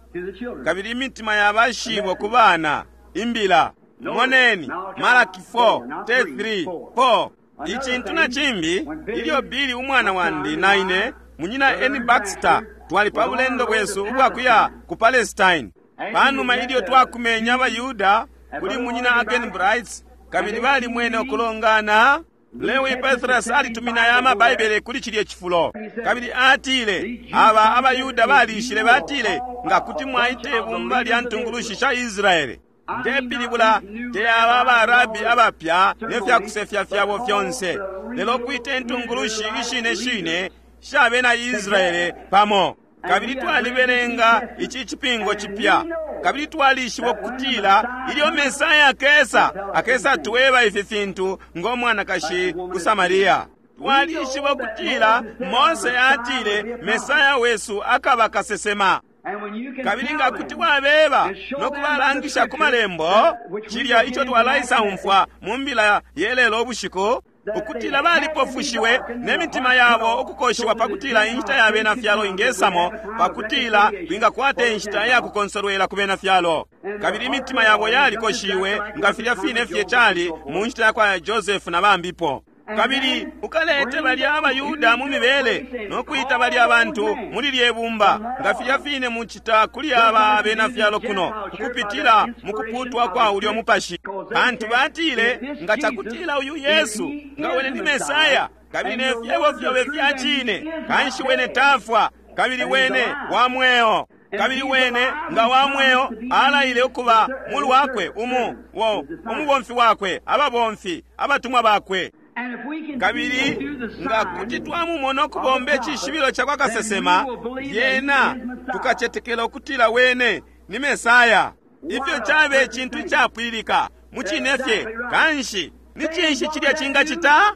kabili imitima ya bashibo ku bana. Imbila. Moneni Malaki 4 3 4. Icintu na cimbi, ilyo Billy umwana wandi na ine, munyina Ernie Baxter, twali pa bulendo bwesu ubwakuya ku Palestine. Panuma ilyo twakumenye abaYuda kuli munyina Arganbright, kabili balimwene ukulongana, Lewi Pethrus alitumina aya amaBaibele kuli cilye cifulo. Kabili atile, aba abaYuda balishile, batile, nga kuti mwaita ibumba lya ntungulushi sha Israele. Ndepilibula te aba abarabi abapya ne fya kusefya fyabo fyonse, lelo kwita intungulushi ishine shine sha bena Israele pamo. Kabili twalibelenga ici cipingo cipya, kabili twalishiba ukutila ilyo Mesaya akesa, akesa tweba ifi fintu ngo mwanakashi ku Samaria. Twalishiba ukutila Mose atile Mesaya wesu akaba kasesema. Kabili nga kuti wabeba no kubalangisha ku malembo cilya ico twalaisaumfwa mu mbila yelelo ubushiku, ukutila balipofushiwe ne mitima yabo ukukoshiwa pakutila inshita ya bena fyalo ingesamo, pakutila twingakwata inshita ya kukonsolwela ku bena fyalo. Kabili imitima yabo yalikoshiwe nga filya fine fye cali mu nshita ya kwa Joseph na bambipo. Kabili ukalete balya abaYuda mu mibele no kwita balya abantu muli lye bumba nga filya fine mucita kuli aba abena fyalo kuno, ukupitila mu kuputwa kwa ulyo mupashi. Pantu batile, nga cakutila uyu Yesu nga wene ni Mesaya, kabili ne fyebo fyobe fya cine, kanshi wene tafwa, kabili wene wa mweo. Kabili wene nga wa mweo alaile ukuba mulwakwe umubomfi wakwe, ababomfi, abatumwa bakwe. Kabili nga kuti twamumona ukubomba icishibilo ca kwa kasesema, lyena tukacetekela ukutila wene ni Mesaya. Ifyo cabe icintu icapwililika mucine fye. Kanshi ni cinshi cilya cingacita?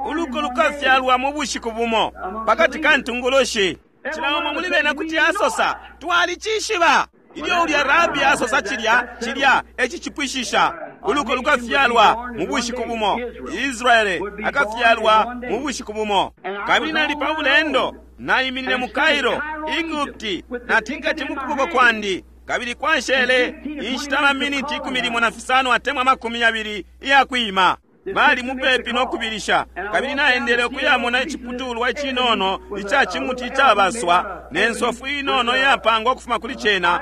Uluko lukafyalwa mu bushiku bumo pakati ka ntungulushi. Cila umo muli bena kuti asosa, twalicishiba. Ilyo ulya rabi asosa cilya, cilya ecicipwishisha. Uluko lukafyalwa mu bushiku bumo. Israele akafyalwa mu bushiku bumo. Kabili nali pa bulendo, naiminine mu Cairo, Egupti, natiketi mu kuboko kwandi, kabili kwashele inshita maminiti 15 atemwa 20 iya kwima. Bali mupepi no kubilisha, kabili naendele ukuyamona iciputulwa icinono ica cimuti icabaswa ne nsofu inono iyapangwa ukufuma kuli cena,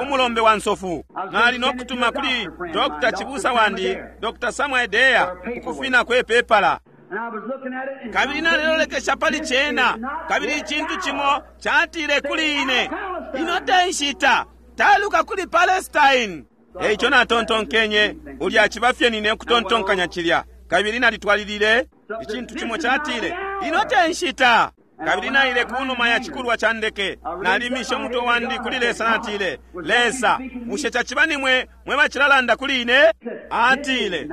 umulombe wa nsofu. Nali no kutuma kuli Dr. Chibusa wandi, Dr. Samuel Deya, ukufina kwe pepala. Kabili nalelolekesha pali cena, kabili icintu cimo catile kuli ine, ino te nshita, taluka kuli Palestine. Eico natontonkenye, ulya ciba fye nine ukutontonkanya cilya. Kabili nalitwalilile, icintu cimo catile, ino te nshita. Kabili naile kunuma ya cikulwa ca ndeke, nalimishe umutwe wandi kuli Lesa, natile, Lesa, bushe caciba nimwe mwe bacilalanda kuli ine? Atile,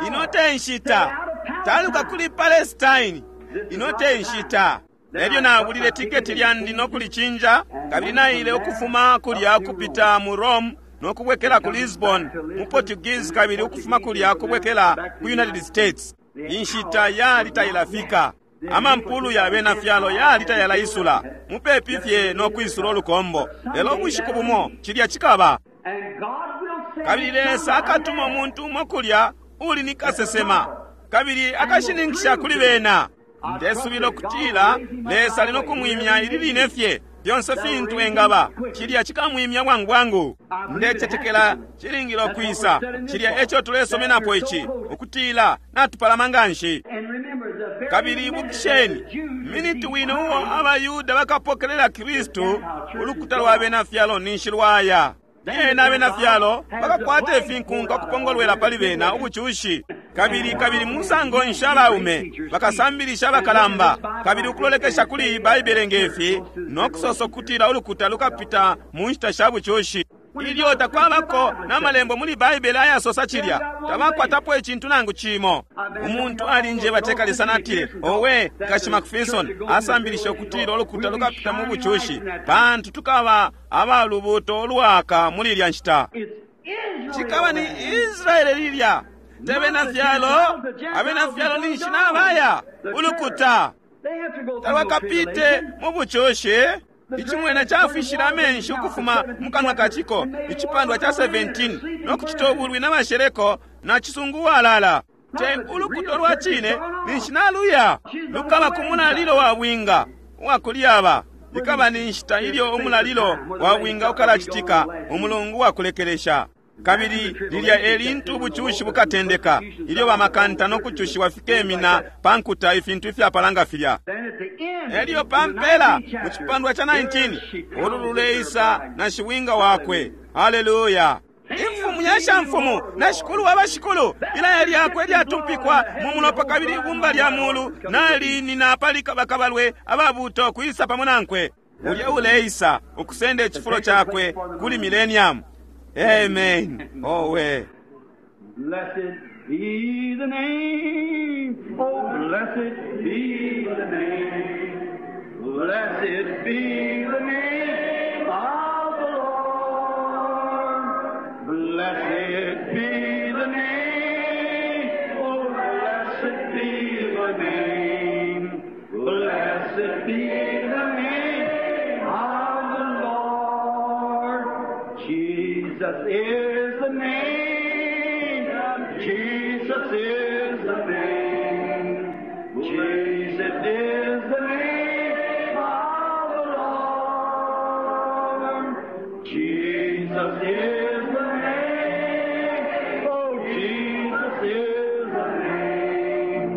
ino te nshita, taluka kuli Palestine, ino te nshita. Elyo nabulile tiketi lyandi no kulicinja, kabili naile ukufuma kulya kupita mu Rome no kubwekela ku Lisbon mu Portuguese, kabili ukufuma kulya kubwekela ku United States. Inshita yali tailafika. Amampulu ya bena fyalo yali tayalaisula mupepi fye no kwisula ulukombo, lelo ubushiku bumo cilya cikaba. Kabili Lesa akatuma umuntu umo kulya uli ni kasesema, kabili akashininkisha kuli bena. Ndesubila ukutila Lesa ali no kumwimya ili line fye fyonse fintu engaba. Cilya cikamwimya bwangu bwangu. Ndecetekela cilingile ukwisa. Cilya eco tulesomenapo ici, ukutila natupalama nganshi. Kabili ibukisheni, miniti wine uo abaYuda bakapokelela Kristu, ulukuta lwa bena fyalo ninshi lwaya. Lyena abena fyalo bakakwata ifinkunka ukupongolwela pali bena ubucushi. Kabili kabili musango nshi abaume bakasambilisha abakalamba, kabili ukulolekesha kuli iyi Baibele ngefi, no kusosa ukutila ulukuta lukapita mu nshita sha bucushi. Ilyo takwabako na malembo muli Baibele ayasosa cilya, tabakwatapo icintu nangu cimo. Umuntu alinjeba tekalisa natile, owe Kashi McPherson asambilisha ukutila ulukuta lukapita mu bucushi, pantu tukaba abalubuto ulwaka muli ilya nshita. Cikaba ni Israele lilya. Te bena fyalo, abena fyalo ninshi nabaya ulukuta talwakapite mu bucushi. Icing'wena cafwishile amenshi ukufuma mu kanwa ka ciko, icipandwa ca 17, no kucita ubulwi na basheleko na cisungu walala. Te ulukuta lwa cine ninshi naluya, lukaba ku mulalilo wa bwinga uwakulyaba. Ikaba ni nshita ilyo umulalilo wa bwinga ukalacitika, umulungu wa kulekelesha. Kabili lilya e lintu ubucushi bukatendeka, ilyo bamakanta no kucushiwa fikemina pa nkuta, ifintu ifyapalanga filya. Elyo pa mpela, mu cipandwa ca 19, ulu luleisa na shibwinga wakwe. Haleluya! Imfumu ya shamfumu na shikulu wa bashikulu, ilaya lyakwe lyatumpikwa mu mulopa, kabili ibumba lya mulu nalinina pali bakabalwe ababuto kwisa pamo nankwe. Ulya uleisa ukusenda icifulo cakwe kuli millennium. Amen. Owe. Blessed be the name. Oh, blessed be the name. Blessed be the name of the Lord. Blessed be the name. Oh, blessed be the name. Blessed be the name of the Lord. Jesus is the name. Jesus is the name. Jesus is the name of the Lord. Jesus is the name. Oh, Jesus is the name.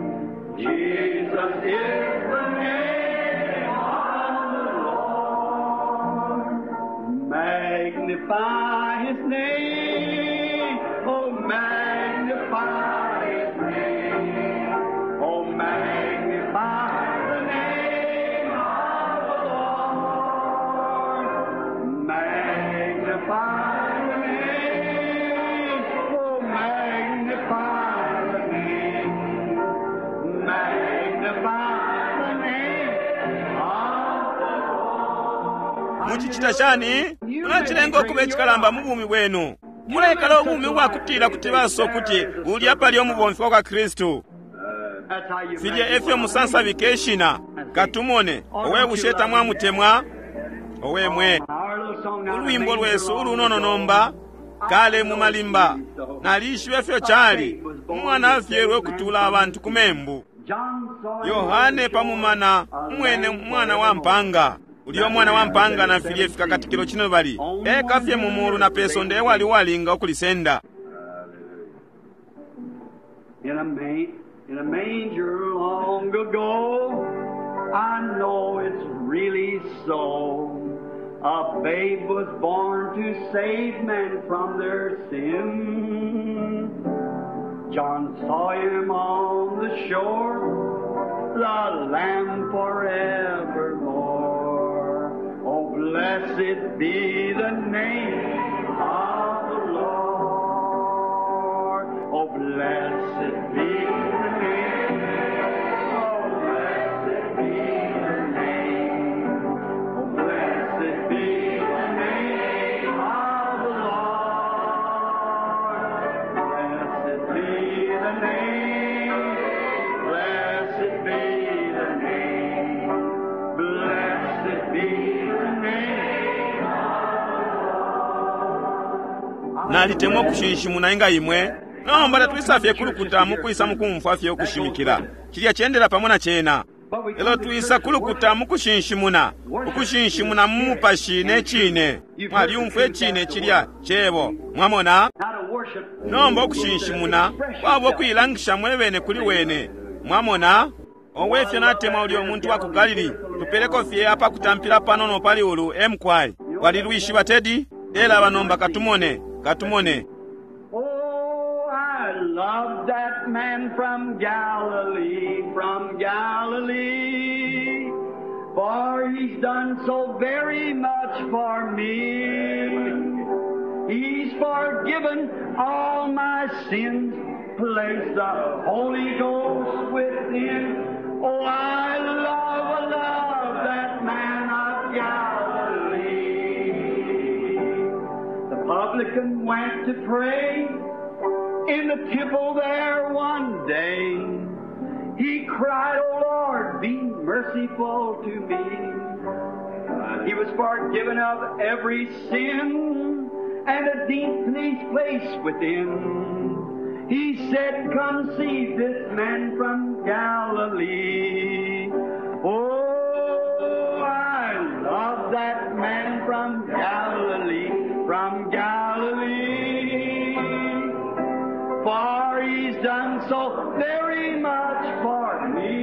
Jesus is the name of the Lord. Magnify his name. Oh, magnify his name. Oh, magnify the name of the Lord. Magnify the name. Oh, magnify the name. Magnify the name of the Lord. Mucicita shani? Mulacilenga ukuba icikalamba mu bumi bwenu. Mulekala ubumi ubwakutila kuti baso ukuti ulya pali umubomfi wa kwa Kristu. That's how you Filya efyo musansabika ishina. Katumone, owe bushe tamwamutemwa? Owe mwe. Ulwimbo lwesu ulunono nomba, kale mu malimba. Nalishiba ifyo cali. Umwana afyelwe ukutula abantu ku membu. Yohane pamumana umwene mwana wa mpanga. Ulya mwana wa mpanga na filye fikakatikilo cino bali. Eka fye mu mulu na pe sonde ewali uwalinga ukulisenda. In a manger long ago, I know it's really so. A babe was born to save men from their sin. John saw him on the shore, the Lamb forevermore. Oh, blessed be the name of the Lord. Oh, blessed be the name. Oh, blessed be the name. Oh, blessed be the name of the Lord. Blessed be the name. Blessed be the name. Blessed be the name of the Lord. Nalitemwa ukushinshimuna inga imwe. Nomba tatwisa fye kulukuta mukwisa mukumfwa fye ukushimikila. Cilya cendela pamo na cena. Elo twisa kulukuta mukushinshimuna, ukushinshimuna mu mupashi ne cine. Mwalyumfwa icine cilya cebo. Mwamona? How to worship. Nomba ukushinshimuna kwaba ukuilangisha mwebene kuli wene. Mwamona? Owe fye natemwa ulya umuntu wa ku Galili. Tupeleko fye apakutampila panono pali ulu emkwai. Walilwishiba Tedi? Ela nomba katumone, katumone. Oh, I love that man from Galilee, from Galilee. For he's done so very much for me. He's forgiven all my sins, placed the Holy Ghost within. Oh, I love, love that man of Galilee. The publican went to pray In the temple there one day, he cried, O Lord, be merciful to me. He was forgiven of every sin and a deep peace place within. He said, Come see this man from Galilee. Oh, I love that man from Galilee, from Galilee. For he's done so very much for me.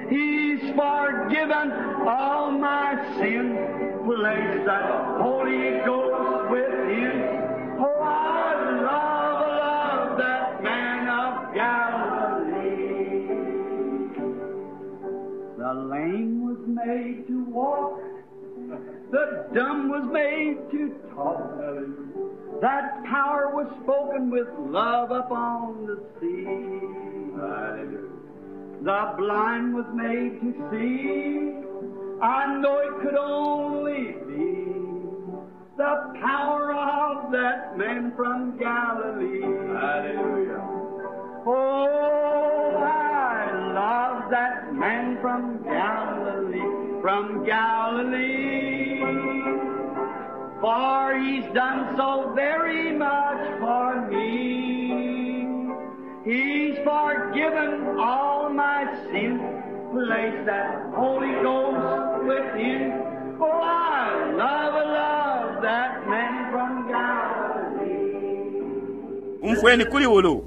He's forgiven all my sin, placed that Holy Ghost within. Oh, I love, love that man of Galilee. The lame was made to walk, the dumb was made to talk. That power was spoken with love upon the sea. The blind was made to see. I know it could only be the power of that man from Galilee. Hallelujah. Oh, I love that man from Galilee, from Galilee. For he's done so very much for me. He's forgiven all my sin, placed that Holy Ghost within. Oh, I love, love that man from Galilee. Umfweni kuli ulu.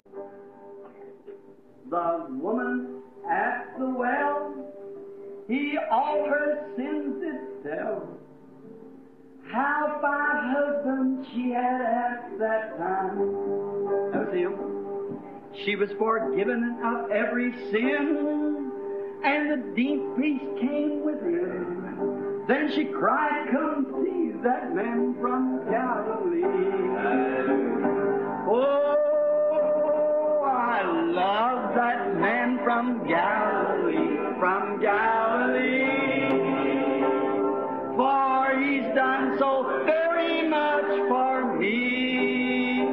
The woman at the well, he all her sins did tell. How five husbands she had at that time. That was him. She was forgiven of every sin, and the deep peace came within. Then she cried, Come see that man from Galilee. Oh, I love that man from Galilee, from Galilee. For he's done so very much for me.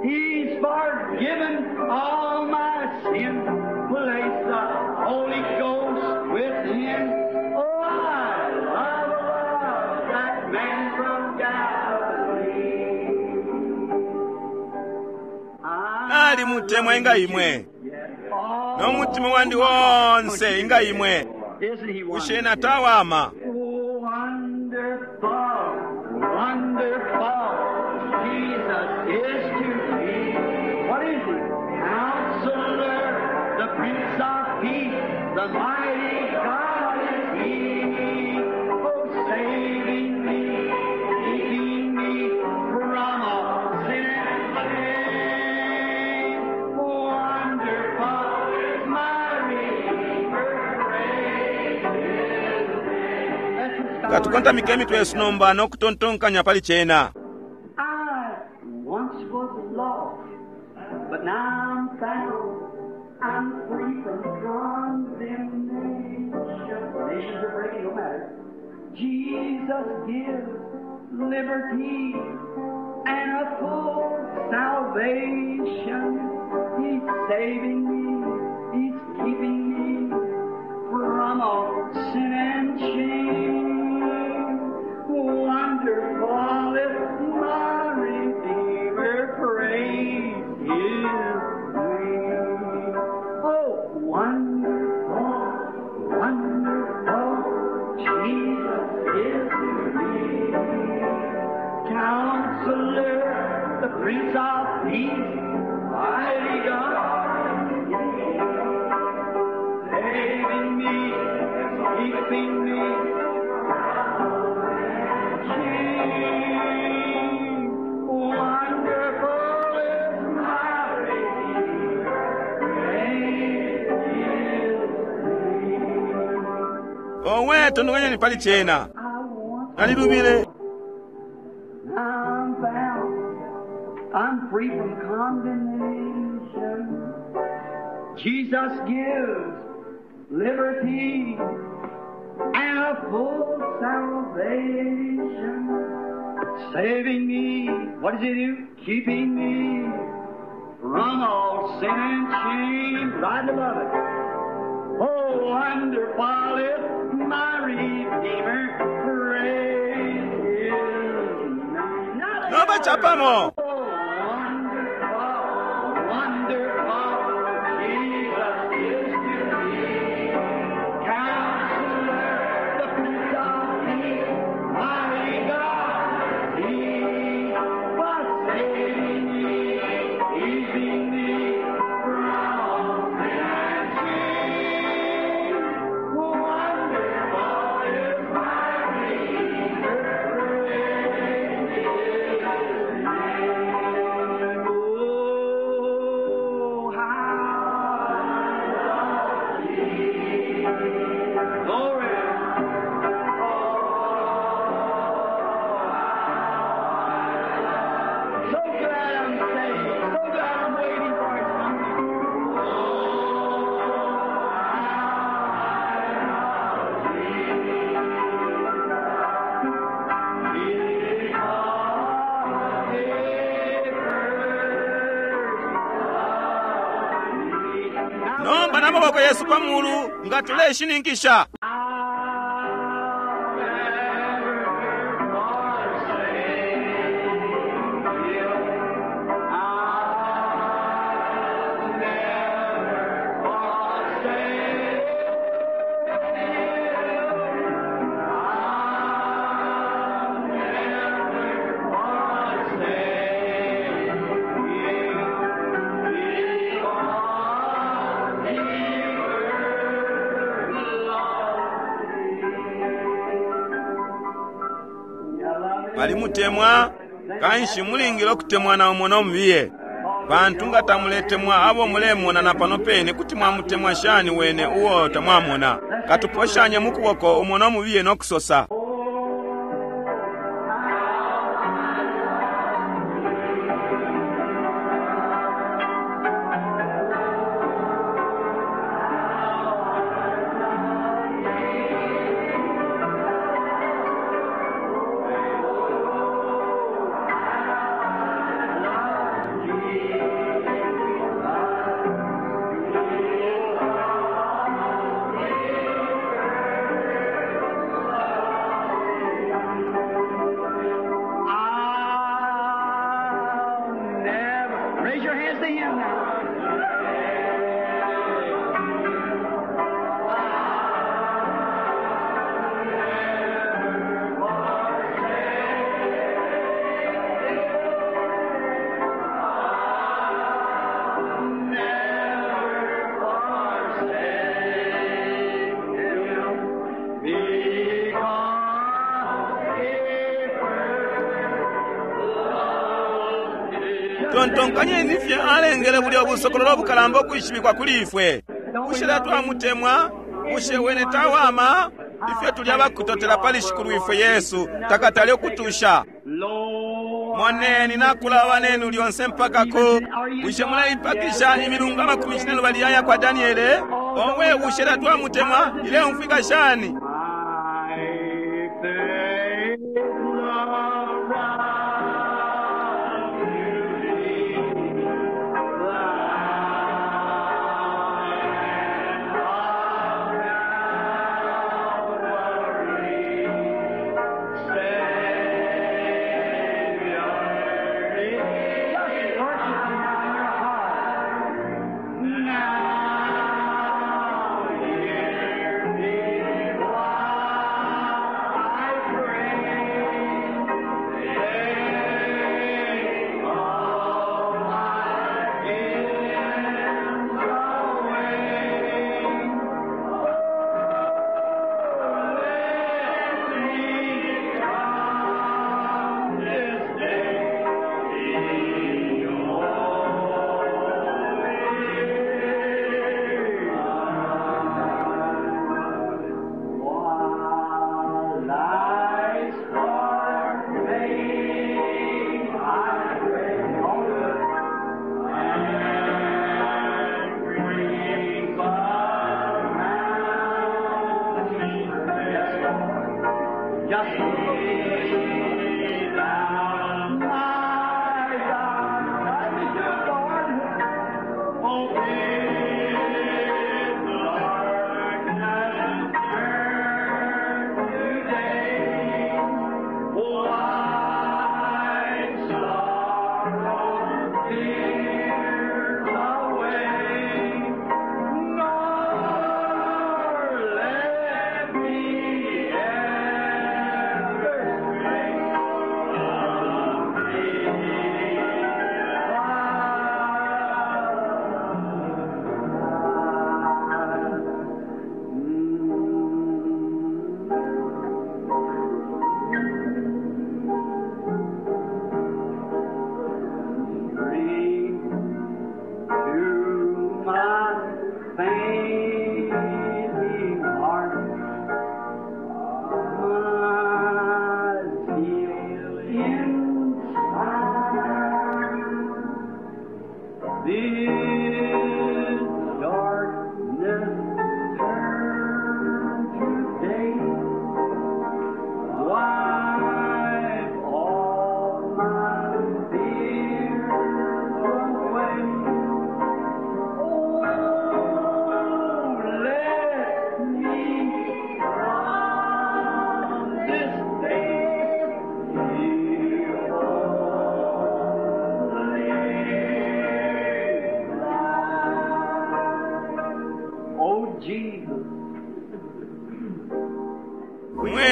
He's forgiven all my sin, placed the Holy Ghost within. Oh, I love, love that man from Galilee. Nali mutemwa inga imwe. N'omutima wandi wonse inga imwe. Isn't he Bushe wonderful? natawama. Oh, wonderful, wonderful Jesus is to me. What is he? Counselor, the Prince of Peace, the mighty God is he. Oh, saving me, keeping me from all sin and shame. Wonderful is my Redeemer, praise his name. That's his Katukontamike emitwe yesu nomba n'okutontonkanya pali kyena. I once was lost, but now I'm found. I'm free from condemnation. Nations are breaking, no matter. Jesus gives liberty and a full salvation. He's saving me. He's keeping me from all sin and shame. Wonderful is my Redeemer, praise His name. Oh, wonderful, wonderful, Jesus is to me. Counselor, the Prince of Peace, mighty God, saving me, keeping me. Shame. Wonderful is my Redeemer, praise His name. Owe tontonkanyeni pali kyena. I once Nalilubile. I'm found. I'm free from condemnation. Jesus gives liberty and a full salvation. Saving me, what does he do? Keeping me from all sin and shame, right above it. Oh, wonderful is my Redeemer, praise his name. Now Nomba chapamo. Oh, wonderful, wonderful Jesus is to me. Counselor, the Prince of Peace, mighty God, He was saving me, keeping me from sin and shame. Wonderful is my Redeemer, praise His name. Oh, how Glory. So glad I'm saved. So glad I'm waiting for His coming. Nomba na maboko yesu pa mulu nga tuleshininkisha. Balimutemwa kanshi mulingile okutemwana umo nomubiye pantu nga tamuletemwa abo mulemona na pano pene kuti mwamutemwa shani wene uwo tamwamona. Katuposhanye mukuboko umo nomubiye nokusosa. I'll never. Raise your hands to Him now. Tontonkanyeni fye alengele bulya obusokololo obukalamba okwishibikwa kuli ifwe. Bushe twamutemwa? Bushe wene tawama? Ifwe tuli abakutotela pali shikulu ifwe Yesu takatale okutusha. Lord, Moneni nakulaba nenu lyonse mpaka ku. Bushe muleipakisha imilungu 42 aya kwa Daniele? Omwe bushe twamutemwa ileumfwika shani? my faith loves Just worship Him in your heart. Now, hear me.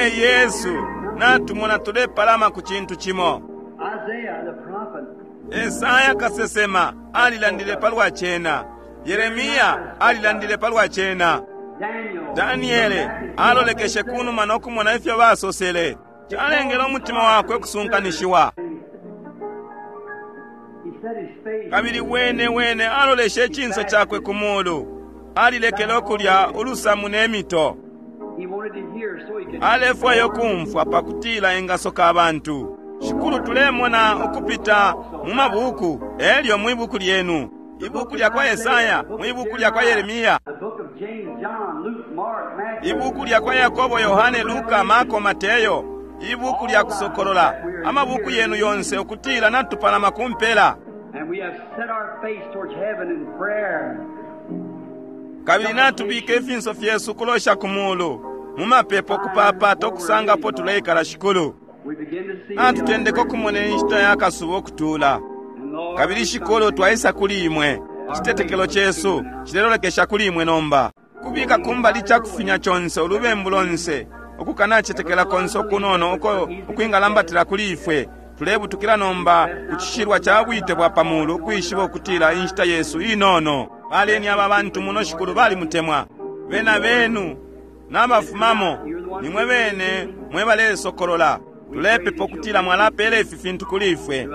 Mwe Yesu, natumona tulepalama ku cintu cimo. Isaiah the prophet Esaya kasesema alilandile palwa cena. Yeremiya alilandile palwa cena. Daniel Daniele alolekeshe kunuma no kumona ifyo basosele. Calengele umutima wakwe kusunkanishiwa. He set his face Kabili wene wene aloleshe icinso cakwe ku mulu. Alilekele ukulya ulusamu ne mito. He wanted to hear so he could Alefwaya ukumfwa pakutila engasoka abantu. Shikulu tulemona ukupita mu mabuku, elyo mwi buku lyenu. Ibuku lya kwa Yesaya, mwi buku lya kwa Yeremiya, the book of James, John, Luke, Mark, Matthew. ibuku lya kwa Yakobo, Yohane, Luka, Marko, Mateyo, ibuku lya kusokolola, amabuku yenu yonse ukutila natupalama ku mpela. And we have set our face towards heaven in prayer. Kabili natubika ifinso fyesu kulosha ku mulu, mu mapepo kupapata okusangapo tuleikala Shikulu. We begin to see Natutendeka okumona inshita ya kasuba okutula. And Lord, Kabili Shikulu twaisa kuli imwe. Icitetekelo cesu cilelolekesha kuli imwe nomba. Kubika kumbali cakufinya conse ulubembu lonse, ukukanacetekela konse okunono uko ukwingalambatila kuli ifwe. Tulebutukila nomba ku cishilwa ca bwite bwa pamulu ukwishiba ukutila inshita yesu inono. Baleni aba bantu muno Shikulu balimutemwa. Bena benu n'abafumamo nimwe bene mwe balesokolola. Tulepepa ukutila mwalapela ifi fintu kuli ifwe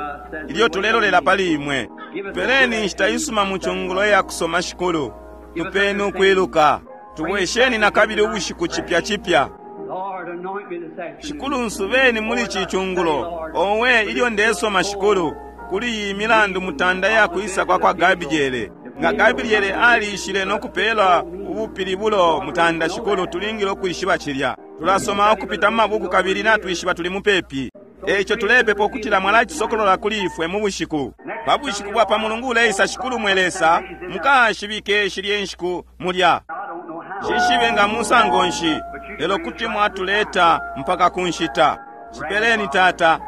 ilyo tulelolela pali imwe. Peleni inshita isuma mu cungulo iya kusoma Shikulu. Tupeni ukwiluka. Tubwesheni na kabili ubushiku cipya cipya. Lord, anoint me this afternoon. Shikulu nsubeni muli ci cungulo. Owe ilyo ndesoma Shikulu kuli iyi milandu mutanda ya kwisa kwa kwa Gabriele. Nga Gabriele aliishile no kupela ubupilibulo mutanda Shikulu tulingile ukwishiba cilya. Tulasoma ukupita mu mabuku kabili natwishiba tuli mupepi. Eico tulepepa ukutila mwalacisokolola kuli ifwe mu bushiku. Pa bushiku bwa pa Mulungu uleisa Shikulu mwe Lesa, mukashibike shilye nshiku mulya. I don't know how. Shishibe nga musango nshi, lelo kuti mwatuleta mpaka ku nshita. Shipeleni Tata,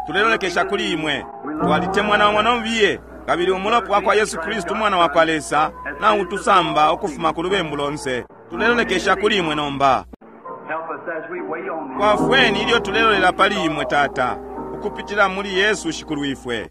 tulelolekesha kuli imwe. Twalitemwa na mwana mubiye, kabili umulopa wa kwa Yesu Kristu umwana wa kwa Lesa, nautusamba ukufuma ku lubembu lonse. Tulelolekesha kuli imwe nomba. Help us as we wait on thee. Twafweni ilyo tulelolela pali imwe Tata, ukupitila muli Yesu Shikulu ifwe.